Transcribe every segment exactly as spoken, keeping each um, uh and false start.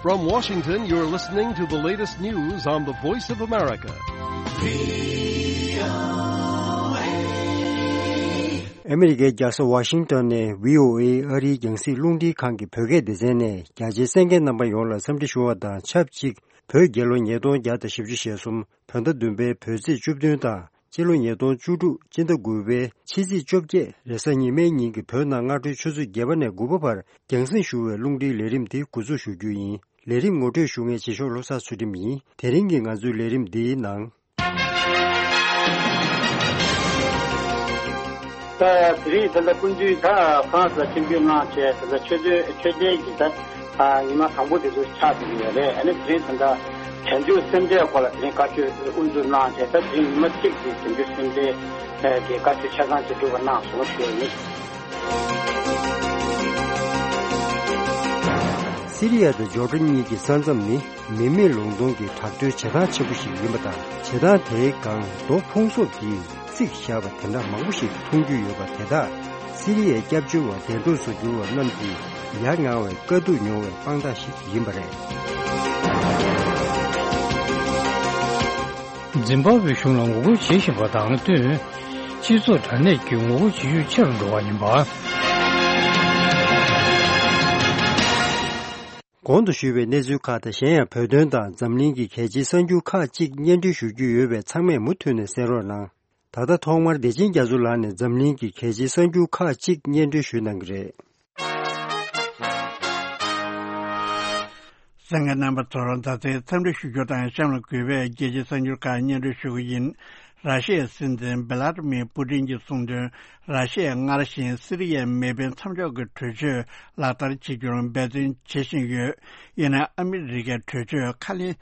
From Washington, you're listening to the latest news on the Voice of America. ཨ་མི་རི་ཀའི་རྒྱལ་ས་ཝ་ཤིང་ཏོན་ནས་བྷི་ཨོ་ཨེ་ཨ་རིའི་རྒྱང་སྲིང་རླུང་འཕྲིན་ཁང་གི་བོད་སྐད་སྡེ་ཚན་ནས་རྒྱ་ཆེའི་གསན་མཁན་རྣམ་པ་ཡོངས་ལ་འཚམས་འདྲི་ཞུ་བ་དང་ཆབས་ཅིག་བོད་རྒྱལ་ལོ་ཉིས་སྟོང་བརྒྱ་དང་བཞི་བཅུ་ཞེ་གསུམ་བོད་ཟླ་བདུན་པའི་བོད་ཚེས་བཅུ་བདུན་དང་སྤྱི་ལོ་ཉིས་སྟོང་བཅུ་དྲུག་སྤྱི་ཟླ་དགུ་པའི་ཕྱི་ཚེས་བཅོ་བརྒྱད་རེས་གཟའ་ཉི་མའི་ཉིན་གྱི་བོད་ནང་སྔ་དྲོའི་ཆུ་ཚོད་བརྒྱད་པ་ནས་དགུ་པ་བར་རྒྱང་སྲིང་ཞུ་བའི་རླུང་འཕྲིན་ལས་རིམ་འདི་འགོ་འཛུགས་ཞུ་རྒྱུ་ཡིན། ལས་རིམ་ངོ་སྤྲོད་ཞུ་མཁན་རྗེས་ཕྱོགས་བློ་བཟང་ཚུལ་ཁྲིམས་ཡིན། དེ་རིང་གི་ང་ཚོའི་ལས་རིམ་འདིའི་ནང་། ད་དེ་རིང་ད་ལྟ་སྐུ་མདུན་ད་ཧྥ་རན་སི་ལ་ཆིབས་བསྒྱུར་གནང་བྱས། ད་ལྟ་ཆོས་དོན་ཆོས་དོན་གྱི་ད་ཉི་མ་དང་པོ་དེ་ཚོ་ཆགས་བསྡད་ཀྱི་ཡོད་རེད། ཨ་ནི་དེ་རིང་ད་ལྟ་བྱང་ཆུབ་སེམས་འགྲེལ་སྐོར་ལ་དེ་རིང་བཀའ་ཆོས་དབུ་འཛུགས་གནང་བྱས། ད་དེ་རིང་ཉི་མ་གཅིག་གི་བྱང་ཆུབ་སེམས་འགྲེལ་གྱི་བཀའ་ཆོས་ཆ་ཚང་ཅིག་སྒྲུབ་པ་གནང་སོང་ཞུ་ཡ་ཡིན། སི་རི་ཡ་དང་ཇོར་ཌན་གཉིས་ཀྱི་ས་མཚམས་ནི་མི་མེད་ལུང་སྟོང་གི་བྲག་རྡོའི་བྱེ་ཐང་ཆེན་པོ་ཞིག་ཡིན་པ་དང་། བྱེ་ཐང་དེའི་སྒང་རྡོ་ཕུང་གསོག་གིས་བརྩིགས་བཞག་པ་དེ་འདྲ་མང་པོ་ཞིག་མཐོང་རྒྱུ་ཡོད་པ་དེ་དག་སི་རི་ཡའི་སྐྱབས་བཅོལ་བ་འདས་གྲོངས་སུ་གྱུར་བ་རྣམས་ཀྱིས་ཡ་ང་བའི་དཀའ་སྡུག་མྱོང་བའི་དཔང་རྟགས་ཤིག་ཡིན་པ་རེད། འཛིན་པ་བའི་གཞུང་ལ་ངོ་རྒོལ་བྱེད་བཞིན་པ་དང་བསྟུན། སྤྱི་ཚོགས་དྲ་གནས་ཀྱི་ངོ་རྒོལ་བྱེད་ཤུགས་ཆེ་རུ་འགྲོ་བ་ཡིན་པ། གོང་དུ་ཞུས་པའི་གནས་ཚུལ་ཁག་དང་། གཞན་ཡང་བོད་དོན་དང་འཛམ་གླིང་གི་གལ་ཆེའི་གསར་འགྱུར་ཁག་ཅིག་སྙན་སྒྲོན་ཞུ་རྒྱུ་ཡོད་པས། ཚང་མས་མུ་མཐུད་ནས་གསན་རོགས་གནང་། ད་ལྟ་ཐོག་མར་བདེ་ཆེན་རྒྱ་མཚོ་ལགས་ནས་འཛམ་གླིང་གི་གལ་ཆེའི་གསར་འགྱུར་ཁག་ཅིག་སྙན་སྒྲོན་ཞུ་གནང་གི་རེད། གསན་མཁན་རྣམ་པ་ཚོར་ད་ལྟའི་འཚམས་འདྲི་ཞུ་རྒྱུ་དང་། གཤམ་ལ་གུས་པས་རྒྱལ་སྤྱིའི་གསར་འགྱུར་ཁག་སྙན་སྒྲོན་ཞུ་གི་ཡིན། ར་ཤི་ཡའི་སྲིད་འཛིན་བྷི་ལ་ཏི་མིར་པུ་ཏིན་གྱིས་གསུངས་དོན། ར་ཤི་ཡས་སྔར་བཞིན་སི་རི་ཡའི་མེ་འཕེན་མཚམས་འཇོག་གི་གྲོས་ཆོད་ལག་བསྟར་བྱེད་རྒྱུར་འབད་བརྩོན་བྱེད་བཞིན་ཡོད། ཡིན་ནའི་ཨ་མི་རི་ཀས་གྲོས་ཆོད་ཁས་ལེན་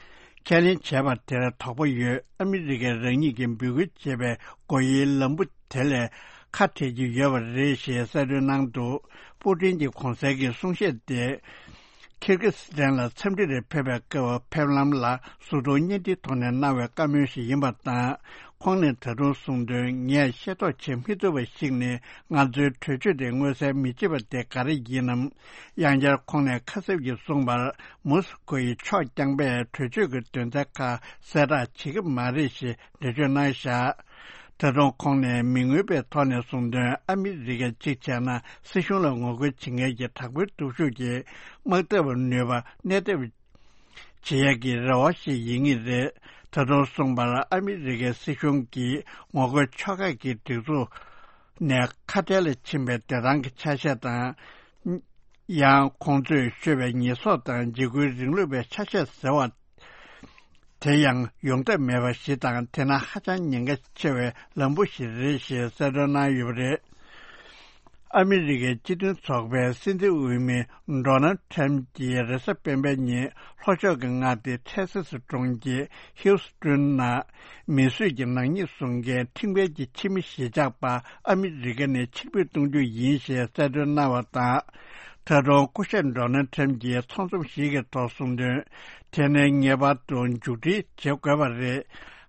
ཁས་ལེན་བྱས་པ་དེར་དོགས་པ་ཡོད། ཨ་མི་རི་ཀས་རང་ཉིད་ཀྱིས་འབོད་སྐུལ་བྱས་པའི་སྒོ་དབྱེའི་ལམ་བུ་དེ་ལས་ཁ་བྲལ་གྱི་ཡོད་པ་རེད་ཞེས་གསལ་སྟོན་གནང་འདུག་པུ་ཏིན་གྱི་གོང་གསལ་གྱི་གསུང་བཤད་དེ། ཁིར་གི་སི་ཐན་ལ་འཚམས་འདྲིར་ཕེབས་པའི་སྐབས་ཕེབས་ལམ་ལ་གཟུགས་མཐོང་བརྙན་འཕྲིན་ཐོག་ནས་གནང་བའི་བཀའ་མོལ་ཞིག་ཡིན་པ་དང་། ཁོང་ནས་ད་དུང་གསུངས་དོན། ངས་ཤེས་རྟོགས་བྱེད་མི་ཐུབ་པ་ཞིག་ནི། ང་ཚོའི་གྲོས་ཆོད་དེ་མངོན་གསལ་མི་བྱེད་པ་དེ་ག་རེ་ཡིན་ནམ། ཡང་བསྐྱར་ཁོང་ནས་ཁ་གསབ་ཀྱིས་གསུངས་པར། མོ་སི་ཁོ་ཡི་ཕྱོགས་རྐྱང་པས་གྲོས་ཆོད་ཀྱི་དོན་ཚན་ཁག་གསལ་བསྒྲགས་བྱེད་ཀྱི་མ་རེད་ཞེས་འགྲེལ་བརྗོད་གནང་བཞག་ད་དུང་ཁོང་ནས་མི་མངོན་པའི་ཐོག་ནས་གསུངས་དོན། ཨ་མི་རི་ཀས་གཅིག་བྱས་ན་སྲིད་གཞུང་ལ་ངོ་རྒོལ་བྱེད་མཁན་གྱི་དྲག་པོའི་སྟོབས་ཤུགས་ཀྱིས་དམག་འཐབ་ནུས་པ་གནས་ཐབས་བྱེད་ཡས་ཀྱི་རེ་བ་ཞིག་ཡིན་ངེས་རེད། ད་དུང་གསུངས་པར། ཨ་མི་རི་ཀའི་སྲིད་གཞུང་གིས་ངོ་རྒོལ་ཕྱོགས་ཁག་གི་སྒྲིག་འཛུགས་ནས་ཁ་བྲལ་ལ་ཕྱིན་པའི་བདེ་ཐང་གི་ཆ་ཤས་དང་། ཡང་ཁོང་ཚོས་ཤོད་པའི་ཉེས་གསོག་དང་འཇིགས་སྐུལ་རིང་ལུགས་པའི་ཆ་ཤས་ཟེར་བ། དེ་ཡང་ཡོང་ཐབས་མེད་པ་ཞིག་དང་། དེ་ནི་ཧ་ཅང་ཉེན་ཁ་ཆེ་བའི་ལམ་བུ་ཞིག་རེད་ཞེས་གསལ་སྟོན་གནང་ཡོད་པ་རེད། ཨ་མི་རི་ཀའི་སྤྱི་མཐུན་ཚོགས་པའི་སྲིད་འཛིན་འོས་མི་ཌོ་ནལ་ཁྲམ་གྱིས་རེས་གཟའ་སྤེན་པའི་ཉིན་ལྷོ་ཕྱོགས་ཀྱི་མངའ་སྡེ་ཐེག་ས་སི་གྲོང་ཁྱེར་ཧིའུ་སི་ཀྲོན་ནང་མི་གསོད་ཀྱི་ནག་ཉེས་བཟུང་མཁན་ཁྲིམས་འགལ་གྱི་ཕྱི་མི་གཞིས་ཆགས་པ་ཨ་མི་རི་ཀ་ནས་ཕྱིར་འབུད་གཏོང་རྒྱུ་ཡིན་ཞེས་གསལ་སྟོན་གནང་བ་དང་། ད་དུང་སྐུ་ཞབས་ཌོ་ནལ་ཁྲམ་གྱིས་ཚོགས་འཛོམས་ཤིག་གི་ཐོག་གསུངས་དོན། དེ་ནི་ངེས་པར་དུ་མཇུག་སྒྲིལ་བྱེད་དགོས་པ་རེད།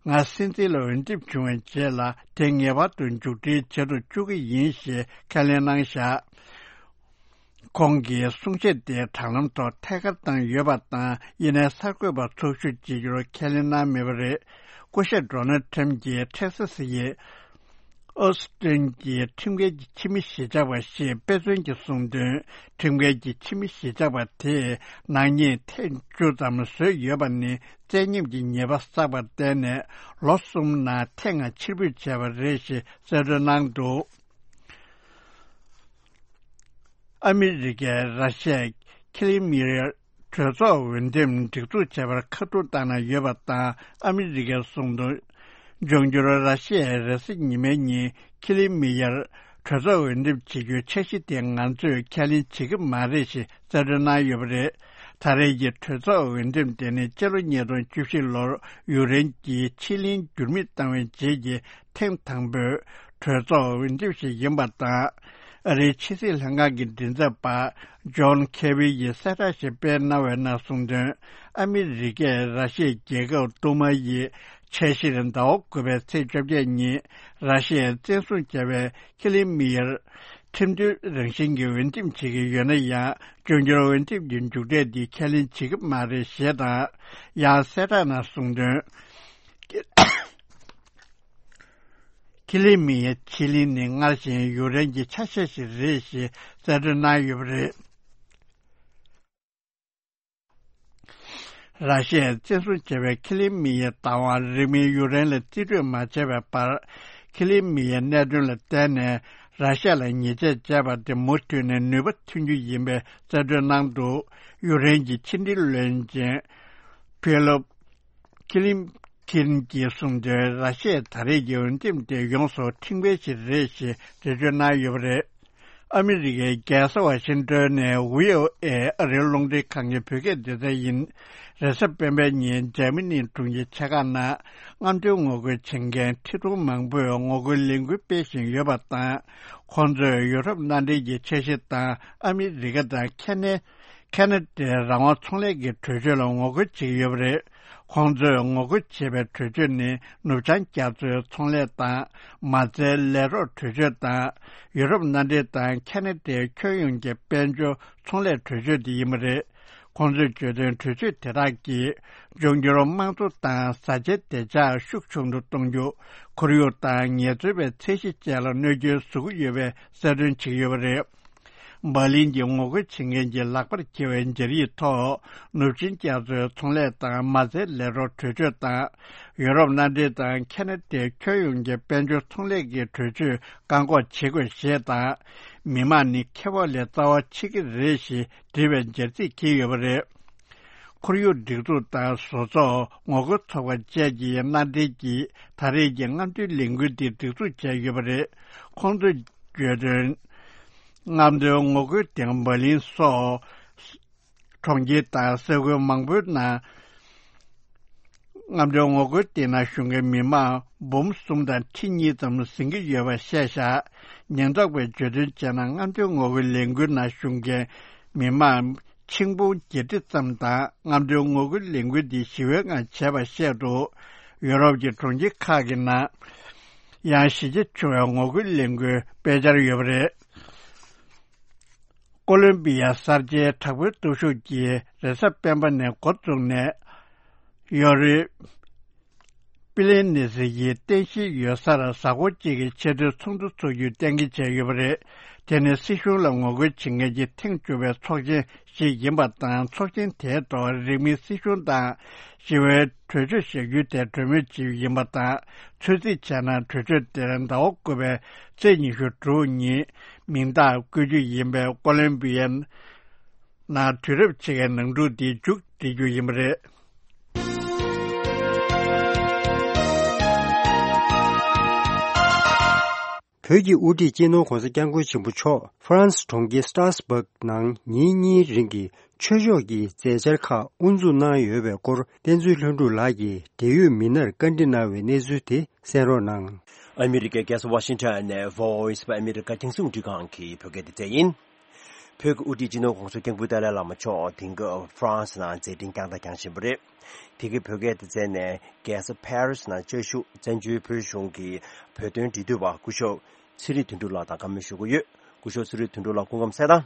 ང་སྲིད་འཛིན་ལ་འོས་འདེམས་བྱུང་བའི་རྗེས་ལ་དེ་ངེས་པར་དུ་མཇུག་སྒྲིལ་བྱེད་དུ་བཅུག་གི་ཡིན་ཞེས་ཁས་ལེན་གནང་བཞག་ཁོང་གིས་གསུང་བཤད་དེ་དྲ་ལམ་ཐོག་ཐད་ཀར་བཏང་ཡོད་པ་དང་། ཡིན་ནའི་གསར་འགོད་པ་ཚོགས་ཞུགས་བྱེད་རྒྱུར་ཁས་ལེན་གནང་མེད་པ་རེད། སྐུ་ཞབས་ཌོ་ནལ་ཁྲམ་གྱིས་ཐེག་ས་སི་ཡི་ཨོ་སི་ཏིན་གྱི་ཁྲིམས་འགལ་གྱི་ཕྱི་མི་གཞིས་ཆགས་པ་ཞེས་དཔེ་མཚོན་གྱིས་གསུངས་དོན། ཁྲིམས་འགལ་གྱི་ཕྱི་མི་གཞིས་ཆགས་པ་དེས་ནག་ཉེས་ཐེངས་བཅུ་ཙམ་བཟོས་ཡོད་པ་ནི་བཙན་ཉམས་ཀྱི་ཉེས་པ་བསགས་པར་བརྟེན་ནས་ལོ་གསུམ་ནང་ཐེངས་ལྔ་ཕྱིར་འབུད་བྱས་པ་རེད་ཞེས་གསལ་སྟོན་གནང་འདུག་ཨ་མི་རི་ཀས་ར་ཤི་ཡའི་ཁི་ལི་མི་ཡར་གྲོས་ཚོགས་འོས་འདེམས་སྒྲིག་འཛུགས་བྱས་པར་ཁ་ཐུག་བཏང་གནང་ཡོད་པ་དང་། ཨ་མི་རི་ཀས་གསུངས་དོན། འབྱུང་འགྱུར་ར་ཤི་ཡའི་རེས་གཟའ་ཉི་མའི་ཉིན་ཁི་ལི་མི་ཡར་གྲོས་ཚོགས་འོས་འདེམས་བྱེད་རྒྱུའི་འཆར་གཞི་དེ་ང་ཚོས་ཁས་ལེན་བྱེད་ཀྱི་མ་རེད་ཞེས་གསལ་སྟོན་གནང་ཡོད་པ་རེད། ད་རེས་ཀྱི་གྲོས་ཚོགས་འོས་འདེམས་དེ་ནི་སྤྱི་ལོ་ཉིས་སྟོང་བཅུ་བཞི་ལོར་ཡུཀ་རེན་གྱིས་ཕྱིར་ལེན་འགྱུར་མེད་བཏང་བའི་རྗེས་ཀྱི་ཐེངས་དང་པོའི་གྲོས་ཚོགས་འོས་འདེམས་ཤིག་ཡིན་པ་དང་། ཨ་རིའི་ཕྱི་སྲིད་ལྷན་ཁང་གི་མགྲིན་ཚབ་པ་ཇོན་ཁེ་བི་ཡིས་གསལ་བསྒྲགས་ཤིག་སྤེལ་གནང་བའི་ནང་གསུངས་དོན། ཨ་མི་རི་ཀས་ར་ཤི་ཡའི་རྒྱལ་ཁབ་རྡུལ་དམག་ཡི་ཆ་གཞིར་ཟླ་བ་དགུ་པའི་ཚེས་བཅོ་བརྒྱད་ཉིན་ར་ཤི་ཡས་བཙན་བཟུང་བྱས་པའི་ཁི་ལི་མི་ཡར་ ཁྲིམས་མཐུན་རང་བཞིན་གྱི་འོས་འདེམས་བྱེད་ཀྱི་ཡོད་ན་ཡང་། འབྱུང་འགྱུར་འོས་འདེམས་ཀྱི་མཇུག་འབྲས་འདི་ཁས་ལེན་བྱེད་ཀྱི་མ་རེད་ཞེས་དང་། ཡང་གསལ་བསྒྲགས་ནང་གསུངས་དོན། ཁི་ལི་མི་ཡའི་ཕྱེད་གླིང་ནི་སྔར་བཞིན་ཡུཀ་རེན་གྱི་ཆ་ཤས་ཤིག་རེད་ཞེས་གསལ་སྟོན་གནང་ཡོད་པ་རེད། ར་ཤི་ཡས་བཙན་བཟུང་བྱས་པའི་ཁི་ལི་མི་ཡའི་བདག་དབང་རིང་མིན་ཡུཀ་རེན་ལ་རྩིས་སྤྲོད་མ་བྱས་པའི་བར། ཁི་ལི་མི་ཡའི་གནད་དོན་ལ་བརྟེན་ནས་ར་ཤི་ཡ་ལ་ཉེས་ཆད་བཅད་པ་དེ་མུ་མཐུད་ནས་ནུས་པ་ཐོན་རྒྱུ་ཡིན་པའི་གསལ་སྟོན་གནང་འདུག་ཡུཀ་རེན་གྱི་ཕྱི་འབྲེལ་བློན་ཆེན་ཕེ་ལོབ། ཁི་ལིན་ཁིན་གྱིས་གསུངས་དོན། ར་ཤི་ཡའི་ད་རེས་ཀྱི་འོས་འདེམས་དེ་ཡོངས་སུ་ཁྲིམས་འགལ་ཞིག་རེད་ཞེས་འགྲེལ་བརྗོད་གནང་ཡོད་པ་རེད། ཨ་མི་རི་ཀའི་རྒྱལ་ས་ཝ་ཤིང་ཏོན་ནས་ཝི་ཨོ་ཨེ་ཨ་རིའི་རླུང་འཕྲིན་ཁང་གི་བོད་སྐད་སྡེ་ཚན་ཡིན། རེས་གཟའ་སྤེན་པའི་ཉིན་འཇར་མ་ནིའི་དྲུང་ཆེ་ཆེ་ཁག་ནང་རྔམ་སྟོན་ངོ་རྒོལ་བྱེད་མཁན་ཁྲི་སྟོང་མང་པོས་ངོ་རྒོལ་ལས་འགུལ་སྤེལ་བཞིན་ཡོད་པ་དང་། ཁོང་ཚོས་ཡུ་རོབ་མནའ་འབྲེལ་གྱི་འཆར་གཞི་དང་ཨ་མི་རི་ཀ་དང་ཁེ་ནེ། ཁེ་ན་ཌའི་རང་དབང་ཚོང་ལས་ཀྱི་གྲོས་ཆོད་ལ་ངོ་རྒོལ་བྱེད་ཀྱི་ཡོད་པ་རེད། ཁོང་ཚོས་ངོ་རྒོལ་བྱེད་པའི་གྲོས་ཆོད་ནི་ནུབ་བྱང་རྒྱ་མཚོའི་ཚོང་ལས་དང་མ་རྩའི་ལས་རོགས་གྲོས་ཆོད་དང་ཡུ་རོབ་མནའ་འབྲེལ་དང་ཁེ་ན་ཌའི་ཁྱོན་ཡོངས་ཀྱི་དཔལ་འབྱོར་ཚོང་ལས་གྲོས་ཆོད་དེ་ཡིན་པ་རེད། ཁོང་ཚོས་བརྗོད་དོན། གྲོས་ཆོད་དེ་དག་གིས་འབྱུང་འགྱུར་དམངས་འཚོ་དང་བཟའ་བཅའི་བདེ་འཇགས་ཤུགས་ཆུང་དུ་གཏོང་རྒྱུ། ཁོར་ཡུག་དང་ངལ་རྩོལ་བའི་ཚད་གཞི་བཅས་ལ་གནོད་སྐྱོན་བཟོ་གི་ཡོད་པའི་གསལ་སྟོན་བྱེད་ཀྱི་ཡོད་པ་རེད། འབར་ལིན་གྱི་ངོ་རྒོལ་བྱེད་མཁན་གྱི་ལག་པར་འཁྱེར་བའི་སྦྱར་ཡིག་ཐོག་ནུབ་ཆིངས་རྒྱ་མཚོའི་ཚོང་ལས་དང་མ་རྩའི་ལས་རོགས་གྲོས་ཆོད་དང་། ཡུ་རོབ་མནའ་འབྲེལ་དང་ཁེ་ན་ཌའི་ཁྱོན་ཡོངས་ཀྱི་དཔལ་འབྱོར་ཚོང་ལས་ཀྱི་གྲོས་ཆོད་བཀག་འགོག་བྱེད་དགོས་ཞེས་དང་། མི་དམངས་ནི་ཁེ་སྤོགས་ལས་རྩ་བ་ཆགས་ཀྱི་རེད་ཞེས་བྲིས་པའི་སྦྱར་ཚིག་འཁྱེར་ཡོད་པ་རེད། ཁོར་ཡུག་སྒྲིག་འཛུགས་དང་བཟོ་ཚོགས་ངོ་རྒོལ་ཚོགས་པ་བཅས་ཀྱིས་མནའ་འབྲེལ་གྱིས་ད་རེས་ཀྱི་རྔམ་སྟོན་ལས་འགུལ་འདི་སྒྲིག་འཛུགས་བྱས་ཡོད་པ་རེད། ཁོང་ཚོས་བརྗོད་དོན། རྔམ་སྟོན་ངོ་རྒོལ་སྟེང་འབར་ལིན་སོགས་གྲོང་ཁྱེར་དང་ས་ཁུལ་མང་པོའི་ནང་རྔམ་སྟོན་ངོ་རྒོལ་སྟེང་ན་བཞུགས་མཁན་མི་མང་འབུམ་གསུམ་དང་ཁྲི་གཉིས་ཙམ་ཟིན་གྱི་ཡོད་པ་བཤད་བཞག་ཉེན་རྟོག་པས་བརྗོད་དོན་བྱས་ན། རྔམ་སྟོན་ངོ་རྒོལ་ལས་འགུལ་ནང་ཞུགས་མཁན་མི་མང་ཆིག་འབུམ་བརྒྱད་ཁྲི་ཙམ་དང་། རྔམ་སྟོན་ངོ་རྒོལ་ལས་འགུལ་འདི་ཞི་བའི་ངང་བྱས་པ་བཤད་འདུག་ཡུ་རོབ་ཀྱི་གྲོང་ཁྱེར་ཁག་གི་ནང་ཡང་གཞིས་ཆགས་ཆུང་བའི་ངོ་རྒོལ་ལས་འགུལ་སྤེལ་འཆར་ཡོད་པ་རེད། ཀོ་ལོམ་བི་ཡ་གསར་བརྗེའི་དྲག་པོའི་སྟོབས་ཤུགས་ཀྱིས་རེས་གཟའ་སྤེན་པ་ནས་འགོ་བཙུགས་ནས། ཡོ་རི། པི་ལེ་ནེ་སི་ཡི་རྟེན་གཞིའི་ཡོད་སར་གཟའ་འཁོར་གཅིག་གི་ཆེས་མཐོའི་ཚོགས་འདུ་འཚོགས་རྒྱུ་གཏན་འཁེལ་བྱས་ཡོད་པ་རེད། དེ་ནི་སྲིད་གཞུང་ལ་ངོ་རྒོལ་བྱེད་མཁན་གྱི་ཐེངས་བཅུ་པའི་ཚོགས་ཆེན་ཞིག་ཡིན་པ་དང་། ཚོགས་ཆེན་དེའི་ཐོག་རིང་མིན་སྲིད་གཞུང་དང་ཞི་བའི་གྲོས་ཆོད་བཞག་རྒྱུའི་ཐད་གྲོས་མོལ་བྱས་ཡོད་པ་དང་། ཚོད་རྩིས་བྱས་ན། གྲོས་ཆོད་དེར་ཟླ་བ་དགུ་པའི་ཚེས་ཉི་ཤུ་དྲུག་ཉིན་མིང་རྟགས་བཀོད་རྒྱུ་ཡིན་པས། ཀོ་ལོམ་བི་ཡའི་ནང་དུས་རབས་ཕྱེད་ཀའི་ནང་འཁྲུག་འདི་མཇུག་སྒྲིལ་རྒྱུ་ཡིན་པ་རེད། བོད་ཀྱི་དབུ་ཁྲིད་སྤྱི་ནོར་༧གོང་ས་༧སྐྱབས་མགོན་ཆེན་པོ་མཆོག་ཧྥ་རན་སི་གྲོང་ཁྱེར་སི་ཏྲ་སི་སྦག་ནང་ཉིན་གཉིས་རིང་གི་ཆོས་ཕྱོགས་ཀྱི་མཛད་འཆར་ཁག་དབུ་འཛུགས་གནང་ཡོད་པའི་སྐོར། བསྟན་འཛིན་ལྷུན་གྲུབ་ལགས་ཀྱིས་འབྲེལ་ཡོད་མི་སྣར་བཀའ་འདྲི་གནང་བའི་གནས་ཚུལ་དེ་གསན་རོགས་གནང་། ཨ་མི་རི་ཀའི་རྒྱལ་ས་ཝ་ཤིང་ཊོན་ནས་Voice of America་རྒྱང་སྲིང་རླུང་འཕྲིན་ཁང་གི་བོད་སྐད་སྡེ་ཚན་ཡིན། བོད་ཀྱི་དབུ་ཁྲིད་སྤྱི་ནོར་༧གོང་ས་༧སྐྱབས་མགོན་ཏཱ་ལའི་བླ་མ་མཆོག་དེང་སྐབས་ཧྥ་རན་སི་ནང་མཛད་འཕྲིན་བསྐྱངས་དང་བསྐྱང་བཞིན་པ་རེད། དེ་གའི་བོད་སྐད་སྡེ་ཚན་ནས་རྒྱལ་ས་ཕ་རི་སི་ནང་བཅའ་བཞུགས་བཙན་བྱོལ་བོད་གཞུང་གི་བོད་དོན་འབྲེལ་མཐུད་པ་སྐུ་ཞབས་ཚེ་རིང་དོན་གྲུབ་ལགས་དང་བཀའ་མོལ་ཞུ་གི་ཡོད། སྐུ་ཞབས་ཚེ་རིང་དོན་གྲུབ་ལགས་སྐུ་ཁམས་བཟང་།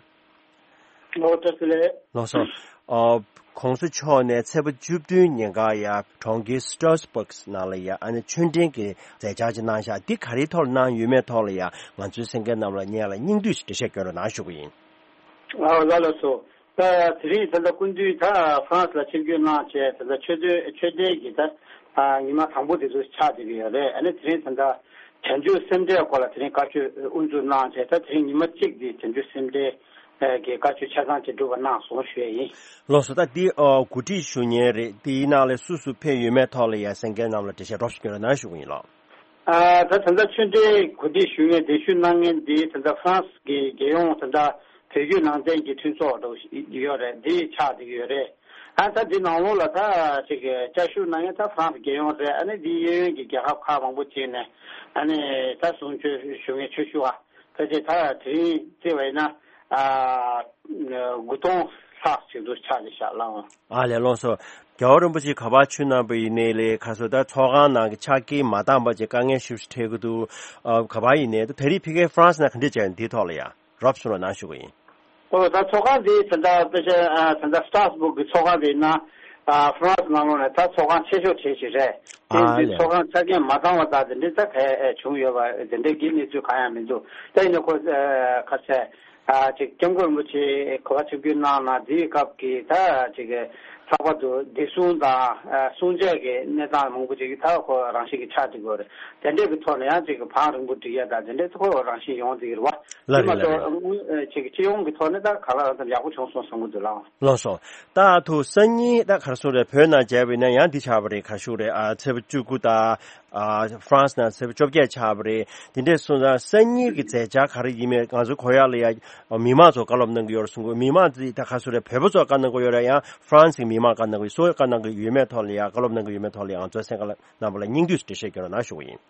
ལོ་བཀྲ་ཤིས་བདེ་ལེགས། ལགས་སོ། ཨ། ༸གོང་ས་མཆོག་ནས་ཚེས་པ་བཅུ་བདུན་ཉིན་ཀ་ཡ་གྲོང་ཁྱེར་སི་ཏྲ་སི་སྦག་ནང་ལ་ཡ་ཨ་ནི་ཆོས་འབྲེལ་གྱི་མཛད་འཆར་ཅིག་གནང་ཤག་འདི་ག་རེའི་ཐོག་ལ་གནང་ཡོད་མེད་ཐོག་ལ་ཡ་ང་ཚོའི་གསན་མཁན་རྣམས་ལ་སྙན་ལ་སྙིང་བསྡུས་ཤིག་འགྲེལ་བཤད་སྐྱོན་རོགས་གནང་ཞུ་གི་ཡིན། ཨ་ལགས་ལགས་སོ། ད་དེ་རིང་ད་ལྟ་སྐུ་མདུན་ད་ཧྥ་རན་སི་ལ་ཆིབས་བསྒྱུར་གནང་བྱས། ད་ལྟ་ཆོས་དོན་ཆོས་འབྲེལ་གྱི་ད་ཨ་ཉི་མ་དང་པོ་དེ་ཚོ་ཆགས་བསྡད་ཀྱི་ཡོད་རེད། ཨ་ནི་དེ་རིང་ད་ལྟ་བྱང་ཆུབ་སེམས་འགྲེལ་སྐོར་ལ་དེ་རིང་བཀའ་ཆོས་དབུ་འཛུགས་གནང་བྱས། ད་དེ་རིང་ཉི་མ་གཅིག་འདི་བྱང་ཆུབ་སེམས་འགྲེལ་གྱི་བཀའ་ཆོས་ཆ་ཚང་ཅིག་སྒྲུབ་པ་གནང་སོང་ཞུ་ཡས་ཡིན། ལགས་སོ། ད་འདི་ཨ་གོ་སྒྲིག་ཞུ་མཁན་རེད། དེའི་ནང་ལ་སུ་སུ་ཕེབས་ཡོད་མེད་ཐོག་ལ་ཡ་གསན་མཁན་རྣམས་ལ་འགྲེལ་བཤད་རོབ་ཞིག་སྐྱོན་རོགས་གནང་ཞུ་གི་ཡིན་ལགས། ཨ་ད་ད་ལྟ་ཆོས་འབྲེལ་གོ་སྒྲིག་ཞུ་མཁན་གདན་ཞུ་གནང་མཁན་འདི་ད་ལྟ་ཧྥ་རན་སི་གི་རྒྱལ་ཡོངས་ད་ལྟ་བོད་བརྒྱུད་ནང་བསྟན་གྱི་མཐུན་ཚོགས་འདྲ་བོ་ཞིག་ཡོད་རེད། འདི་ཆགས་བསྡད་ཀྱི་ཡོད་རེད། ཨ་ད་འདི་ནང་ལོགས་ལ་ད་ཅིག་བཅའ་བཞུགས་གནང་མཁན་ད་ཧྥ་རན་སི་རྒྱལ་ཡོངས་རེད། ཨ་ནི་འདི་གཡས་གཡོན་གྱི་རྒྱལ་ཁབ་ཁག་མང་པོ་ཅིག་ནས་ཨ་ནི་ད་གསུང་ཆོས་ཞུ་མཁན་ཆོས་ཞུ་བ་ཕལ་ཆེར་ད་དེ་རིང་བརྩིས་པ་ཡིན་ན་ཨ་དགུ་སྟོང་ ཐག་ཅིག་ཏུ་ཆགས་ཏེ་བཞག་ལགས། ཨ་ལས། ལགས་སོ། རྒྱལ་བ་རིན་པོ་ཆེ་ག་པར་བྱོན་གནང་པ་ཡིན་ནའི་ལས་ཁ་སོ་ད་ཚོགས་ཁང་ནང་གི་ཕྱག་འཁྱེར་མ་བཏང་བ་བྱས་དཀའ་ངལ་ཞེ་པོ་ཞིག་འཕྲད་ཀྱི་འདུག་ཨ། ག་པར་ཡིན་ནའི་ད་དེ་རིང་ཕ་གིའི་ཧྥ་རན་སི་ནང་ག་འདྲས་བྱས་ཡོད་འདིའི་ཐོག་ལ་ཡ་རོབ་སོང་ལ་གནང་ཞུ་གི་ཡིན། ཨོ་ད་ཚོགས་ཁང་འདི་ད་ལྟ་དཔེ་ཆ་ཨ་ད་ལྟ་སི་ཏྲ་སི་སྦུག་གི་ཚོགས་ཁང་དེ་ཡིན་ན་ཨ་ཧྥ་རན་སི་ནང་ལོགས་ནས་ད་ཚོགས་ཁང་ཆེ་ཤོས་གྲས་ཤིག་རེད། དེ་ཨ་འདི་ལས། ཚོགས་ཁང་ཆ་རྐྱེན་མ་ཚང་བ་དང་དེ་འདྲའི་ད་གས་བྱུང་ཡོད་པ་དེ་འདྲའི་གི་གནས་ཚུལ་གང་ཡང་མི་འདུག་ད་ཡིན་ན་ཁོ་ཨ་ཁ་ཤས་ཨ་ཅིག་སྐྱབས་མགོན་རིན་པོ་ཆེ་ག་པར་ཆིབས་བསྒྱུར་གནང་ན་དེའི་སྐབས་ཀྱི་ད་ཅིག་ལྷག་པར་དུ་བདེ་སྲུང་དང་ཨ་སྲུང་བྱས་ཀྱི་གནས་སྟངས་མང་པོ་ཅིག་ད་ཁོ་རང་བཞིན་གྱི་ཆགས་འགྲོ་གི་ཡོད་རེད། དེ་འདྲའི་གི་ཐོག་ནས་ཡང་ཅིག་བང་རིང་པོ་སྒྲིག་ཡ་དང་དེ་འདྲའི་ཁོ་རང་བཞིན་ཡོང་བསྡད་ཀྱི་རེད་བ། ལ་དེ་མ་རེད་ལ་གཏོགས་རེད། ཨ་ཅིག་སྤྱི་ཡོངས་ཀྱི་ཐོག་ནས་ད་ག་ལ་ཙམ་ཡག་པོ་བྱུང་སོང་བསམ་གྱི་འདུག་ལགས། ལགས་སོ། ད་ཐུགས་སང་ཉིན་ད་ག་རེ་ཟེར་རེད། བོད་ནང་མཇལ་བ་ཡིན་ན་ཡང་འདི་ཆགས་པ་རེད། ག་ཞུ་རེད། ཨ་ཚེས་པ་བཅུ་དགུ་དང་ཨ་ཧྥ་རན་སི་ནང་ཚེས་པ་བཅོ་བརྒྱད་ཆགས་པ་རེད། དེ་འདྲས་སོང་ཙང་སང་ཉིན་གྱི་མཛད་འཆར་ག་རེ་ཡིན་མིན་ང་ཚོ་གོ་ཡག་ལ་ཡ་མི་མང་ཚོ་བཀའ་སློབ་གནང་གི་ཡོད་རེད་གསུང་གི། མི་མང་འདི་ད་ག་རེ་ཟེར་རེད། བོད་པ་ཚོ་བཀའ་གནང་གི་ཡོད་རེད། ཡང་ཧྥ་རན་སི་གི་མི་མང་བཀའ་གནང་གི་ཡོད། སུ་བཀའ་གནང་གི་ཡོད་མེད་ཐོག་ལ་ཡ་བཀའ་སློབ་གནང་གི་ཡོད་མེད་ཐོག་ལ་ཡ་ང་ཚོའི་གསན་མཁན་རྣམ་པ་ལ་སྙིང་བསྡུས་སུ་འགྲེལ་བཤད་སྐྱོན་རོགས་གནང་ཞུ་གི་ཡིན།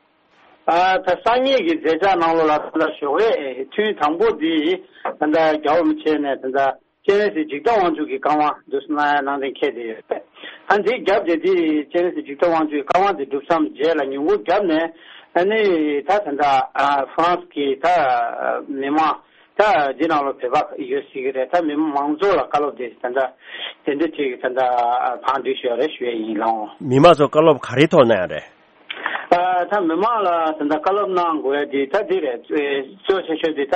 ཨ་ད་སང་ཉིན་གྱི་མཛད་འཆར་ནང་ལོགས་ལ་ད་ལྟ་ཞོགས་ཀས་ཐུན་དང་པོ་འདི་ད་ལྟ་རྒྱལ་བ་རིན་པོ་ཆེ་ནས་ད་ལྟ་སྤྱན་རས་གཟིགས་འཇིག་རྟེན་དབང་ཕྱུག་གི་བཀའ་དབང་འདུག་སེ་གནང་ཡ་གནང་གཏན་འཁེལ་བསྡད་ཡོད། ཨ་འདི་རྒྱབ་དེ་འདི་སྤྱན་རས་གཟིགས་འཇིག་རྟེན་དབང་ཕྱུག་གི་བཀའ་དབང་དེ་གྲུབ་མཚམས་རྗེས་ལ་ཉིན་གུང་རྒྱབ་ནས་ཨ་ནི་ད་ད་ལྟ་ཨ་ཧྥ་རན་སི་གི་ད་མི་མང་ད་འདི་ནང་ལོགས་བོད་པ་ཡོད་སྲིད་ཀྱི་རེད། ད་མི་མང་མང་ཚོགས་ལ་བཀའ་སློབ་དེ་ད་ལྟ་དེ་འདྲ་ཅིག་ད་ལྟ་བང་སྒྲིག་ཞུ་ཡ་རེད་ཞུ་ཡ་ཡིན་ལགས། མི་མང་ཚོ་བཀའ་སློབ་ག་རེའི་ཐོག་གནང་ཡ་རེད། ཨ་ད་མི་མང་ལ་ད་ལྟ་བཀའ་སློབ་གནང་དགོས་ཡ་དེ་ད་འདི་རེད། གཙོ་ཆེ་ཤོས་དེ་ད་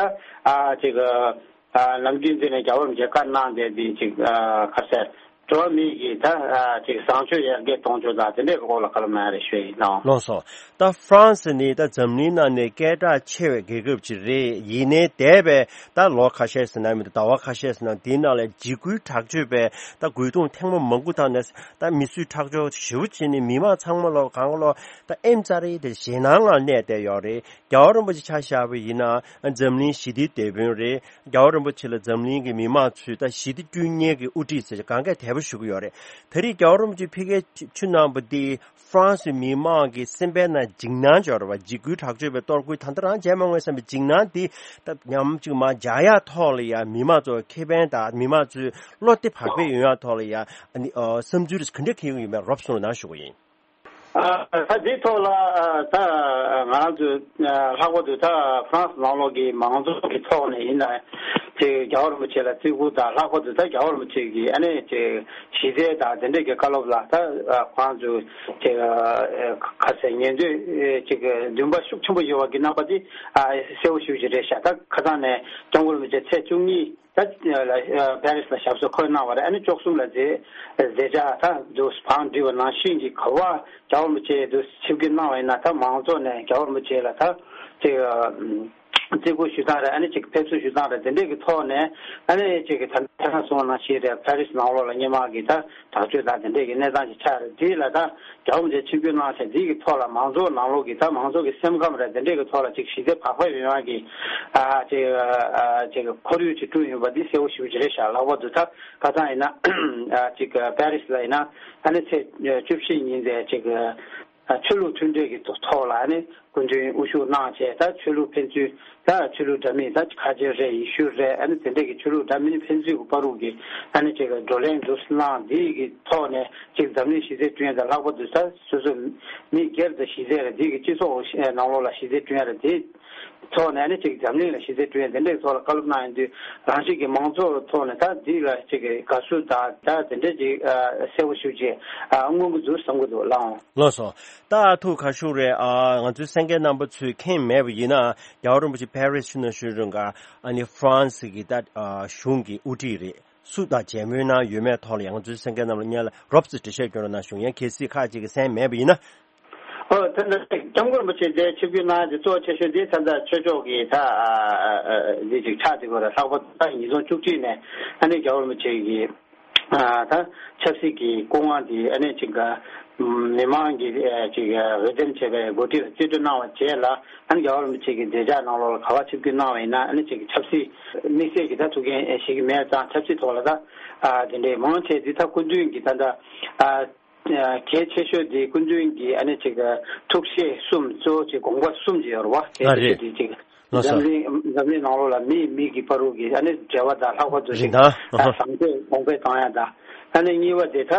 ཨ་ཅིག་ཨ་ནམ་རྒྱུན་འདི་ནས་རྒྱལ་བ་རིན་པོ་ཆེ་བཀའ་གནང་བསྡད་དེ་ཅིག་ཨ་ག་རེ་ཟེར། འགྲོ་བ་མི་གི་ད་ཨ་ཅིག་བཟང་སྤྱོད་ཡར་རྒྱས་གཏོང་ཕྱོགས་དང་དེ་འདྲའི་སྐོར་ལ་བཀའ་སློབ་གནང་ཡ་རེད་ཞུ་ཡ་ཡིན་ལགས། ལགས་སོ། ད་ཧྥ་རན་སི་ནི་ད་འཛམ་གླིང་ནང་ནས་སྐད་གྲགས་ཆེ་བའི་རྒྱལ་ཁབ་ཅིག་རེད། ཡིན་ནའི་འདས་པའི་ད་ལོ་ཁ་ཤས་ཟིན་ན་མི་འདུག་ཟླ་བ་ཁ་ཤས་ཟིན་ན་འདིའི་ནང་ལ་འཇིགས་སྐུལ་དྲག་སྤྱོད་པའི་ད་རྒོལ་རྡུང་ཐེངས་མ་མང་པོ་བཏང་ནས་ད་མི་གསོད་ཁྲག་སྦྱོར་ཞེ་པོ་བྱས་ནས་མི་མང་ཚང་མ་ལོ་གང་ལོ་ད་ཨེམ་ཙ་རེ་དེ་ཞེད་སྣང་ངང་གནས་བསྡད་ཡོད་རེད། རྒྱལ་བ་རིན་པོ་ཆེ་ཆ་བཞག་པ་ཡིན་ན་འཛམ་གླིང་ཞི་བདེའི་དེད་དཔོན་རེད། རྒྱལ་བ་རིན་པོ་ཆེ་ལ་འཛམ་གླིང་གི་མི་མང་ཚོས་ད་ཞི་བདེ་བསྐྲུན་མཁན་གྱི་དབུ་ཁྲིད་ཟེར་གང་གས་དད་པ་ཞུ་གི་ཡོད་རེད། ད་རེས་རྒྱལ་བ་རིན་པོ་ཆེ་ཕ་གིར་བྱོན་གནང་པ་འདི་ཧྥ་རན་སི་མི་མང་གི་སེམས་པའི་ནང་འཇིགས་སྣང་འབྱོར་བ། འཇིགས་སྐུལ་དྲག་སྤྱོད་པའི་གཏོར་རྒོལ་ད་ལྟ་རང་བྱས་མ་མྱོང་བསམ་པའི་འཇིགས་སྣང་འདི་ད་ཉམས་ཅིག་མར་འཇགས་ཡག་ཐོག་ལ་ཡང་མི་མང་ཚོ་ཁེ་ཕན་དང་མི་མང་ཚོའི་བློ་བདེ་བག་ཕེབས་ཡོང་ཡག་ཐོག་ལ་ཡང་ཨ་ནི་ཨ་བསམ་ཚུལ་ག་འདྲ་འཁྱེར་གྱི་ཡོད་མེད་རོབ་ཙམ་གནང་ཞུ་གི་ཡིན། ཨ་ད་འདིའི་ཐོག་ལ་ཨ་ད་ང་རང་ཚོས་ཨ་ལྷག་པར་དུ་ད་ཧྥ་རན་སི་ནང་ལོགས་ཀྱི་མང་ཚོགས་ཀྱི་ཐོག་ནས་ཡིན་ན་དེ་རྒྱལ་བ་རིན་པོ་ཆེ་ལ་བརྩི་བཀུར་དང་ལྷག་པར་དུ་ད་རྒྱལ་བ་རིན་པོ་ཆེ་གི་ཨ་ནི་དེ་ཞི་བདེ་དང་དེ་འདྲས་ཀྱི་བཀའ་སློབ་ལ་ད་ཨ་ཁོ་རང་ཚོས་དེ་ཨ་ཁ་ཟས་ཉན་འདོད་ཅིག་འདུན་པ་ཤུགས་ཆེན་པོ་ཡོད་པ་གི་རྣམ་པ་དེ་ཨ་གསལ་པོ་ཞེ་པོ་ཅིག་རེད་ཤག་ད་ཁ་སང་ནས་སྐྱབས་མགོན་རིན་པོ་ཆེ་ཚེས་བཅུ་གཉིས། ད་ལ་ཨ་པེ་རི་སི་ལ་ཞབས་སོར་འཁོད་གནང་བ་རེད། ཨ་ནི་བཅུ་གསུམ་ལ་མཛད་མཛད་བྱ་ད་དུ་བང་སྒྲིག་པ་ནང་བཞིན་གྱི་ག་པར་རྒྱལ་བ་རིན་པོ་ཆེ་དུ་ཆིབས་བསྒྱུར་གནང་བ་ཡིན་ན་ད་མང་ཚོགས་ནས་རྒྱལ་བ་རིན་པོ་ཆེ་ལ་ད་ཅིག་ཨ་བརྩི་བཀུར་ཞུ་སྟངས་རེད། ཨ་ནི་ཅིག་ཕེབས་བསུ་ཞུ་སྟངས་རེད། དེ་འདྲས་ཀྱི་ཐོག་ནས་ཨ་ནི་ཅིག་ད་ཐེངས་གསུངས་པ་ནང་བཞིན་རེད། པེ་རི་སི་ནང་ལོགས་ལ་སྔོན་མ་གི་ད་དྲག་སྤྱོད་དང་དེ་འདྲས་ཀྱི་གནས་སྟངས་ཅིག་ཆགས་རེད། དེ་ལ་ད་རྒྱལ་བ་རིན་པོ་ཆེ་ཆིབས་བསྒྱུར་གནང་བྱས་འདི་གི་ཐོག་ལ་མང་ཚོགས་ནང་ལོགས་ཀྱི་ད་མང་ཚོགས་ཀྱི་སེམས་ཁམས་རེད། དེ་འདྲས་ཀྱི་ཐོག་ལ་ཅིག་ཞི་བདེ་བག་ཕེབས་ཡོང་ཡག་གི་ཨ་ཅིག་ཨ་ཅིག་ཁོར་ཡུག་ཅིག་བསྐྲུན་ཡོད་པ་འདི་གསལ་པོ་ཞེ་པོ་ཅིག་རེད་ཤག་ལྷག་པར་དུ་ད་ཁ་སང་ཡིན་ན་ཨ་ཅིག་པེ་རི་སི་ལ་ཡིན་ན་ཨ་ནི་ཚེས་བཅུ་བཞི་ཉིན་དེ་ཅིག་ཨ་ཆོས་ལུགས་མཐུན་འབྲེལ་གྱི་ཐོག་ལ་ཨ་ནི་སྐུ་མདུན་དབུ་བཞུགས་གནང་བྱས་ད་ཆོས་ལུགས་ཕན་ཚུན་ད་ཆོས་ལུགས་འདྲ་མིན་ད་ཁ་ཆེ་རེད། ཡེ་ཤུ་རེད། ཨ་ནི་དེ་འདྲས་ཀྱི་ཆོས་ལུགས་འདྲ་མིན་ཕན་ཚུན་གྱི་བར་དུ་གི་ཨ་ནི་ཅིག་བགྲོ་གླེང་འདུག་སེ་གནང་འདི་གི་ཐོག་ནས་ཅིག་འཛམ་གླིང་ཞི་བདེ་བསྐྲུན་ཡ་དང་ལྷག་པར་དུ་ད་སོ་སོ་མི་སྒེར་དང་ཞི་བདེ་རེད། འདི་གི་སྤྱི་ཚོགས་ནང་ལོགས་ལ་ཞི་བདེ་བསྐྲུན་ཡ་རེད། དེ་ཐོག་ནས་ཨ་ནི་ཅིག་འཛམ་གླིང་ལ་ཞི་བདེ་བསྐྲུན་ཡ་དེ་འདྲའི་ཐོག་ལ་བཀའ་སློབ་གནང་ཡོང་དུས་རང་བཞིན་གྱི་མང་ཚོགས་ཐོག་ནས་ད་འདི་ལ་ཅིག་དགའ་བསུ་དང་ད་དེ་འདྲའི་ཅིག་གསལ་པོ་ཞེ་པོ་ཅིག་མངོན་གྱི་འདུག་བསམ་གྱི་འདུག་ལགས། ལགས་སོ། ད་ཐུགས་ཁ་ཤུགས་རེད། ཨ་ང་ཚོའི་གསན་མཁན་རྣམ་པ་ཚོས་མཁྱེན་མེད་པ་ཡིན་ན་རྒྱལ་བ་རིན་པོ་ཆེ་པེ་རི་སི་ཕྱི་ནང་བཞུགས་རིང་ག་ཨ་ནི་ཧྥ་རན་སི་གི་ད་གཞུང་གི་དབུ་ཁྲིད་རེད། སུ་དང་མཇལ་མོལ་གནང་ཡོད་མེད་ཐོག་ལ་ཡང་ང་ཚོའི་གསན་མཁན་རྣམས་ལ་སྔོན་ལ་རོབ་ཙམ་འགྲེལ་བཤད་སྐྱོན་རོགས་གནང་ཞུ། ཡང་གལ་སྲིད་ཁག་ཅིག་གིས་གསན་མེད་པ་ཡིན་ན། ཨོ་ད་ལྟ་སྐྱབས་མགོན་རིན་པོ་ཆེ་འདིར་ཆིབས་བསྒྱུར་གནང་རྒྱུ་གཙོ་ཆེ་ཤོས་འདི་ད་ལྟ་ཆོས་ཕྱོགས་ཀྱི་ད་འདི་ཅིག་ཆགས་བསྡད་ཡོད་རེད། ལྷག་པར་དུ་ད་ཉིས་སྟོང་བཅུ་གཅིག་ནས་ཨ་ནི་རྒྱལ་བ་རིན་པོ་ཆེ་གི་ད་ཆབ་སྲིད་ཀྱི་སྐུ་དབང་འདི་ཨ་ནི་ཅིག་མི་མང་གིས་ཅིག་འོས་འདེམས་བྱས་པའི་འགོ་ཁྲིད་ལ་རྩིས་སྤྲོད་གནང་བ་རྗེས་ལ་ཨ་ནི་རྒྱལ་བ་རིན་པོ་ཆེ་གི་མཛད་འཆར་ནང་ལོགས་ལ་ག་པར་ཆིབས་བསྒྱུར་གནང་བ་ཡིན་ན་ཨ་ནི་ཅིག་ཆབ་སྲིད་དམིགས་བསལ་གྱི་ད་ཐུགས་འགན་བཞེས་ཀྱི་མེད་ཙང་ཆབ་སྲིད་ཐོག་ལ་ད་དེ་འདྲའི་མང་ཆེ་འདི་ད་སྐུ་མདུན་གྱི་ད་ལྟ། གལ་ཆེ་ཤོས་དེ་སྐུ་མདུན་གྱི་ཨ་ནི་ཅིག་ཐུགས་བཞེད་གསུམ་གཙོ་བོ་ཅིག་དགོངས་པ་གསུམ་ཅིག་ཡོད་རེད་བ། གལ་ཆེ་ཤོས་དེ་ཅིག་ ལགས་སོ། འཛམ་གླིང་འཛམ་གླིང་ནང་ལོགས་ལ་མིའི་མི་གི་བར་དུ་གི་ཨ་ནི་འབྲེལ་བ་དང་ལྷག་པར་དུ་རིན་ཞིང་ཐང་། ཨ་ཧ། བཟང་སྤྱོད་གོང་འཕེལ་གཏོང་ཡ་དང་། ཨ་ནི་གཉིས་པ་དེ་ད་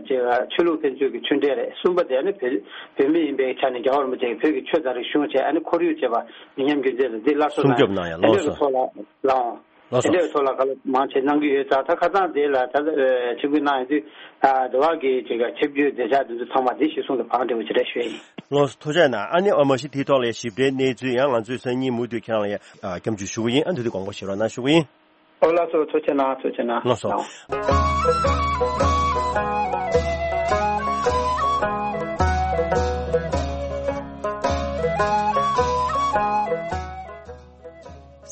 ཅེས་ཆོས་ལུགས་ཕན་ཚུན་གྱི་མཐུན་འབྲེལ་རེད། གསུམ་པ་དེ་ཨ་ནི་བོད་བོད་མི་ཡིན་པའི་ཆ་ནས་རྒྱལ་བ་རིན་པོ་ཆེ་གིས་བོད་ཀྱི་ཆོས་དང་རིག་གཞུང་བཅས་ཨ་ནི་ཁོར་ཡུག་བཅས་པ་མི་ཉམས་རྒྱུན་འཛིན་ལ་འདི་སླར་གསོ་སྲུང་གནང་ཡ་སྐྱོབ་གནང་ཡ་དེ་ལོ་འདྲ་གི་སོ། ཐོག་ལ་ལའང་ལགས་དེ་སོ། འདྲ་གི་ཐོག་ལ་ག་ལ་མང་ཆེ་གནང་གི་ཡོད་ཙང་ད་ཁ་སང་དེ་ལ་ད་ཆིབས་བསྒྱུར་གནང་ཡོད་དུས་ད་དེ་བ་གི་ཅིག་ཆིབས་བསྒྱུར་མཛད་འཆར་དེ་ཚོ་ཚང་མ་དེ་གཞིར་བཟུང་དུ་བང་སྒྲིག་པ་ཅིག་རེད་ཞུ་ཡ་ཡིན། ལགས་སོ། ཐུགས་རྗེ་གནང་། ཨ་ནི་ཨ་མ་གཞི་དེའི་ཐོག་ལ་ཞིབ་ཕྲའི་གནས་ཚུལ་ཡང་ང་ཚོའི་སང་ཉིན་མུ་མཐུད་ཁྱེད་རང་ལ་ཡ་ཨ་སྐྱབས་འཇུག་ཞུ་གི་ཡིན། ཨ་འདི་དུས་དགོངས་པ་བཞེས་རོགས་གནང་ཞུ་གི་ཡིན། ཨོ་ལགས་སོ། ཐུགས་རྗེ་གནང་། ཐུགས་རྗེ་གནང་། ལགས་སོ། ལགས།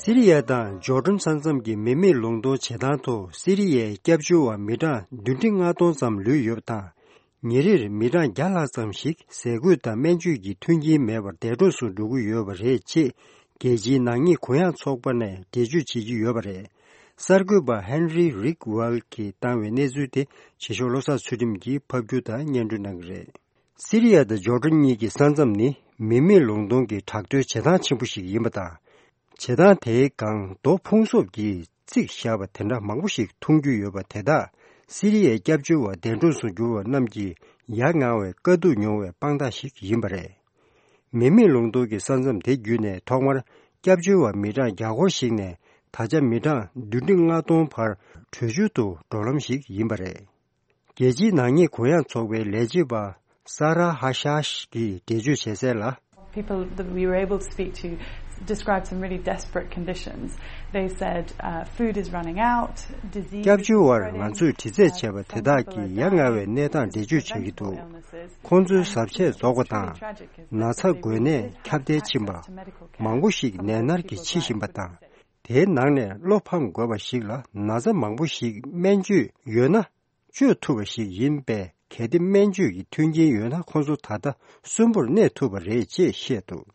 སི་རི་ཡ་དང་ཇོར་ཌན་ས་མཚམས་ཀྱི་མི་མེད་ལུང་སྟོང་བྱེད་སྟངས་ཐོག་སི་རི་ཡའི་སྐྱབས་བཅོལ་བ་མི་གྲངས་བདུན་ཁྲི་ལྔ་སྟོང་ཙམ་ལུས་ཡོད་པ་དང་། ཉིན་རེར་མི་གྲངས་བརྒྱ་ལྷག་ཙམ་ཞིག་ཟས་གོས་དང་སྨན་བཅོས་ཀྱི་མཐུན་རྐྱེན་མེད་པར་འདས་གྲོངས་སུ་འགྲོ་གི་ཡོད་པ་རེད་ཅེས་རྒྱལ་སྤྱིའི་ནག་ཉེས་གུ་ཡངས་ཚོགས་པ་ནས་འགྲེལ་བརྗོད་བྱེད་ཀྱི་ཡོད་པ་རེད། གསར་འགོད་པ་ཧན་རི་རིག་ཝལ་གྱིས་བཏང་བའི་གནས་ཚུལ་དེ་བྱེད་ཤོག་བློ་བཟང་ཚུལ་ཁྲིམས་ཀྱིས་ཕབ་སྒྱུར་དང་སྙན་སྒྲོན་གནང་གི་རེད། སི་རི་ཡ་དང་ཇོར་ཌན་གཉིས་ཀྱི་ས་མཚམས་ནི་མི་མེད་ལུང་སྟོང་གི་བྲག་རྡོའི་བྱེ་ཐང་ཆེན་པོ་ཞིག་ཡིན་པ་དང་། བྱེ་ཐང་དེའི་སྒང་རྡོ་ཕུང་གསོབ་ཀྱིས་བརྩིགས་བཞག་པ་དེ་འདྲ་མང་པོ་ཞིག་མཐོང་རྒྱུ་ཡོད་པ་དེ་དག་སི་རི་ཡའི་སྐྱབས་བཅོལ་བ་འདས་གྲོངས་སུ་གྱུར་བ་རྣམས་ཀྱིས་ཡ་ང་བའི་དཀའ་སྡུག་མྱོང་བའི་དཔང་རྟགས་ཤིག་ཡིན་པ་རེད། མི་མེད་ལུང་སྟོང་གི་ས་མཚམས་དེ་བརྒྱུད་ནས་ཐོག་མར་སྐྱབས་བཅོལ་བ་མི་གྲངས་བརྒྱ་སྐོར་ཞིག་ནས་ད་ཆ་མི་གྲངས་བདུན་ཁྲི་ལྔ་སྟོང་བར་བྲོས་བྱོལ་དུ་འགྲོ་ལམ་ཞིག་ཡིན་པ་རེད། རྒྱལ་སྤྱིའི་ནག་ཉེས་གུ་ཡངས་ཚོགས་པའི་ལས་བྱེད་པ་ས་ར་ཧ་ཤཱཤ་གིས་འགྲེལ་བརྗོད་བྱས་གསལ་ལ། People that we were able to speak to described some really desperate conditions. They said, uh, food is running out, disease is spreading, cancer, suicide, some people are dying of mental illnesses. It's truly tragic if you read the reports. It's very tragic if you read the reports. Spreading to medical care. སྐྱབས་བཅོལ་བར་ང་ཚོས་དྲི་རྩད་བྱས་པ་དེ་དག་གིས་ཡ་ང་བའི་གནས་སྟངས་འགྲེལ་བརྗོད་བྱེད་ཀྱི་འདུག་ཁོང་ཚོའི་ཟབ་ཆས་རྫོགས་པ་དང་། ན་ཚ་འགོས་ནད་ཁྱབ་གདལ་ཕྱིན་པ། མང་པོ་ཞིག་ནད་མནར་གྱིས་འཆི་བཞིན་པ་དང་། དེའི་ནང་ནས་བློ་ཕམ་དགོས་པ་ཞིག་ལ་ན་ཚ་མང་པོ་ཞིག་སྨན་བཅོས་ཡོད་ན། བཅོས་ཐུབ་པ་ཞིག་ཡིན་པས། གལ་ཏེ་སྨན་བཅོས་ཀྱི་མཐུན་རྐྱེན་ཡོད་ན་ཁོང་ཚོ་ད་ལྟ་གསོན་པོར་གནས་ཐུབ་པ་རེད་ཅེས་བཤད་འདུག་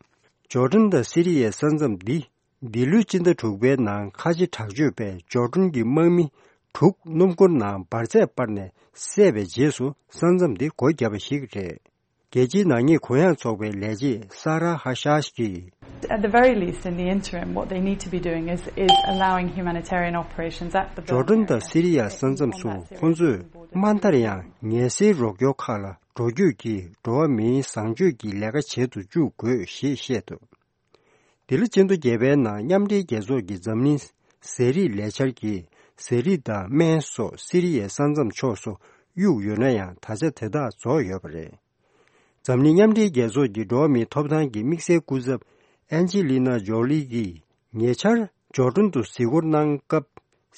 ཇོར་ཌན་དང་སི་རི་ཡའི་ས་མཚམས་འདི་འདི་ལོའི་སྤྱི་ཟླ་དྲུག་པའི་ནང་ཁ་ཆེ་དྲག་སྤྱོད་པས་ཇོར་ཌན་གྱི་དམག་མི་དྲུག་སྣུམ་འཁོར་ནང་འབར་རྫས་སྤར་ནས་བསད་པའི་རྗེས་སུ་ས་མཚམས་འདི་སྒོ་བརྒྱབ་པ་ཞིག་རེད། རྒྱལ་སྤྱིའི་ནག་ཉེས་གུ་ཡངས་ཚོགས་པའི་ལས་བྱེད་ས་ར་ཧ་ཤཱཤ་གིས། At the very least, in the interim, what they need to be doing is, is allowing humanitarian operations at the ཇོར་ཌན་དང་སི་རི་ཡ་ས་མཚམས་སུ་ཁོང་ཚོས་དམའ་མཐར་ཡང་ངལ་སེལ་རོགས་སྐྱོར་ཁག་ལ་འགྲོ་སྐྱོད་ཀྱིས་འགྲོ་བ་མིའི་བཟང་སྤྱོད་ཀྱི་ལས་ཀ་བྱེད་དུ་བཅུག་དགོས་ཞེས་བཤད་འདུག་འདི་ལོ་སྤྱི་ཟླ་བརྒྱད་པའི་ནང་མཉམ་འབྲེལ་རྒྱལ་ཚོགས་ཀྱི་འཛམ་གླིང་ཟས་རིགས་ལས་འཆར་གྱིས་ཟས་རིགས་དང་སྨན་སོགས་སི་རི་ཡའི་ས་མཚམས་ཕྱོགས་སུ་གཡུགས་ཡོད་ན་ཡང་ད་ཆ་དེ་དག་རྫོགས་ཡོད་པ་རེད། འཛམ་གླིང་མཉམ་འབྲེལ་རྒྱལ་ཚོགས་ཀྱི་འགྲོ་བ་མིའི་ཐོབ་ཐང་གི་དམིགས་བསལ་སྐུ་ཚབ་ཨན་ཇི་ལི་ན་ཇོ་ལི་གིས་ཉེ་ཆར་ཇོར་ཌན་དུ་གཟིགས་སྐོར་གནང་སྐབས་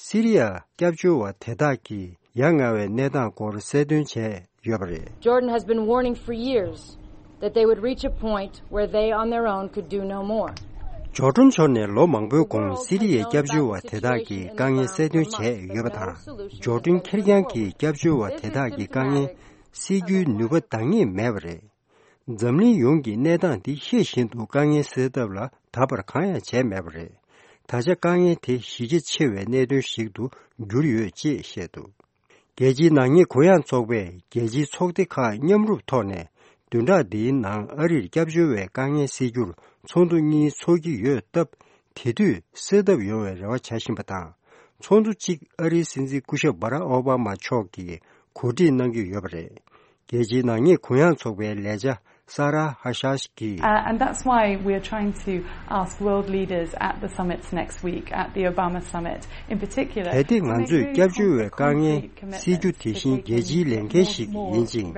སི་རི་ཡ་སྐྱབས་བཅོལ་བ་དེ་དག་གི་ཡ་ང་བའི་གནས་སྟངས་སྐོར་གསལ་སྟོན་བྱས་ཡོད་པ་རེད། Jordan has been warning for years that they would reach a point where they on their own could do no more. ཇོར་ཌན་ཕྱོགས་ནས་ལོ་མང་པོའི་གོང་སི་རི་ཡའི་སྐྱབས་བཅོལ་བ་དེ་དག་གི་དཀའ་ངལ་གསལ་སྟོན་བྱས་ཡོད་པ་དང་། ཇོར་ཌན་ཁེར་རྐྱང་གིས་སྐྱབས་བཅོལ་བ་དེ་དག་གི་དཀའ་ངལ་སེལ་རྒྱུའི་ནུས་པ་འདང་ངེས་མེད་པ་རེད། འཛམ་གླིང་ཡོངས་ཀྱི་གནས་སྟངས་འདི་ཤེས་བཞིན་དུ་དཀའ་ངལ་སེལ་ཐབས་ལ་ད་བར་གང་ཡང་བྱས་མེད་པ་རེད། ད་ཆ་དཀའ་ངལ་དེ་གཞི་རྒྱ་ཆེ་བའི་གནད་དོན་ཞིག་ཏུ་གྱུར་ཡོད་ཅེས་བཤད་འདུག་རྒྱལ་སྤྱིའི་ནག་ཉེས་གུ་ཡངས་ཚོགས་པས་རྒྱལ་སྤྱིའི་ཚོགས་སྡེ་ཁག་མཉམ་རུབ་ཐོག་ནས་བདུན་ཕྲག་འདིའི་ནང་ཨ་རིར་སྐྱབས་བཅོལ་བའི་དཀའ་ངལ་སེལ་རྒྱུར་ཚོགས་འདུ་གཉིས་འཚོགས་ཀྱི་ཡོད་སྟབས། དེ་དུས་སེལ་ཐབས་ཡོང་བའི་རེ་བ་བྱ་བཞིན་པ་དང་། ཚོགས་འདུ་གཅིག་ཨ་རིའི་སྲིད་འཛིན་སྐུ་ཞབས་བྷ་རག་ཨོ་བྷ་མ་མཆོག་གིས་གོ་སྒྲིག་གནང་གི་ཡོད་པ་རེད། རྒྱལ་སྤྱིའི་ནག་ཉེས་གུ་ཡངས་ཚོགས་པའི་ལས་བྱ་ས་ར་ཧ་ཤཱཤ་གིས། Uh, and that's why we are trying to ask world leaders at the summits next week, at the Obama summit in particular. གལ་ཏེ་ང་ཚོས་སྐྱབས་བཅོལ་བའི་དཀའ་ངལ་སེལ་རྒྱུ་དེ་བཞིན་རྒྱལ་སྤྱིའི་ལས་འགན་ཞིག་ཡིན་ཅིང་།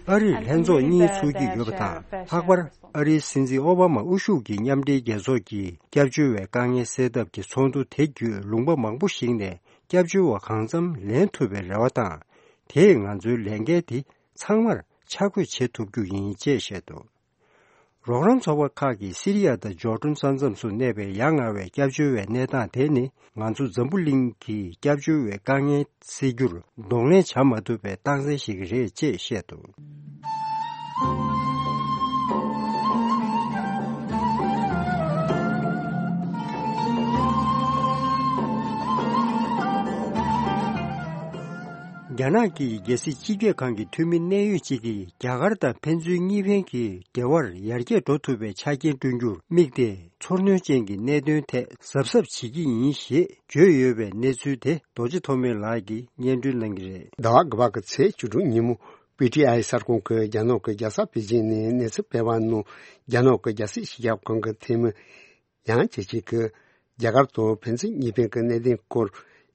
ཨ་རིར་ལྷན་ཚོགས་གཉིས་ཚོགས་ཀྱི་ཡོད་པ་དང་། ལྷག་པར་ཨ་རིའི་སྲིད་འཛིན་ཨོ་བྷ་མ་དབུ་བཞུགས་ཀྱི་མཉམ་འབྲེལ་རྒྱལ་ཚོགས་ཀྱིས་སྐྱབས་བཅོལ་བའི་དཀའ་ངལ་སེལ་ཐབས་ཀྱི་ཚོགས་འདུ་དེ་བརྒྱུད་ལུང་པ་མང་པོ་ཞིག་ནས་སྐྱབས་བཅོལ་བ་གང་འཚམ་ལེན་ཐུབ་པའི་རེ་བ་དང་། དེས་ང་ཚོའི་ལས་འགན་དེ་ཚང་མར་ཆ་བགོས་བྱེད་ཐུབ་རྒྱུ་ཡིན་ཅེས་བཤད་འདུག་རོགས་རམ་ཚོགས་པ་ཁག་གིས་སི་རི་ཡ་དང་ཇོར་ཌན་ས་མཚམས་སུ་གནས་པའི་ཡ་ང་བའི་སྐྱབས་བཅོལ་བའི་གནས་སྟངས་དེ་ནི་ང་ཚོ་འཛམ་བུ་གླིང་གི་སྐྱབས་བཅོལ་བའི་དཀའ་ངལ་སེལ་རྒྱུར་གདོང་ལེན་བྱ་མ་ཐུབ་པའི་རྟགས་མཚན་ཞིག་རེད་ཅེས་བཤད་འདུག་རྒྱ་ནག་གི་རྒྱལ་སྲིད་སྤྱི་ཁྱབ་ཁང་གི་འཐུས་མི་གནད་ཡོད་ཅིག་གིས་རྒྱ་གར་དང་ཕན་ཚུན་གཉིས་ཕན་གྱི་འབྲེལ་བར་ཡར་རྒྱས་འགྲོ་ཐུབ་པའི་ཆ་རྐྱེན་བསྐྲུན་རྒྱུར་དམིགས་ཏེ། ཚོར་སྣང་ཅན་གྱི་གནད་དོན་ཐད་གཟབ་གཟབ་བྱེད་ཀྱི་ཡིན་ཞེས་བརྗོད་ཡོད་པའི་གནས་ཚུལ་དེ་རྡོ་རྗེ་ཐོགས་མེད་ལགས་ཀྱིས་སྙན་སྒྲོན་གནང་གི་རེད། ཟླ་བ་དགུ་པ་གི་ཚེས་བཅུ་དྲུག་ཉིན་མོ། པི་ཊི་ཨའི་གསར་ཁང་གིས་རྒྱ་ནག་གི་རྒྱལ་ས་པེ་ཅིང་ནས་གནས་ཚུལ་སྤེལ་བ་ནང་། རྒྱ་ནག་གི་རྒྱལ་སྲིད་སྤྱི་ཁྱབ་ཁང་གི་འཐུས་མི་ཡང་ཅིན་ཅིན་གྱིས་རྒྱ་གར་དང་ཕན་ཚུན་གཉིས་ཕན་གྱི་གནད་དོན་སྐོར་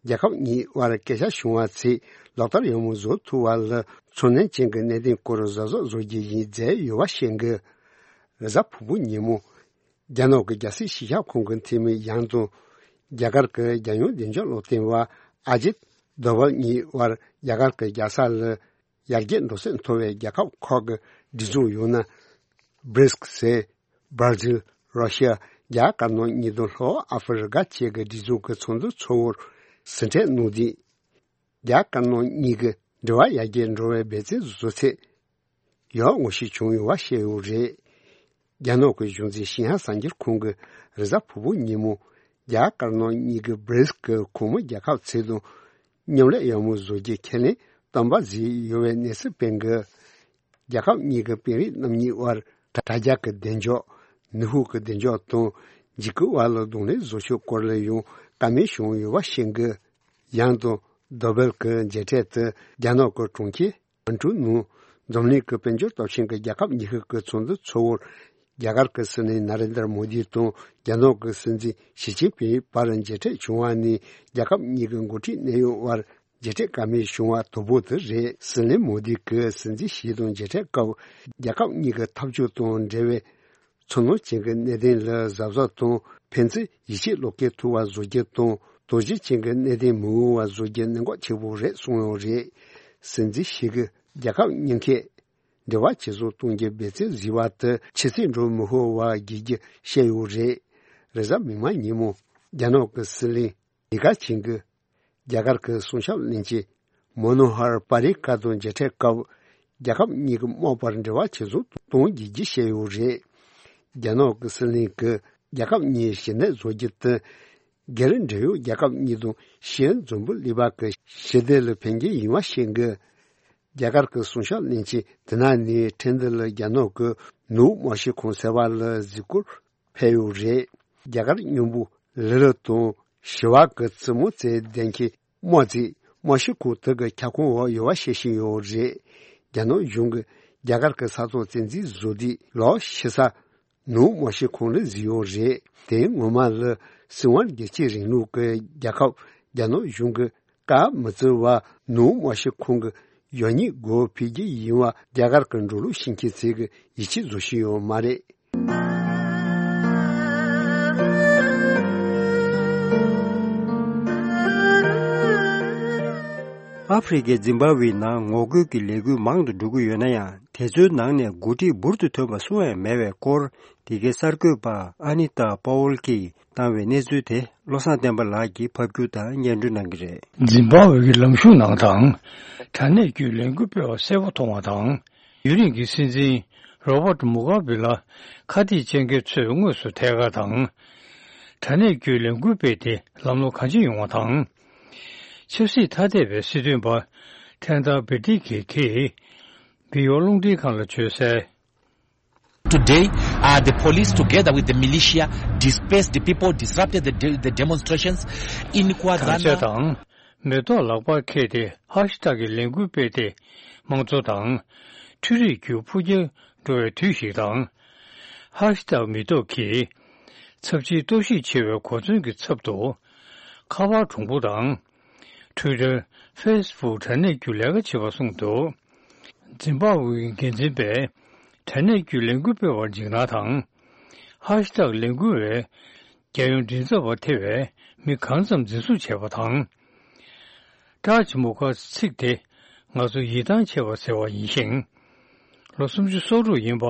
རྒྱལ་ཁབ་གཉིས་དབར་སྐད་ཆ་བྱུང་བ་ཚེ་ལག་བསྟར་ཡག་མོ་བཟོ་ཐུབ་པ་ལ་ཚོར་སྣང་ཅན་གྱི་གནད་དོན་སྐོར་གཟབ་གཟབ་བཟོ་རྒྱུ་ཡིན་མཛད་ཡོད་པ་ཤེས་དགོས། རེས་གཟའ་ཕུར་བུ་ཉིན་མོ། རྒྱ་ནག་གི་རྒྱལ་སྲིད་སྤྱི་ཁྱབ་ཁང་གི་འཐུས་མི་ཡང་དང་། རྒྱ་གར་གྱི་རྒྱལ་ཡོངས་བདེ་འཇགས་སློབ་སྟོན་པ་ཨ་ཇིད་དོ་བལ་གཉིས་དབར་རྒྱ་གར་གྱི་རྒྱལ་ས་ལ་ཡར་རྒྱས་འགྲོ་སོན་མཐོ་བའི་རྒྱལ་ཁབ་ཁག་གི་སྒྲིག་འཛུགས་ཡང་ན་བྷི་རིགས་ཟེར། བྷར་ཛིལ། རོ་ཤི་ཡ། རྒྱ་དཀར་ནག་གཉིས་དང་ལྷོ་ཨ་ཧྥེ་རི་ཀ་བཅས་ཀྱི་སྒྲིག་འཛུགས་ཀྱི་ཚོགས་འདུ་ཚོགས་པར་ཟིན་བྲིས་གནང་དུས། རྒྱ་དཀར་ནག་གཉིས་ཀྱི་འབྲེལ་བ་ཡར་རྒྱས་འགྲོ་བའི་འབད་བརྩོན་བཟོ་ཚད་ཡང་ངོ་ཤེས་བྱུང་ཡོད་པ་བཤད་ཡོད་རེད། རྒྱ་ནག་གི་གཞུང་འཛིན་ཤིན་ཧྭ་གསར་འགྱུར་ཁང་གིས་རེས་གཟའ་ཕུར་བུ་ཉིན་མོ་རྒྱ་དཀར་ནག་གཉིས་ཀྱི་བྷི་རིགས་ཀྱི་ཁོངས་མི་རྒྱལ་ཁབ་ཚོ་དང་མཉམ་ལས་ཡག་མོ་བཟོ་རྒྱུ་ཁས་ལེན་གཏམ་པ་བཟོས་ཡོད་པའི་གནས་ཚུལ་སྤེལ་འདུག་རྒྱལ་ཁབ་གཉིས་ཀྱི་དཔོན་རིགས་རྣམ་གཉིས་དབར་དྲ་རྒྱ་གི་བདེ་འཇགས། ནུས་ཤུགས་ཀྱི་བདེ་འཇགས་དང་འཇིགས་སྐུལ་བར་ལ་གདོང་ལེན་བཟོ་ཕྱོགས་སྐོར་ལ་ཡང་བཀའ་མོལ་བྱུང་ཡོད་པ་ཤེས་འདུག་ཡང་དང་། དོ་བལ་གྱི་མཇལ་འཕྲད་དུ་རྒྱ་ནག་གི་གྲོང་ཁྱེར་ཁོང་ཀྲུའུ་ནང་འཛམ་གླིང་གི་དཔལ་འབྱོར་སྟོབས་ཆེན་གྱི་རྒྱལ་ཁབ་ཉི་ཤུ་གི་ཚོགས་འདུ་ཚོགས་པར་རྒྱ་གར་གྱི་སྲིད་བློན་ན་རེན་དར་མོ་དི་དང་རྒྱ་ནག་གི་སྲིད་འཛིན་ཞི་ཅིན་ཕིང་བར་མཇལ་འཕྲད་བྱུང་བ་ནི་རྒྱལ་ཁབ་གཉིས་ཀྱི་འགོ་ཁྲིད་གནད་ཡོད་དབར་མཇལ་འཕྲད་བཀའ་མོལ་བྱུང་བ་དང་པོ་དེ་རེད། སྲིད་བློན་མོ་དི་གིས་སྲིད་འཛིན་ཞི་དང་མཇལ་འཕྲད་སྐབས་རྒྱལ་ཁབ་གཉིས་ཀྱི་འཐབ་ཇུས་དང་འབྲེལ་བའི་ཚོར་སྣང་ཅན་གྱི་གནད་དོན་ལ་གཟབ་གཟབ་དང་ཕན་ཚུན་ཡིད་ཆེས་བློ་འགེལ་ཐུབ་པ་བཟོ་རྒྱུ་དང་དོ་རྒྱུན་ཅན་གྱི་གནད་དོན་མི་འོང་བ་བཟོ་རྒྱུ་གནད་འགག་ཆེ་པོ་རེད་གསུངས་ཡོད་རེད། སྲིད་འཛིན་ཞི་གིས་རྒྱལ་ཁབ་གཉིས་ཀས་འབྲེལ་བ་ཇེ་བཟང་གཏོང་རྒྱུའི་འབད་བརྩོན་བཟོས་པ་དེ་ཕྱི་ཚུལ་འགྲོ་མི་ཤེས་པ་དགོས་རྒྱུ་བཤད་ཡོད་རེད། རེས་གཟའ་མིག་དམར་ཉིན་མོ་རྒྱ་ནག་གི་སྲིད་བློན་ལི་ཁེ་ཆང་གིས་རྒྱ་གར་གྱི་སྲུང་སྐྱོབ་བློན་ཆེན་མོ་ནོ་ཧར་པ་རི་ཀར་དང་མཇལ་འཕྲད་སྐབས་རྒྱལ་ཁབ་གཉིས་ཀྱི་དམག་བར་འབྲེལ་བ་ཇེ་བཟང་གཏོང་རྒྱུ་བཤད་ཡོད་རེད། རྒྱ་ནག་གི་སྲིད་བློན་གྱིས་རྒྱལ་ཁབ་གཉིས་ཞི་གནས་བཟོ་རྒྱུ་དེ་སྒེར་འབྲེལ་ཡོད་རྒྱལ་ཁབ་གཉིས་དང་ཕྱིའི་འཛམ་བུ་གླིང་པ་གི་ཞི་བདེ་ལ་ཕན་གྱི་ཡིན་པ་ཤེས་དགོས། རྒྱ་གར་གྱི་སྲུང་སྐྱོབ་བློན་ཆེན་དེ་ནང་ནས་ཁྲིན་ཏུའུ་ལ་རྒྱ་ནག་གི་ནུབ་དམག་སྤྱི་ཁང་ཟེར་བ་ལ་གཟིགས་སྐོར་ཕེབས་ཡོད་རེད། རྒྱ་གར་མཉོན་པོ་ལི་ལི་དང་ཞི་བ་གི་བཙུན་མོ་བཅས་ལྡན་གྱི་དམག་རྩིས་དམག་སྤྱི་ཁང་དེ་གི་ཁྱབ་ཁོངས་འོག་ཡོད་པ་ཤེས་བཞིན་ཡོད་རེད། རྒྱ་ནག་གཞུང་གིས་རྒྱ་གར་གྱི་ས་ཐོག་བཙན་འཛུལ་བཟོ་དུས་ལོག་ཕྱི་ས་ནུབ་དམག་སྤྱི་ཁང་ལ་གཟིགས་ཡོད་རེད། དེ་སྔོན་མ་ལ་སྲིད་དབང་སྒེར་གཅོད་རིང་ལུགས་ཀྱི་རྒྱལ་ཁབ་རྒྱ་ནག་གཞུང་གིས་བཀའ་མི་བརྩི་བར་ནུབ་དམག་སྤྱི་ཁང་གི་ཡོ་ཉིད་སྒོ་ཕྱེ་རྒྱུ་ཡིན་པ་རྒྱ་གར་གྱི་འགྲོ་ལུགས་ཤེས་མཁན་ཚོས་ཀྱི་ཡིད་ཆེས་བཟོ་བཞིན་ཡོད་མ་རེད། ཨ་ཧྥེ་རི་ཁའི་ཛིམ་བྷ་ཝེའི་ནང་ངོ་རྒོལ་གྱི་ལས་འགུལ་མང་དུ་འགྲོ་གི་ཡོད་ན་ཡང་། དེ་ཚོའི་ནང་ནས་འགོ་ཁྲིད་འབུར་དུ་ཐོན་པ་སུ་ཡང་མེད་པའི་སྐོར། འདི་གའི་གསར་འགོད་པ་ཨ་ནི་ཏཱ་པ་ཝོལ་གྱིས་བཏང་བའི་གནས་ཚུལ་དེ་བློ་བཟང་བསྟན་པ་ལགས་ཀྱིས་ཕབ་སྒྱུར་དང་སྙན་སྒྲོན་གནང་གི་རེད། ཛིམ་བྷ་ཝེ་གི་ལམ་ཞུགས་ནང་དང་། དྲ་གནས་བརྒྱུད་ལས་འགུལ་སྤེལ་བ་གསལ་པོ་མཐོང་བ་དང་། ཡུན་རིང་གི་སྲིད་འཛིན་རོ་བྷར་ཊི་མུ་གྷ་བྷེ་ལ་ཁ་གཏད་བཅག་མཁན་ཚོས་དངོས་སུ་ཐད་ཀར་དང་། དྲ་གནས་བརྒྱུད་ལས་འགུལ་སྤེལ་ཏེ་ལམ་ལྷོང་གང་ཆེ་ཡོང་བ་དང་། ཆབ་སྲིད་ཐ་དད་པའི་སྲིད་དོན་པ་ཐན་ཏར་བི་ཏི་གིས་དེ་བི་ཡོ་རླུང་འཕྲིན་ཁང་ལ་བརྗོད་གསལ། Today, uh, the police, together with the militia, dispersed the people, disrupted the, de- the demonstrations in Kwazana. གངས་ཅན་དང་མེ་ཏོག་ལག་པར་འཁྱེར་ཏེ་ཧ་ཤི་ཏག་གི་ལས་འགུལ་སྤེལ་ཏེ་དམངས་གཙོ་དང་འཕྲུལ་རིག་བརྒྱུད་འཕོ་འགྱུར་འགྲོ་བའི་དུས་ཤིག་དང་། ཧ་ཤི་ཏག་མེ་ཏོག་གིས་ཚབས་ཆེའི་གཏོར་བཤིག་ཆེ་བའི་གོ་མཚོན་གྱི་ཚབ་ཏུ་ཁ་པར་གྲུང་པོ་དང་། Twitter། Facebook དྲ་གནས་བརྒྱུད་ལས་ཀ་བྱེད་པ་གསུངས་འདུག་ཛིམ་བྷ་ཝེ་གི་འགན་འཛིན་པས་དྲ་གནས་བརྒྱུད་ལས་འགུལ་སྤེལ་བར་འཇིགས་སྣང་དང་། ཧ་ཤི་ཏག་ལས་འགུལ་བས་རྒྱལ་ཡོངས་མགྲིན་ཚབ་པ་ཐེ་བའི་མི་གང་ཙམ་འཛིན་བཟུང་བྱས་པ་དང་། ཀྲག་ཅི་མོ་ཁ་ཚིག་དེ་ང་ཚོ་ཡིད་ཐང་ཆད་པ་ཟེར་བ་ཡིན་ཞིང་། ལོ་སུམ་ཅུ་སོ་དྲུག་ཡིན་པ་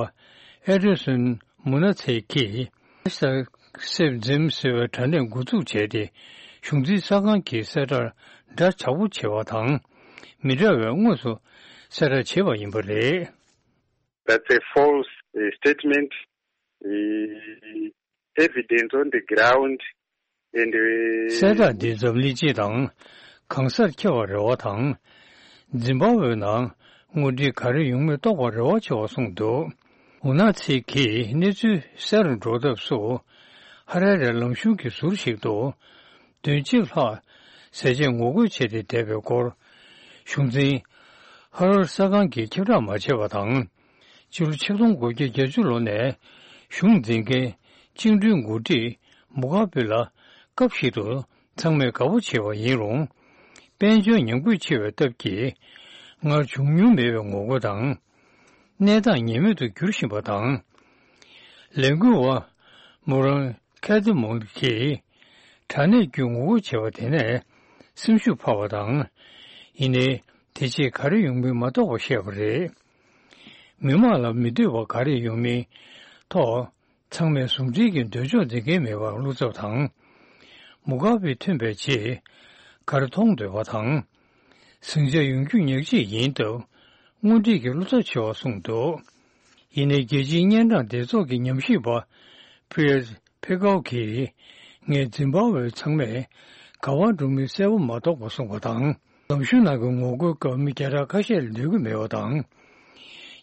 ཨེ་ཌེ་སོན་མུ་ན་ཚེ་གིས་ཧ་ཤི་ཏག་སེབ་ཛིམ་ཟེར་བའི་དྲ་གནས་འགོ་འཛུགས་བྱས་ཏེ། གཞུང་འཛིན་གསར་ཁང་གི་གསལ་བསྒྲགས་འདྲ་ཆགས་པོ་བྱས་པ་དང་། མི་འདྲ་བའི་དངོས་སུ་གསལ་བསྒྲགས་བྱས་པ་ཡིན་པ་རེད། That's a false uh, statement. Uh, evidence on the ground and uh, གསལ་བསྒྲགས་འདི་འཛམ་གླིང་སྤྱི་དང་གང་སར་ཁྱབ་པར་རེ་བ་དང་། ཛིམ་བྷ་ཝེའི་ནང་དངོས་འབྲེལ་ག་རེ་ཡོང་མིན་རྟོགས་པར་རེ་བ་ཆེ་བ་གསུངས་འདུག། ཝུ་ན་ཚེ་གིས་གནས་ཚུལ་གསལ་རུ་འགྲོ་ཐབས་སུ། ཧ་ར་ར་ལམ་གཞུང་གི་ཟུར་ཞིག་ཏུ། བདུན་གཅིག་ལྷག་ཟས་བཅད་ངོ་རྒོལ་བྱས་ཏེ་བསྡད་པའི་སྐོར། གཞུང་འཛིན་ཧ་རར་གསར་ཁང་གིས་ཁྱབ་བསྒྲགས་མ་བྱས་པ་དང་། ཕྱི་ལོ་ཆིག་སྟོང་དགུ་བརྒྱ་བརྒྱད་ཅུ་ལོ་ནས་གཞུང་འཛིན་མཁན་བཅིངས་འགྲོལ་འགོ་ཁྲིད་མུ་གྷ་བེ་ལ་སྐབས་ཤིག་ཏུ་ཚང་མས་དགའ་པོ་བྱས་པ་ཡིན་རུང་། དཔལ་འབྱོར་ཉམས་རྒུད་ཆེ་བའི་སྟབས་ཀྱིས་སྔར་བྱུང་མྱོང་མེད་པའི་ངོ་རྒོལ་དང་། གནས་སྟངས་ངེས་མེད་དུ་འགྱུར་བཞིན་པ་དང་། ལས་འགུལ་བ་མུ་རང་ཁེ་ཏི་མོང་གིས་དྲ་གནས་བརྒྱུད་ངོ་རྒོལ་བྱས་པ་དེ་ནས་སེམས་ཤུགས་འཕར་བ་དང་། ཡིན་ནའི་དེ་རྗེས་ག་རེ་ཡོང་མིན་མ་རྟོགས་པ་བཤད་པ་རེད། མི་མང་ལ་མི་འདོད་པ་ག་རེ་ཡོང་མིན་ཐོག་ཚང་མས་ཟུང་འབྲེལ་གྱི་འདོད་ཕྱོགས་འཛིན་མཁན་མེད་པར་བློ་འཚབ་དང་། མུ་གྷ་བེ་ཐོན་པའི་རྗེས་ག་རེ་མཐོང་འདོད་པ་དང་། ཟིང་ཆ་ཡོང་རྒྱུ་ཉག་གཅིག་ཡིན་སྟབས་དངོས་འབྲེལ་གྱི་བློ་འཚབ་ཆེ་བ་གསུངས་འདུག། ཡིན་ནའི་རྒྱལ་སྤྱིའི་གཉན་འཕྲང་སྡེ་ཚོགས་ཀྱི་ཉམས་ཞིབ་པ་ཕི་ཡེ་ཕེ་ཀའོ་གིས། ངས་ཛིམ་བྷ་ཝེ་ཚང་མས་ག་པར་འགྲོ་མིན་གསལ་པོ་མ་རྟོགས་པ་གསུངས་པ་དང་། ལམ་གཞུང་ནང་གི་ངོ་རྒོལ་སྐབས་མི་བརྒྱ་ཕྲག་ཁ་ཤས་ལས་སྡོད་ཀྱི་མེད་པ་དང་།